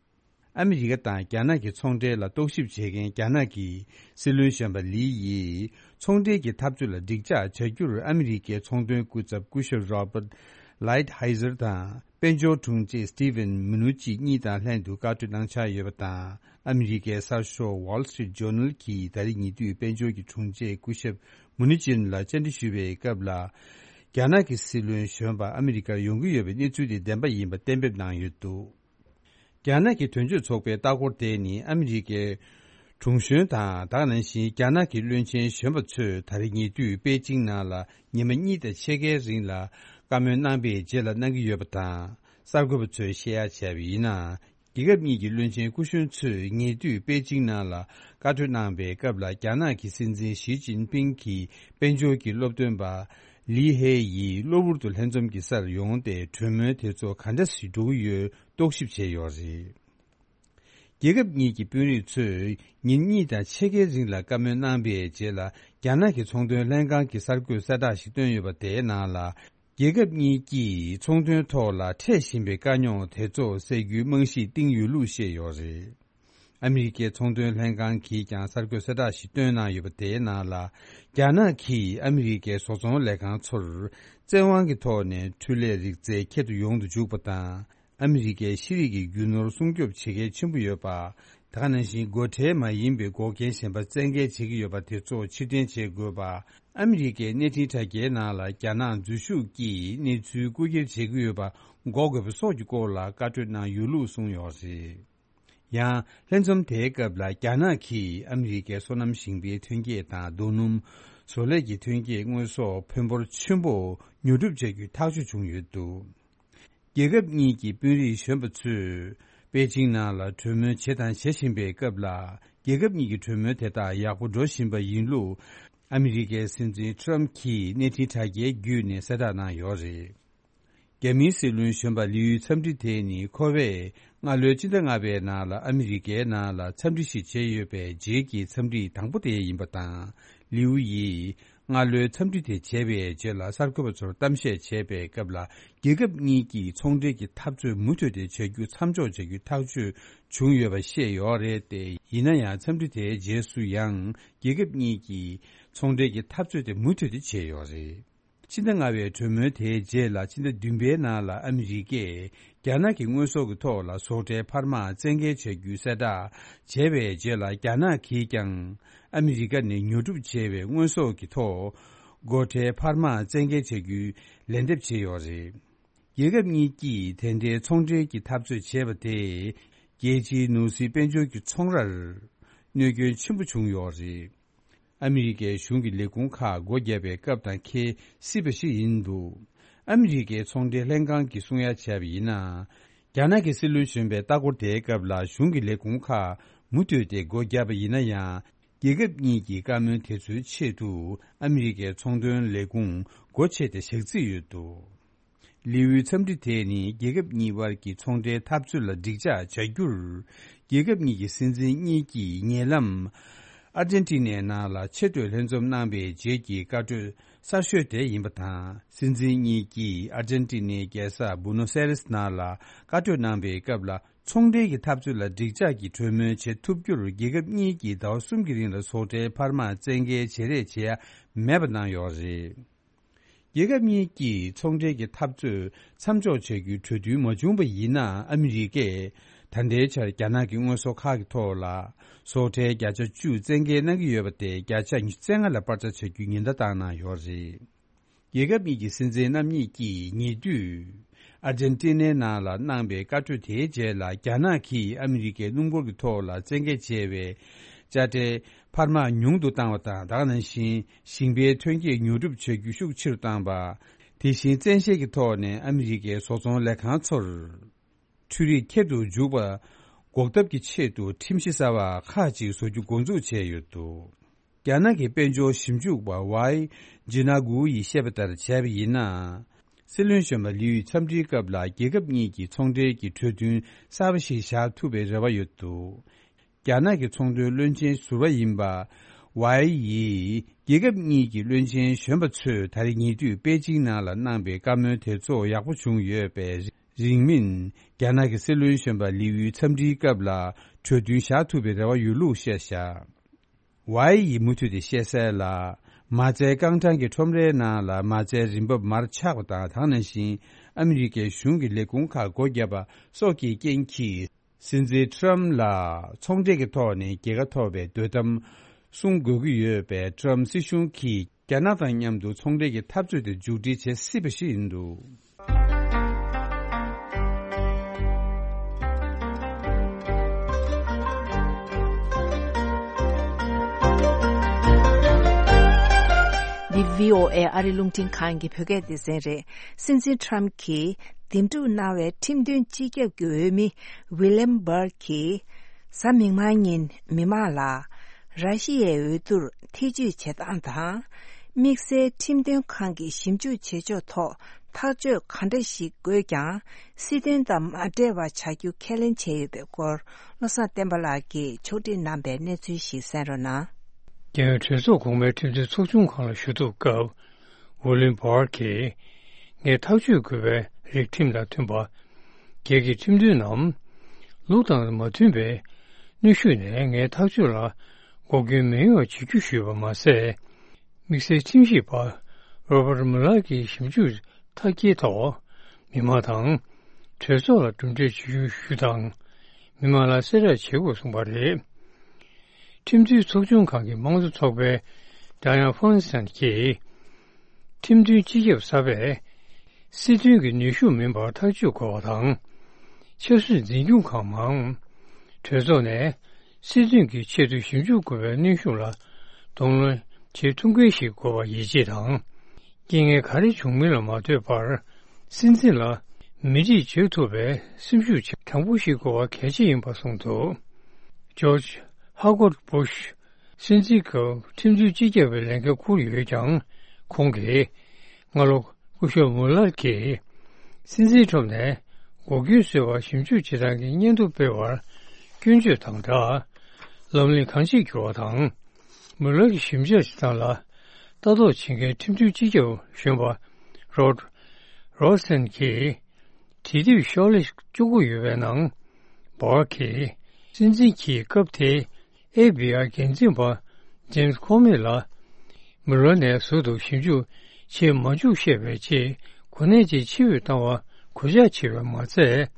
ཨ་མི་རི་ཀ་དང་རྒྱ་ནག་གི་ཚོང་འབྲེལ་ལ་རྟོག་ཞིབ་བྱེད་མཁན་རྒྱ་ནག་གི་སྲིད་བློན་གཞོན་པ་ལི་ཡིས། ཚོང་འབྲེལ་གྱི་འཐབ་རྩོད་ལ་འགྲིག་འཇགས་བྱ་རྒྱུར་ཨ་མི་རི་ཀའི་ཚོང་དོན་སྐུ་ཚབ་སྐུ་ཞབས་Robert Lighthizer་དང་། དཔལ་འབྱོར་དྲུང་ཆེ་Steven Mnuchin་གཉིས་དང་ལྷན་དུ་བཀའ་གྲོས་གནང་འཆར་ཡོད་པ་དང་། ཨ་མི་རི་ཀའི་གསར་ཤོག་Wall Street Journal་གྱིས་ད་རེས་ཉེ་དུས་དཔལ་འབྱོར་གྱི་དྲུང་ཆེ་སྐུ་ཞབས་Mnuchin་ལ་བཅར་འདྲི་ཞུ་བའི་སྐབས་ལ། རྒྱ་ནག་གི་སྲིད་བློན་གཞོན་པ་ཨ་མི་རི་ཀར་ཡོང་གི་ཡོད་པའི་གནས་ཚུལ་དེ་བདེན་པ་ཡིན་པ་གཏན་འབེབས་གནང་ཡོད་འདུག་རྒྱ་ནག་གི་དོན་གཅོད་ཚོགས་པའི་ལྟ་སྐོར་དེ་ནི་ཨ་མི་རི་ཀའི་དྲུང་གཞོན་དང་། ད་ག་ནང་བཞིན་རྒྱ་ནག་གི་བློན་ཆེན་གཞོན་པ་ཚོས་ད་རེས་ཉེ་དུས་པེ་ཅིང་ནང་ལ་ཉི་མ་གཉིས་དང་ཕྱེད་ཀའི་རིང་ལ་བཀའ་མོལ་གནང་པའི་རྗེས་ལ་གནང་གི་ཡོད་པ་དང་། གསར་འགོད་པ་ཚོས་བཤད་ཡ་བྱས་པ་ཡིན་ན། རྒྱལ་ཁབ་གཉིས་ཀྱི་བློན་ཆེན་སྐུ་གཞོན་ཚོས་ཉེ་དུས་པེ་ཅིང་ནང་ལ་བཀའ་གྲོས་གནང་པའི་སྐབས་ལ། རྒྱ་ནག་གི་སྲིད་འཛིན་ཞི་ཅིན་ཕིང་གིས་དཔལ་འབྱོར་གྱི་སློབ་སྟོན་པ་ལི་ཧེ་ཡིས་གློ་བུར་དུ་ལྷན་འཛོམས་ཀྱི་སར་ཡོང་སྟེ། གྲོས་མོལ་དེ་ཚོ་ག་འདྲ་ཞིག་འགྲོ་གི་ཡོད། རྟོག་ཞིབ་བྱས་ཡོད་རེད། རྒྱལ་ཁབ་གཉིས་ཀྱི་དཔོན་རིགས་ཚོས་ཉིན་གཉིས་དང་ཕྱེད་ཀའི་རིང་ལ་བཀའ་མོལ་གནང་པའི་རྗེས་ལ། རྒྱ་ནག་གི་ཚོང་དོན་ལྷན་ཁང་གིས་གསར་འགོད་གསལ་བསྒྲགས་ཤིག་བཏོན་ཡོད་པ་དེའི་ནང་ལ། རྒྱལ་ཁབ་གཉིས་ཀྱིས་ཚོང་དོན་ཐོག་ལ་འཕྲད་བཞིན་པའི་དཀའ་རྙོག་དེ་ཚོ་སེལ་རྒྱུའི་རྨང་གཞི་བཏིང་ཡོད་ལུགས་བཤད་ཡོད་རེད། ཨ་མི་རི་ཀའི་ཚོང་དོན་ལྷན་ཁང་གིས་ཀྱང་གསར་འགོད་གསལ་བསྒྲགས་ཤིག་བཏོན་གནང་ཡོད་པ་དེའི་ནང་ལ། རྒྱ་ནག་གིས་ཨ་མི་རི་ཀའི་བཟོ་ཚོང་ལས་ཁང་ཚོར་བཙན་དབང་གི་ཐོག་ནས་འཕྲུལ་ལས་རིག་རྩལ་ཁྱད་དུ་ཡོང་དུ་འཇུག་པ་དང་། ཨ་མི་རི་ཀའི་ཤེས་རིག་གི་རྒྱུ་ནོར་སྲུང་སྐྱོབ་བྱེད་གལ་ཆེན་པོ་ཡོད་པ། ད་ག་ནང་བཞིན་སྒོ་ཁྲལ་མ་ཡིན་པའི་འགོག་རྐྱེན་གཞན་པ་བཙན་འགེལ་བྱེད་ཀྱི་ཡོད་པ་དེ་ཚོ་ཕྱིར་འཐེན་བྱེད་དགོས་པ། ཨ་མི་རི་ཀའི་གནས་འཕྲིན་དྲ་རྒྱའི་ནང་ལ་རྒྱ་ནག་འཛུལ་ཞུགས་ཀྱིས་གནས་ཚུལ་རྐུ་འཁྱེར་བྱེད་ཀྱི་ཡོད་པ་འགོག་དགོས་པ་སོགས་ཀྱི་སྐོར་ལ་བཀའ་གྲོས་གནང་ཡོད་ལུགས་གསུངས་ཡོད་རེད། ཡང་ལྷན་འཛོམས་དེའི་སྐབས་ལ་རྒྱ་ནག་གིས་ཨ་མི་རི་ཀའི་སོ་ནམ་ཞིང་པའི་ཐོན་སྐྱེད་དང་རྡོ་སྣུམ། བཟོ་ལས་ཀྱི་ཐོན་སྐྱེད་དངོས་ཟོག་ཕོན་འབོར་ཆེན་པོ་ཉོ་སྒྲུབ་བྱ་རྒྱུའི་ཐག་གཅོད་བྱུང་ཡོད་འདུག་རྒྱལ་ཁབ་གཉིས་ཀྱི་དཔོན་རིགས་གཞོན་པ་ཚོས་པེ་ཅིང་ནང་ལ་གྲོས་མོལ་བྱེད་དང་བྱེད་བཞིན་པའི་སྐབས་ལ། རྒྱལ་ཁབ་གཉིས་ཀྱི་གྲོས་མོལ་དེ་དག་ཡག་པོ་འགྲོ་བཞིན་པ་ཡིན་ལུགས་ཨ་མི་རི་ཀའི་སྲིད་འཛིན་ཊརམ་གྱིས་གནས་འཕྲིན་དྲ་རྒྱའི་བརྒྱུད་ནས་གསལ་བསྒྲགས་གནང་ཡོད་རེད། རྒྱ་མིའི་སྲིད་བློན་གཞོན་པ་ལིའུ་ཡུའི་འཚམས་འདྲི་དེ་ནི་ཁོ་པས་སྔ་ལོའི་ཕྱི་ཟླ་ལྔ་པའི་ནང་ལ་ཨ་མི་རི་ཀའི་ནང་ལ་འཚམས་འདྲི་ཞིག་བྱས་ཡོད་པའི་རྗེས་ཀྱི་འཚམས་འདྲི་དང་པོ་དེ་ཡིན་པ་དང་། ལིའུ་ཡིས་སྔ་ལོའི་འཚམས་འདྲི་དེ་བྱས་པའི་རྗེས་ལ་གསར་འགོད་པ་ཚོར་གཏམ་བཤད་བྱས་པའི་སྐབས་ལ། རྒྱལ་ཁབ་གཉིས་ཀྱིས་ཚོང་འབྲེལ་གྱི་འཐབ་རྩོད་མུ་མཐུད་དེ་བྱ་རྒྱུ་མཚམས་འཇོག་བྱ་རྒྱུའི་ཐག་གཅོད་བྱུང་ཡོད་པ་བཤད་ཡོད་རེད་དེ། ཡིན་ན་ཡང་འཚམས་འདྲི་དེའི་རྗེས་སུ་ཡང་རྒྱལ་ཁབ་གཉིས་ཀྱིས་ཚོང་འབྲེལ་གྱི་འཐབ་རྩོད་དེ་མུ་མཐུད་དེ་བྱས་ཡོད་རེད། ཕྱི་ཟླ་ལྔ་པའི་གྲོས་མོལ་དེའི་རྗེས་ལ་ཕྱི་ཟླ་བདུན་པའི་ནང་ལ་ཨ་མི་རི་ཀས་རྒྱ་ནག་གི་དངོས་ཟོག་གི་ཐོག་ལ་བཟོ་གྲྭའི་འཕར་མ་བཙན་འགེལ་བྱ་རྒྱུའི་གསལ་བསྒྲགས་བྱས་པའི་རྗེས་ལ། རྒྱ་ནག་གིས་ཀྱང་ཨ་མི་རི་ཀ་ནས་ཉོ་སྒྲུབ་བྱས་པའི་དངོས་ཟོག་གི་ཐོག་སྒོ་ཁྲལ་འཕར་མ་བཙན་འགེལ་བྱ་རྒྱུའི་ལན་འདེབས་བྱས་ཡོད་རེད། རྒྱལ་ཁབ་གཉིས་ཀྱིས་དེ་འབྲེལ་ཚོང་འབྲེལ་གྱི་འཐབ་རྩོད་བྱས་པ་དེས་རྒྱལ་སྤྱིའི་ནོར་སྲིད་དཔལ་འབྱོར་གྱི་ཚོང་རར་གནོད་སྐྱོན་ཆེན་པོ་བྱུང་ཡོད་རེད། ཨ་མི་རི་ཀའི་གཞུང་གི་ལས་ཁུངས་ཁག་སྒོ་བརྒྱབ་པའི་སྐབས་དང་འཁེལ་སྲིད་པ་ཞིག་ཡིན་འདུག་ཨ་མི་རི་ཀའི་ཚོང་འབྲེལ་ལྷན་ཁང་གིས་གསུང་ཡ་བྱས་པ་ཡིན་ན། རྒྱ་ནག་གི་སྲིད་བློན་གཞོན་པའི་ལྟ་སྐོར་དེའི་སྐབས་ལ་གཞུང་གི་ལས་ཁུངས་ཁག་མུ་མཐུད་དེ་སྒོ་བརྒྱབ་པ་ཡིན་ན་ཡང་། རྒྱལ་ཁབ་གཉིས་ཀྱི་བཀའ་མོལ་དེ་ཚོའི་ཆེད་དུ་ཨ་མི་རི་ཀའི་ཚོང་དོན་ལས་ཁུངས་སྒོ་ཕྱེ་སྟེ་བཞག་རྩིས་ཡོད་འདུག་ལིའུ་ཡུའི་འཚམས་འདྲི་དེ་ནི་རྒྱལ་ཁབ་གཉིས་དབར་གྱི་ཚོང་འབྲེལ་འཐབ་རྩོད་ལ་འགྲིག་འཇགས་བྱ་རྒྱུར། རྒྱལ་ཁབ་གཉིས་ཀྱི་སྲིད་འཛིན་གཉིས་ཀྱིས་ཉེ་ལམ་ཨར་ཇན་ཏི་ནའི་ནང་ལ་ཆེས་མཐོའི་ལྷན་འཛོམས་གནང་པའི་རྗེས་ཀྱི་བཀའ་གྲོས་གསར་ཤོས་དེ་ཡིན་པ་དང་། སྲིད་འཛིན་གཉིས་ཀྱིས་ཨར་ཇན་ཏི་ནའི་རྒྱལ་ས་བུ་ནོ་སེ་རེས་ནང་ལ་བཀའ་གྲོས་གནང་པའི་སྐབས་ལ། ཚོང་འབྲེལ་གྱི་འཐབ་རྩོད་ལ་འགྲིག་འཇགས་ཀྱི་གྲོས་མོལ་བྱེད་ཐུབ་རྒྱུར། རྒྱལ་ཁབ་གཉིས་ཀྱིས་ཟླ་བ་གསུམ་གྱི་རིང་ལ་བཟོ་གྲྭའི་འཕར་མ་བཙན་འགེལ་བྱེད་རེས་བྱེད་ཡ་མེད་པ་གནང་ཡོད་རེད། རྒྱལ་ཁབ་གཉིས་ཀྱིས་ཚོང་འབྲེལ་གྱི་འཐབ་རྩོད་མཚམས་འཇོག་བྱ་རྒྱུའི་གྲོས་མཐུན་མ་བྱུང་བ་ཡིན་ན། ཨ་མི་རི་ཀས་ ད་ལྟའི་ཆར་རྒྱ་ནག་གི་དངོས་ཟོག་ཁག་གི་ཐོག་ལ་ཟོག་ཁྲལ་བརྒྱ་ཆ་བཅུ་བཙན་འགེལ་གནང་གི་ཡོད་པ་དེ་བརྒྱ་ཆ་ཉི་ཤུ་རྩ་ལྔ་ལ་སྤར་ཆ་བྱ་རྒྱུའི་ཉེན་བརྡ་བཏང་གནང་ཡོད་རེད། རྒྱལ་ཁབ་གཉིས་ཀྱི་སྲིད་འཛིན་རྣམ་གཉིས་ཀྱིས་ཉེ་དུས་ཨར་ཇན་ཏི་ནའི་ནང་ལ་གནང་པའི་བཀའ་གྲོས་དེའི་རྗེས་ལ། རྒྱ་ནག་གིས་ཨ་མི་རི་ཀའི་སྣུམ་འཁོར་གྱི་ཐོག་ལ་བཙན་འགེལ་བྱས་པའི་དཔྱ་ཁྲལ་འཕར་མ་ཉུང་དུ་བཏང་བ་དང་། ད་ག་ནང་བཞིན་ཞིང་པའི་ཐོན་སྐྱེད་ཉོ་སྒྲུབ་བྱ་རྒྱུ་ཤུགས་ཆེ་རུ་བཏང་པ། དེ་བཞིན་བཙན་ཤེད་ཀྱི་ཐོག་ནས་ཨ་མི་རི་ཀའི་བཟོ་ཚོང་ལས་ཁང་ཚོར་འཕྲུལ་རིག་ཁྱེར་དུ་འཇུག་པ་འགོག་ཐབས་ཀྱི་ཆེད་དུ་ཁྲིམས་གཞི་གསར་པ་ཁག་ཅིག་བཟོ་རྒྱུ་འགོ་འཛུགས་བྱས་ཡོད་འདུག་རྒྱ་ནག་གི་དཔལ་འབྱོར་ཞིབ་འཇུག་པ་ཝའི་ཇི་ན་གུ་ཡིས་བཤད་པ་ལྟར་བྱས་པ་ཡིན་ན། སྲིད་བློན་གཞོན་པ་ལི་ཡུས་འཚམས་འདྲིའི་སྐབས་ལ་རྒྱལ་ཁབ་གཉིས་ཀྱི་ཚོང་འབྲེལ་གྱི་གྲོས་མཐུན་གསར་པ་ཞིག་བཞག་ཐུབ་པའི་རེ་བ་ཡོད་འདུག་རྒྱ་ནག་གི་ཚོང་དོན་བློན་ཆེན་ཟུར་པ་ཡིན་པ་ཝའི་ཡིས། རྒྱལ་ཁབ་གཉིས་ཀྱི་བློན་ཆེན་གཞོན་པ་ཚོས་ད་རེས་ཉེ་དུས་པེ་ཅིང་ནང་ལ་གནང་པའི་བཀའ་མོལ་དེ་ཚོ་ཡག་པོ་བྱུང་ཡོད་པས། རིང་མིན་རྒྱ་ནག་གི་སྲིད་བློན་གཞོན་པ་ལི་ཡུའི་འཚམས་འདྲིའི་སྐབས་ལ་གྲོས་མཐུན་བཞག་ཐུབ་པའི་རེ་བ་ཡོད་ལུགས་བཤད་བཞག་ཝའི་ཡིས་མུ་མཐུད་དེ་བཤད་གསལ་ལ། མ་རྩའི་རྐང་གྲངས་ཀྱི་ཁྲོམ་རའི་ནང་ལ་མ་རྩའི་རིན་འབབ་མར་ཆག་པ་དང་། དེ་ནང་བཞིན་ཨ་མི་རི་ཀའི་གཞུང་གི་ལས་ཁུངས་ཁག་སྒོ་བརྒྱབ་པ་སོགས་ཀྱི་རྐྱེན་གྱིས། སྲིད་འཛིན་ཊམ་ལ་ཚོང་འབྲེལ་གྱི་ཐོག་ནས་རྒྱལ་ཁ་ཐོབ་པའི་དོ་དམ་སྲུང་དགོས་ཀྱི་ཡོད་པས། ཊམ་སྲིད་གཞུང་གིས་རྒྱ་ནག་དང་མཉམ་དུ་ཚོང་འབྲེལ་གྱི་འཐབ་རྩོད་དེ་མཇུག་སྒྲིལ་བྱེད་སྲིད་པ་ཞིག་ཡིན་འདུག་འདི་བྷི་ཨོ་ཨེ་ཨ་རི་རླུང་འཕྲིན་ཁང་གི་བོད་སྐད་སྡེ་ཚན་རེད། སྲིད་འཛིན་ཊམ་གྱིས་འདེམས་སྒྲུག་གནང་བའི་ཁྲིམས་མཐུན་སྤྱི་ཁྱབ་ཀྱི་འོས་མི་ཝི་ལེམ་བར་གྱིས་གཟའ་མིག་དམར་ཉིན་མི་མང་ལ་ར་ཤི་ཡའི་འོས་བསྡུར་ཐེ་ཇུས་བྱེད་སྟངས་དང་། དམིགས་བསལ་ཁྲིམས་དོན་ཁང་གིས་ཞིབ་འཇུག་བྱེད་ཕྱོགས་ཐོག་ཐག་གཅོད་ག་འདྲ་ཞིག་དགོས་ཀྱང་། སྲིད་དོན་དང་མ་འབྲེལ་བ་བྱ་རྒྱུ་ཁས་ལེན་བྱས་ཡོད་པའི་སྐོར། བློ་བཟང་བསྟན་པ་ལགས་ཀྱིས་ཕྱོགས་སྒྲིག་གནང་པའི་གནས་ཚུལ་ཞིག་གསན་རོགས་གནང་། རྒྱལ་ཡོངས་གྲོས་ཚོགས་གོང་མའི་ཁྲིམས་རྩོད་ཚོགས་ཆུང་ཁང་ལ་ཞུ་གཏུག་སྐབས། ཝུ་ལིན་བྷར་གྱིས། ངས་ཐག་གཅོད་དགོས་པའི་རིགས་ཁྲིམས་དང་མཐུན་པ། སྒེར་གྱི་ཁྲིམས་མཐུན་ནམ། ལུགས་དང་མ་མཐུན་པའི་གནོན་ཤུགས་ནས་ངའི་ཐག་གཅོད་ལ་འགོག་རྐྱེན་མི་ཡོང་བ་བྱེད་རྒྱུ་ཞུས་པ་མ་ཟད། དམིགས་བསལ་ཁྲིམས་ཞིབ་པ་རོ་བར་མུ་ལར་གྱི་ཞིབ་འཇུག་མཐའ་སྐྱེལ་ཐོག་མི་མང་དང་གྲོས་ཚོགས་ལ་གྲུབ་འབྲས་ཇི་བཞིན་ཞུ་དང་། མི་མང་ལ་གསལ་བསྒྲགས་བྱེད་དགོས་གསུངས་པ་རེད། ཁྲིམས་མཐུན་ཚོགས་ཆུང་ཁང་གི་དམངས་གཙོ་ཚོགས་པའི་ཌ་ཡ་ན་ཧྥོན་སན་གྱིས། ཁྲིམས་མཐུན་སྤྱི་ཁྱབ་གསར་པས་སྲིད་དོན་གྱི་ནུས་ཤུགས་མིན་པར་ཐག་གཅོད་དགོས་པ་དང་། ཆབ་སྲིད་འཛིན་སྐྱོང་ཁང་མང་གྲོས་ཚོགས་ནས་སྲིད་དོན་གྱི་ཆེད་དུ་ཞིབ་འཇུག་དགོས་པའི་གནོན་ཤུགས་ལ་གདོང་ལེན་བྱེད་ཐུབ་མཁན་ཞིག་དགོས་པར་ཡིད་ཆེས་དང་། རྐྱེན་ངན་ག་རེ་བྱུང་མིན་ལ་མ་ལྟོས་པར་སྲིད་འཛིན་ལ་མི་ཁྲིད་བྱེད་ཐུབ་པའི་སེམས་ཤུགས་དྲང་པོ་ཞིག་དགོས་པ་གལ་ཆེ་ཡིན་པ་གསུངས་འདུག་ཇོརྗ་ཧ་ཀོར་སྦུ་ཤ་སྲིད་འཛིན་སྐབས་ཁྲིམས་མཐུན་སྤྱི་ཁྱབ་པའི་ལས་འགན་འཁུར་ཡོད་ཀྱང་། ཁོང་གིས་སྔ་ལོ་སྐུ་ཞབས་མུ་ལར་གྱིས་སྲིད་འཛིན་ཁྲོམ་ནས་འགོག་རྐྱེན་བཟོས་པར་ཞིབ་འཇུག་བྱེད་སྟངས་ཀྱི་སྙན་ཐོ་སྤེལ་བར་སྐྱོན་བརྗོད་དང་སྦྲགས། ལམ་ལུགས་གང་ཅིར་འགྱུར་བ་དང་། མུ་ལར་གྱི་ཞིབ་འཇུག་བྱེད་སྟངས་ལ་ལྟ་རྟོག་བྱེད་མཁན་ཁྲིམས་མཐུན་སྤྱི་ཁྱབ་གཞོན་པ་རོཌ་རོ་སན་གྱིས། དེ་དུས་ཤོག་ལྷེ་བཅུ་དགུ་ཡོད་པའི་ནང་། བྷར་གྱིས་སྲིད་འཛིན་གྱིས་སྐབས་དེའི་ཨེཕ་བྷི་ཨའི་འགན་འཛིན་པ་ཇེམ་སི་ཁོ་མི་ལ་མུ་ལར་ནས་ཟུར་དུ་ཞིབ་འཇུག་བྱེད་མ་འཇུག་བཤད་པའི་ཆེད་གོ་གནས་ཀྱི་ཕྱིར་འབུད་བཏང་བ་གུས་ཕྱག་བྱས་པ་མ་ཚད།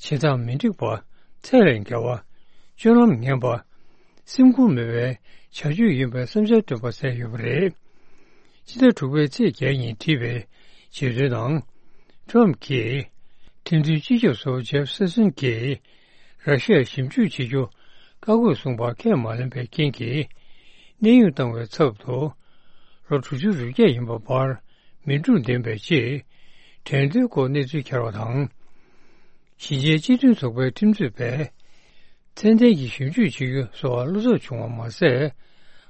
བྱེད་སྟངས་མི་འགྲིག་པ། ཚད་ལས་བརྒལ་བ། སྤྱོད་ལམ་ངན་པ། སེམས་ཁུར་མེད་པའི་བྱ་སྤྱོད་ཡིན་པའི་བསམ་འཆར་བཏོན་པ་གསལ་ཡོད་པ་རེད། ཕྱི་ཟླ་དྲུག་པའི་ཚེས་བརྒྱད་ཉིན་བྲིས་པའི་བརྗོད་དོན་ནང་། ཊམ་གྱིས་ཁྲིམས་མཐུན་སྤྱི་ཁྱབ་ཟུར་པ་ཇེབ་སེ་སོན་གྱིས་ར་ཤི་ཡར་ཞིབ་འཇུག་བྱེད་རྒྱུ་བཀག་དགོས་གསུངས་པ་ཁས་མ་ལེན་པའི་རྐྱེན་གྱིས། གནས་དབྱུང་བཏང་བའི་ཚབ་ཏུ་ལོ་དྲུག་ཅུ་རེ་བརྒྱད་ཡིན་པ་བར་མི་སྒྲུང་འདེམས་པའི་ཆེད་འགྲན་བསྡུར་སྐོར་གནས་ཚུལ་འཁྱེར་བ་དང་། གཞིས་བྱེས་སྤྱི་མཐུན་ཚོགས་པའི་ཁྲིམས་རྩོད་པས། ཚད་ལྡན་གྱི་ཞིབ་འཇུག་བྱེད་རྒྱུ་སོགས་བློ་འཚབ་བྱུང་བ་མ་ཟད།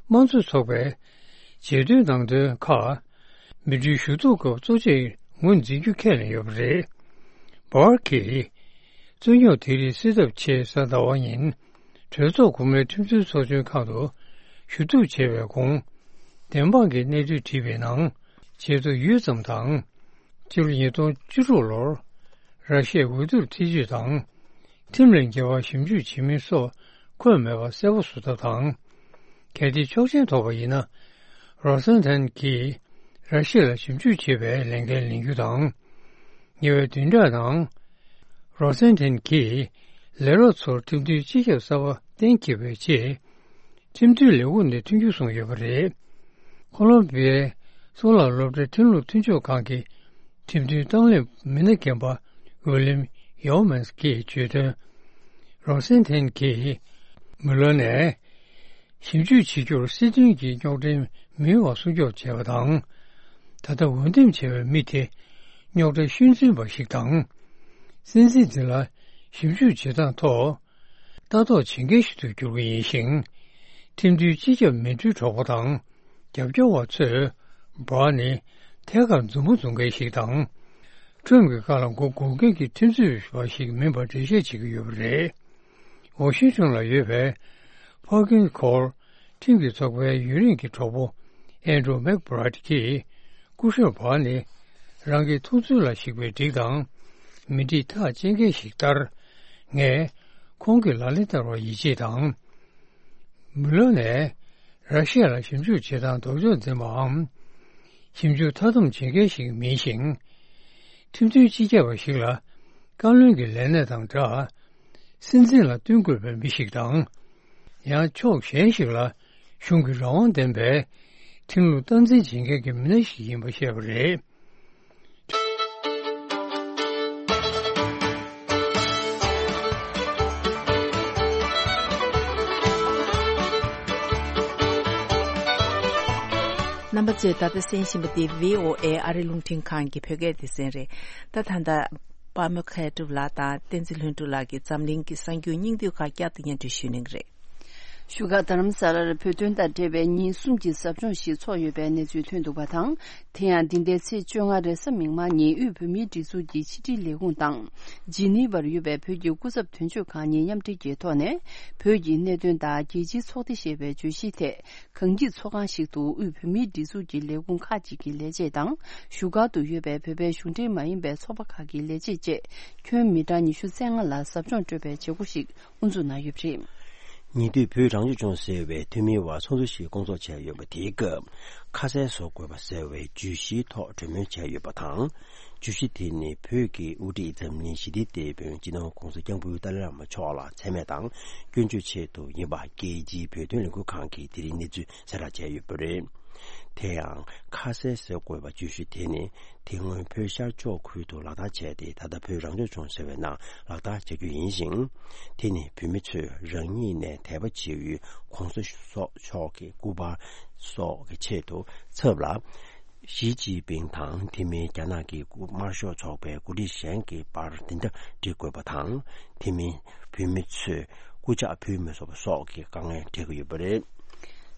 དམངས་གཙོ་ཚོགས་པའི་བརྗོད་དོན་ནང་དོན་ཁག་མི་གྲོས་ཞུ་གཏུག་སྐབས་གཙོ་ཆེར་ངོས་འཛིན་རྒྱུ་ཁས་ལེན་ཡོད་པ་རེད། བྷར་གྱིས། རྩོད་རྙོག་དེ་རིགས་སེལ་ཐབས་ཆེད་གཟའ་ཟླ་བ་ཉིན་གྲོས་ཚོགས་གོང་མའི་ཁྲིམས་རྩོད་ཚོགས་ཆུང་ཁང་དུ་ཞུ་གཏུག་བྱས་པའི་གོང་། བདེན་དཔང་གི་གནས་ཚུལ་བྲིས་པའི་ནང་། བྱེད་དུ་ཡུད་ཙམ་དང་། སྤྱི་ལོ་ཉིས་སྟོང་བཅུ་དྲུག་ལོར་ར་ཤི་ཡའི་འོས་བསྡུར་ཐེ་ཇུས་དང་། ཁྲིམས་ལས་འགལ་བ་ཞིབ་འཇུག་བྱེད་མིན་སོགས་འཁོད་མེད་པ་གསལ་པོ་བཟོ་ཐབས་དང་། གལ་ཏེ་ཆོག་མཆན་ཐོབ་པ་ཡིན་ན། རོ་སན་ཐན་གྱིས་ར་ཤི་ཡ་ལ་ཞིབ་འཇུག་བྱེད་པའི་ལས་འགན་ལེན་རྒྱུ་དང་། ཉེ་བའི་བདུན་ཕྲག་ནང་། རོ་སན་ཐན་གྱིས་ ལས་རོགས་ཚོར་ཁྲིམས་མཐུན་སྤྱི་ཁྱབ་གསར་པ་གཏན་འཁེལ་བའི་རྗེས། ཁྲིམས་མཐུན་ལས་ཁུངས་ནས་མཐུན་འགྱུར་བཟུང་ཡོད་པ་རེད། ཁོ་ལོམ་བི་ཡའི་གཙུག་ལག་སློབ་གྲྭའི་ཁྲིམས་ལུགས་མཐུན་ཕྱོགས་ཁང་གི་ཁྲིམས་མཐུན་གཏོང་ལེན་མི་སྣ་རྒན་པ་ཝི་ལིམ་ཡོ་མན་སི་གིས་བརྗོད་དོན། རོ་སེན་ཐན་གྱིས་མུ་ལོན་ནས། ཞིབ་འཇུག་བྱེད་རྒྱུར་སྲིད་དོན་གྱི་རྙོག་དྲའི་མུན་པ་སྲུང་སྐྱོབ་བྱས་པ་དང་། ད་ལྟ་འོས་འདེམས་བྱས་པའི་མི་དེ་རྙོག་དྲ་ཤུལ་འཛིན་པ་ཞིག་དང་། སྲིད་འཛིན་དེ་ལ་ཞིབ་འཇུག་བྱེད་སྟངས་ཐོག་ལྟ་རྟོག་བྱེད་མཁན་ཞིག་ཏུ་གྱུར་གྱི་ཡིན་ཞིང་། ཁྲིམས་མཐུན་སྤྱི་ཁྱབ་མི་འགྲུལ་གྲོགས་པོ་དང་རྒྱབ་སྐྱོར་བ་ཚོས་བྷར་ནི་ཐད་ཀར་མཛུབ་མོ་འཛུགས་མཁན་ཞིག་དང་། ཁྲོམ་གྱི་ཁ་ལ་མགོ་སྒུར་མཁན་གྱི་ཁྲིམས་རྩོད་པ་ཞིག་མིན་པར་འགྲེལ་བཤད་བྱེད་ཀྱི་ཡོད་པ་རེད། ཝ་ཤིང་ཊོན་ལ་ཡོད་པའི་ཕར་ཀིན་ཁོར་ཁྲིམས་ཀྱི་ཚོགས་པའི་ཡུན་རིང་གི་གྲོགས་པོ་ཨན་ཌྲུ་མེག་བྷི་རའེ་ཊི་གིས། སྐུ་ཞབས་བྷར་ནི་རང་གི་ཐུགས་ཚོད་ལ་གཞིགས་པའི་སྒྲིག་དང་མི་སྒྲིག་ཐག་བཅད་མཁན་ཞིག་ལྟར། ངས་ཁོང་གི་ལག་ལེན་བསྟར་བར་ཡིད་ཆེས་དང་། མུ་ལོན་ནས་ར་ཤི་ཡ་ལ་ཞིབ་འཇུག་བྱེད་སྟངས་ལྡོག་ཕྱོགས་འཛིན་པའམ། ཞིབ་འཇུག་མཐའ་སྡོམ་བྱེད་མཁན་ཞིག་མིན་ཞིང་། ཁྲིམས་མཐུན་སྤྱི་ཁྱབ་པ་ཞིག་ལ་བཀའ་བློན་གྱི་ལས་གནས་དང་སྦྲགས། སྲིད་འཛིན་ལ་བསྟུན་དགོས་པའི་མི་ཞིག་དང་། ཡང་ཕྱོགས་གཞན་ཞིག་ལ་གཞུང་གི་རང་དབང་ལྡན་པའི་ཁྲིམས་ལུགས་སྟངས་འཛིན་བྱེད་མཁན་གྱི་མི་སྣ་ཞིག་ཡིན་པ་བཤད་པ་རེད། རྣམ་པ་ཚོས་ད་ལྟ་གསན་བཞིན་པ་འདི་བྷི་ཨོ་ཨེ་ཨ་རི་རླུང་འཕྲིན་ཁང་གི་བོད་སྐད་སྡེ་ཚན་རེད། ད་ད་ལྟ་པདྨ་མཁས་གྲུབ་ལགས་དང་བསྟན་འཛིན་ལྷུན་གྲུབ་ལགས་ཀྱིས་འཛམ་གླིང་གི་གསར་འགྱུར་སྙིང་བསྡུས་ཁག་བསྐྱར་དུ་སྙན་སྒྲོན་ཞུ་གནང་གི་རེད། བཞུགས་སྒར་རྡ་རམ་ས་ལར་བོད་དོན་དང་འབྲེལ་བའི་ཉིན་གསུམ་གྱི་ཟབ་སྦྱོང་ཞིག་ཚོགས་ཡོད་པའི་གནས་ཚུལ་ཐོན་འདུག་པ་དང་། དེ་ཡང་འདི་ཟླའི་ཚེས་བཅོ་ལྔ་རེས་གཟའ་མིག་དམར་ཉིན་དབུས་བོད་མིའི་སྒྲིག་འཛུགས་ཀྱི་ཕྱི་དྲིལ་ལས་ཁུངས་དང་། ཇི་ནི་ཝར་ཡོད་པའི་བོད་ཀྱི་སྐུ་ཚབ་དོན་གཅོད་ཁང་གཉིས་མཉམ་འབྲེལ་གྱི་ཐོག་ནས། བོད་ཀྱི་གནད་དོན་དང་རྒྱལ་སྤྱིའི་ཚོགས་སྡེ་ཞེས་པའི་བརྗོད་གཞིའི་ཐད། གངས་སྐྱིད་ཚོགས་ཁང་ཞིག་ཏུ་དབུས་བོད་མིའི་སྒྲིག་འཛུགས་ཀྱི་ལས་ཁུངས་ཁག་ཅིག་གི་ལས་བྱེད་དང་། བཞུགས་སྒར་དུ་ཡོད་པའི་བོད་པའི་གཞུང་འབྲེལ་མ་ཡིན་པའི་ཚོགས་པ་ཁག་གི་ལས་བྱེད་བཅས་ཁྱོན་མི་གྲངས་ཉི་ཤུ་རྩ་ལྔ་ལ་ཟབ་སྦྱོང་སྤྲོད་པའི་བྱེད་སྒོ་ཞིག་དབུ་འཛུགས་གནང་ཡོད་པ་རེད། ཉེ་དུས་བོད་རང་སྐྱོང་ལྗོངས་ཟེར་བའི་འཐུས་མིའི་དབར་ཚོགས་འདུ་ཞིག་སྐོང་ཚོགས་བྱས་ཡོད་པ་དེའི་སྐབས། ཁ་གསལ་བཟོ་དགོས་པ་ཟེར་བའི་བརྗོད་གཞིའི་ཐོག་གྲོས་མོལ་བྱས་ཡོད་པ་དང་། བརྗོད་གཞི་དེ་ནི་བོད་ཀྱི་དབུ་ཁྲིད་འཛམ་གླིང་ཞི་བདེའི་དེད་དཔོན་སྤྱི་ནོར་༧གོང་ས་༧སྐྱབས་མགོན་ཏཱ་ལའི་བླ་མ་མཆོག་ལ་མཚན་སྨད་དང་སྐྱོན་བརྗོད་ཆེད་དུ་ཡིན་པ། རྒྱལ་སྤྱིའི་བོད་དོན་ལས་འགུལ་ཁང་གིས་དེ་རིང་གནས་ཚུལ་གསལ་བསྒྲགས་བྱས་ཡོད་པ་རེད། དེ་ཡང་ཁ་གསལ་ཟེར་དགོས་པ་བརྗོད་གཞི་དེ་ནི། དེ་སྔོན་བོད་ཤར་ཕྱོགས་ཁུལ་དུ་ལག་བསྟར་བྱས་ཏེ། ད་ལྟ་བོད་རང་སྐྱོང་ལྗོངས་ཟེར་བའི་ནང་ལག་བསྟར་བྱ་རྒྱུ་ཡིན་ཞིང་། དེ་ནི་བོད་མི་ཚོས་རང་ཉིད་ནས་དད་པ་བྱེད་ཡུལ་༧གོང་ས་མཆོག་གི་སྐུ་པར་སོགས་ཀྱི་ཆེད་དུ་ཚབ་ལ། ཞི་ཅིན་ཕིང་དང་དེ་མིན་རྒྱ་ནག་གི་དམར་ཤོག་ཚོགས་པའི་འགོ་ཁྲིད་གཞན་གྱི་པར་འདི་འདྲ་འབྲི་དགོས་པ་དང་། དེ་མིན་བོད་མི་ཚོས་སྐུ་ཕྱག་ཕུལ་མི་ཆོག་པ་སོགས་ཀྱི་དཀའ་ངལ་འཕྲད་ཀྱི་ཡོད་པ་རེད།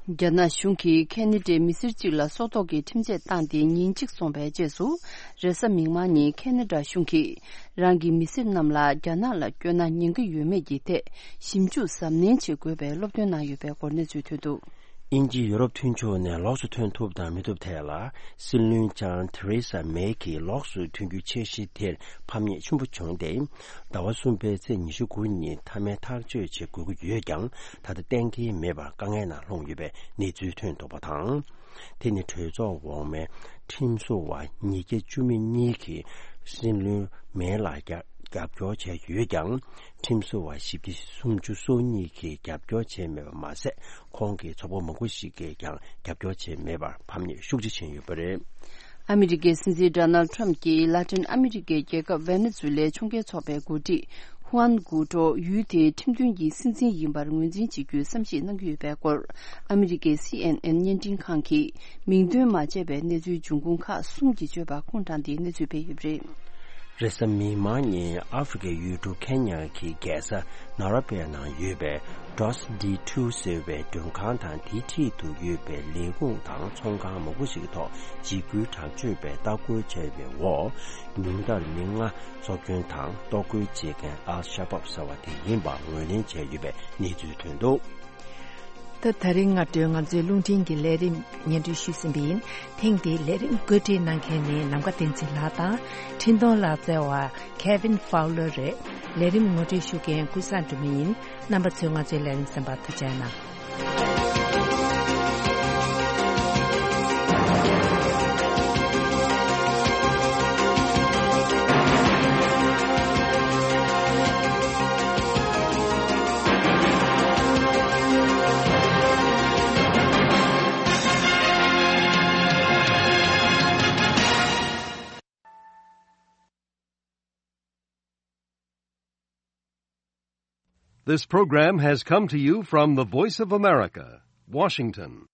རྒྱ་ནག་གཞུང་གིས་ཁེ་ན་ཌའི་མི་སེར་གཅིག་ལ་སྲོག་ཐོག་གི་ཁྲིམས་ཆད་བཏང་སྟེ་ཉིན་གཅིག་སོང་བའི་རྗེས་སུ། རེས་གཟའ་མིག་དམར་ཉིན་ཁེ་ན་ཌ་གཞུང་གིས་རང་གི་མི་སེར་རྣམས་ལ་རྒྱ་ནག་ལ་བསྐྱོད་ན་ཉེན་ཁ་ཡོད་མེད་ཀྱི་ཐད་ཞིབ་འཇུག་གཟབ་ནན་བྱེད་དགོས་པའི་སློབ་སྟོན་གནང་ཡོད་པའི་སྐོར་གནས་ཚུལ་ཐོན་འདུག་དབྱིན་ཇི་ཡོ་རོབ་མཐུན་ཕྱོགས་ནས་ལོགས་སུ་ཐོན་ཐུབ་དང་མི་ཐུབ་ཐད་ལ། སྲིད་བློན་ལྕམ་ཐེ་རེ་ས་མེ་གིས་ལོགས་སུ་ཐོན་རྒྱུའི་འཆར་གཞི་དེར་ཕམ་ཉེས་ཆེན་པོ་བྱུང་སྟེ། ཟླ་བ་གསུམ་པའི་ཚེས་ཉི་ཤུ་དགུ་ཉིན་མཐའ་མའི་ཐག་གཅོད་བྱེད་དགོས་ཀྱི་ཡོད་ཀྱང་། ད་ལྟ་གཏན་འཁེལ་མེད་པར་དཀའ་ངལ་ནང་ལྷུང་ཡོད་པའི་གནས་ཚུལ་ཐོན་འདུག་པ་དང་། དེ་ནི་གྲོས་ཚོགས་འོག་མའི་ཁྲིམས་བཟོ་བ་ཉིས་བརྒྱ་བཅུ་མེད་གཉིས་ཀྱིས་སྲིད་བློན་མེ་ལ་རྒྱབ་རྒྱབ་སྐྱོར་བྱས་ཡོད་ཀྱང་། ཁྲིམས་བཟོ་བ་བཞི་བརྒྱ་སུམ་ཅུ་སོ་གཉིས་ཀྱིས་རྒྱབ་སྐྱོར་བྱས་མེད་པ་མ་ཟད། ཁོང་གི་ཚོགས་པ་མང་པོ་ཞིག་གིས་ཀྱང་རྒྱབ་སྐྱོར་བྱས་མེད་པར་ཕམ་ཉེས་ཤུགས་ཆེ་ཕྱིན་ཡོད་པ་རེད། ཨ་མི་རི་ཀའི་སྲིད་འཛིན་ཌོ་ནལ་ཁྲམ་གྱིས་ལ་ཏིན་ཨ་མི་རི་ཀའི་རྒྱལ་ཁབ་ཝེ་ནེ་ཛུ་ལའི་ཕྱོགས་འགལ་ཚོགས་པའི་འགོ་ཁྲིད་ཧུའན་གུའུ་ཀྲོ་ཡུལ་དེའི་ཁྲིམས་མཐུན་གྱི་སྲིད་འཛིན་ཡིན་པར་ངོས་འཛིན་བྱེད་རྒྱུའི་བསམ་ཤེས་གནང་གི་ཡོད་པའི་སྐོར། ཨ་མི་རི་ཀའི་སི་ཨེན་ཨེན་བརྙན་འཕྲིན་ཁང་གིས་མིང་འདོན་མ་བྱས་པའི་གནས་ཚུལ་འབྱུང་ཁུངས་ཁག་གསུམ་གྱིས་བརྗོད་པ་ཁུངས་དྲངས་ཏེ་གནས་ཚུལ་སྤེལ་ཡོད་པ་རེད། རེས་གཟའ་མིག་དམར་ཉིན་ཨ་ཧྥེ་རི་ཁའི་ཡུལ་གྲུ་ཁེ་ཉ་གི་རྒྱལ་ས་ནཱ་རོ་པའི་ནང་ཡོད་པའི་ཌོས་ཌི་ཊུ་ཟེར་བའི་མགྲོན་ཁང་དང་དེའི་འཁྲིས་དུ་ཡོད་པའི་ལས་ཁུངས་དང་ཚོང་ཁང་མང་པོ་ཞིག་གི་ཐོག་འཇིགས་སྐུལ་དྲག་སྤྱོད་པས་ལྟ་སྐོར་བྱས་པའི་འོག་ཉུང་མཐར་མི་ལྔ་འཚོ་སྐྱོན་དང་གཏོར་རྒོལ་བྱེད་མཁན་ཨལ་ཤ་བབ་ཟེར་བ་དེ་ཡིན་པ་ངོས་ལེན་བྱས་ཡོད་པའི་གནས་ཚུལ་ཐོན་འདུག་ད་ད་རིང་སྔ་དྲོའི་ང་ཚོའི་རླུང་འཕྲིན་གྱི་ལས་རིམ་སྙན་སྒྲོན་ཞུས་ཟིན་པ་ཡིན། ཐེངས་འདིའི་ལས་རིམ་བཀོད་སྒྲིག་གནང་མཁན་ནི་ནམ་མཁའ་བསྟན་འཛིན་ལགས་དང་། འཕྲིན་གཏོང་ལག་རྩལ་བ་Kevin Fowler་རེད། ལས་རིམ་ངོ་སྤྲོད་ཞུ་མཁན་ཀུན་བཟང་སྒྲོལ་མ་ཡིན། རྣམ་པ་ཚོས་ང་ཚོའི་ལས་རིམ་གསན་པར་ཐུགས་རྗེ་གནང་། This program has come to you from the Voice of America, Washington.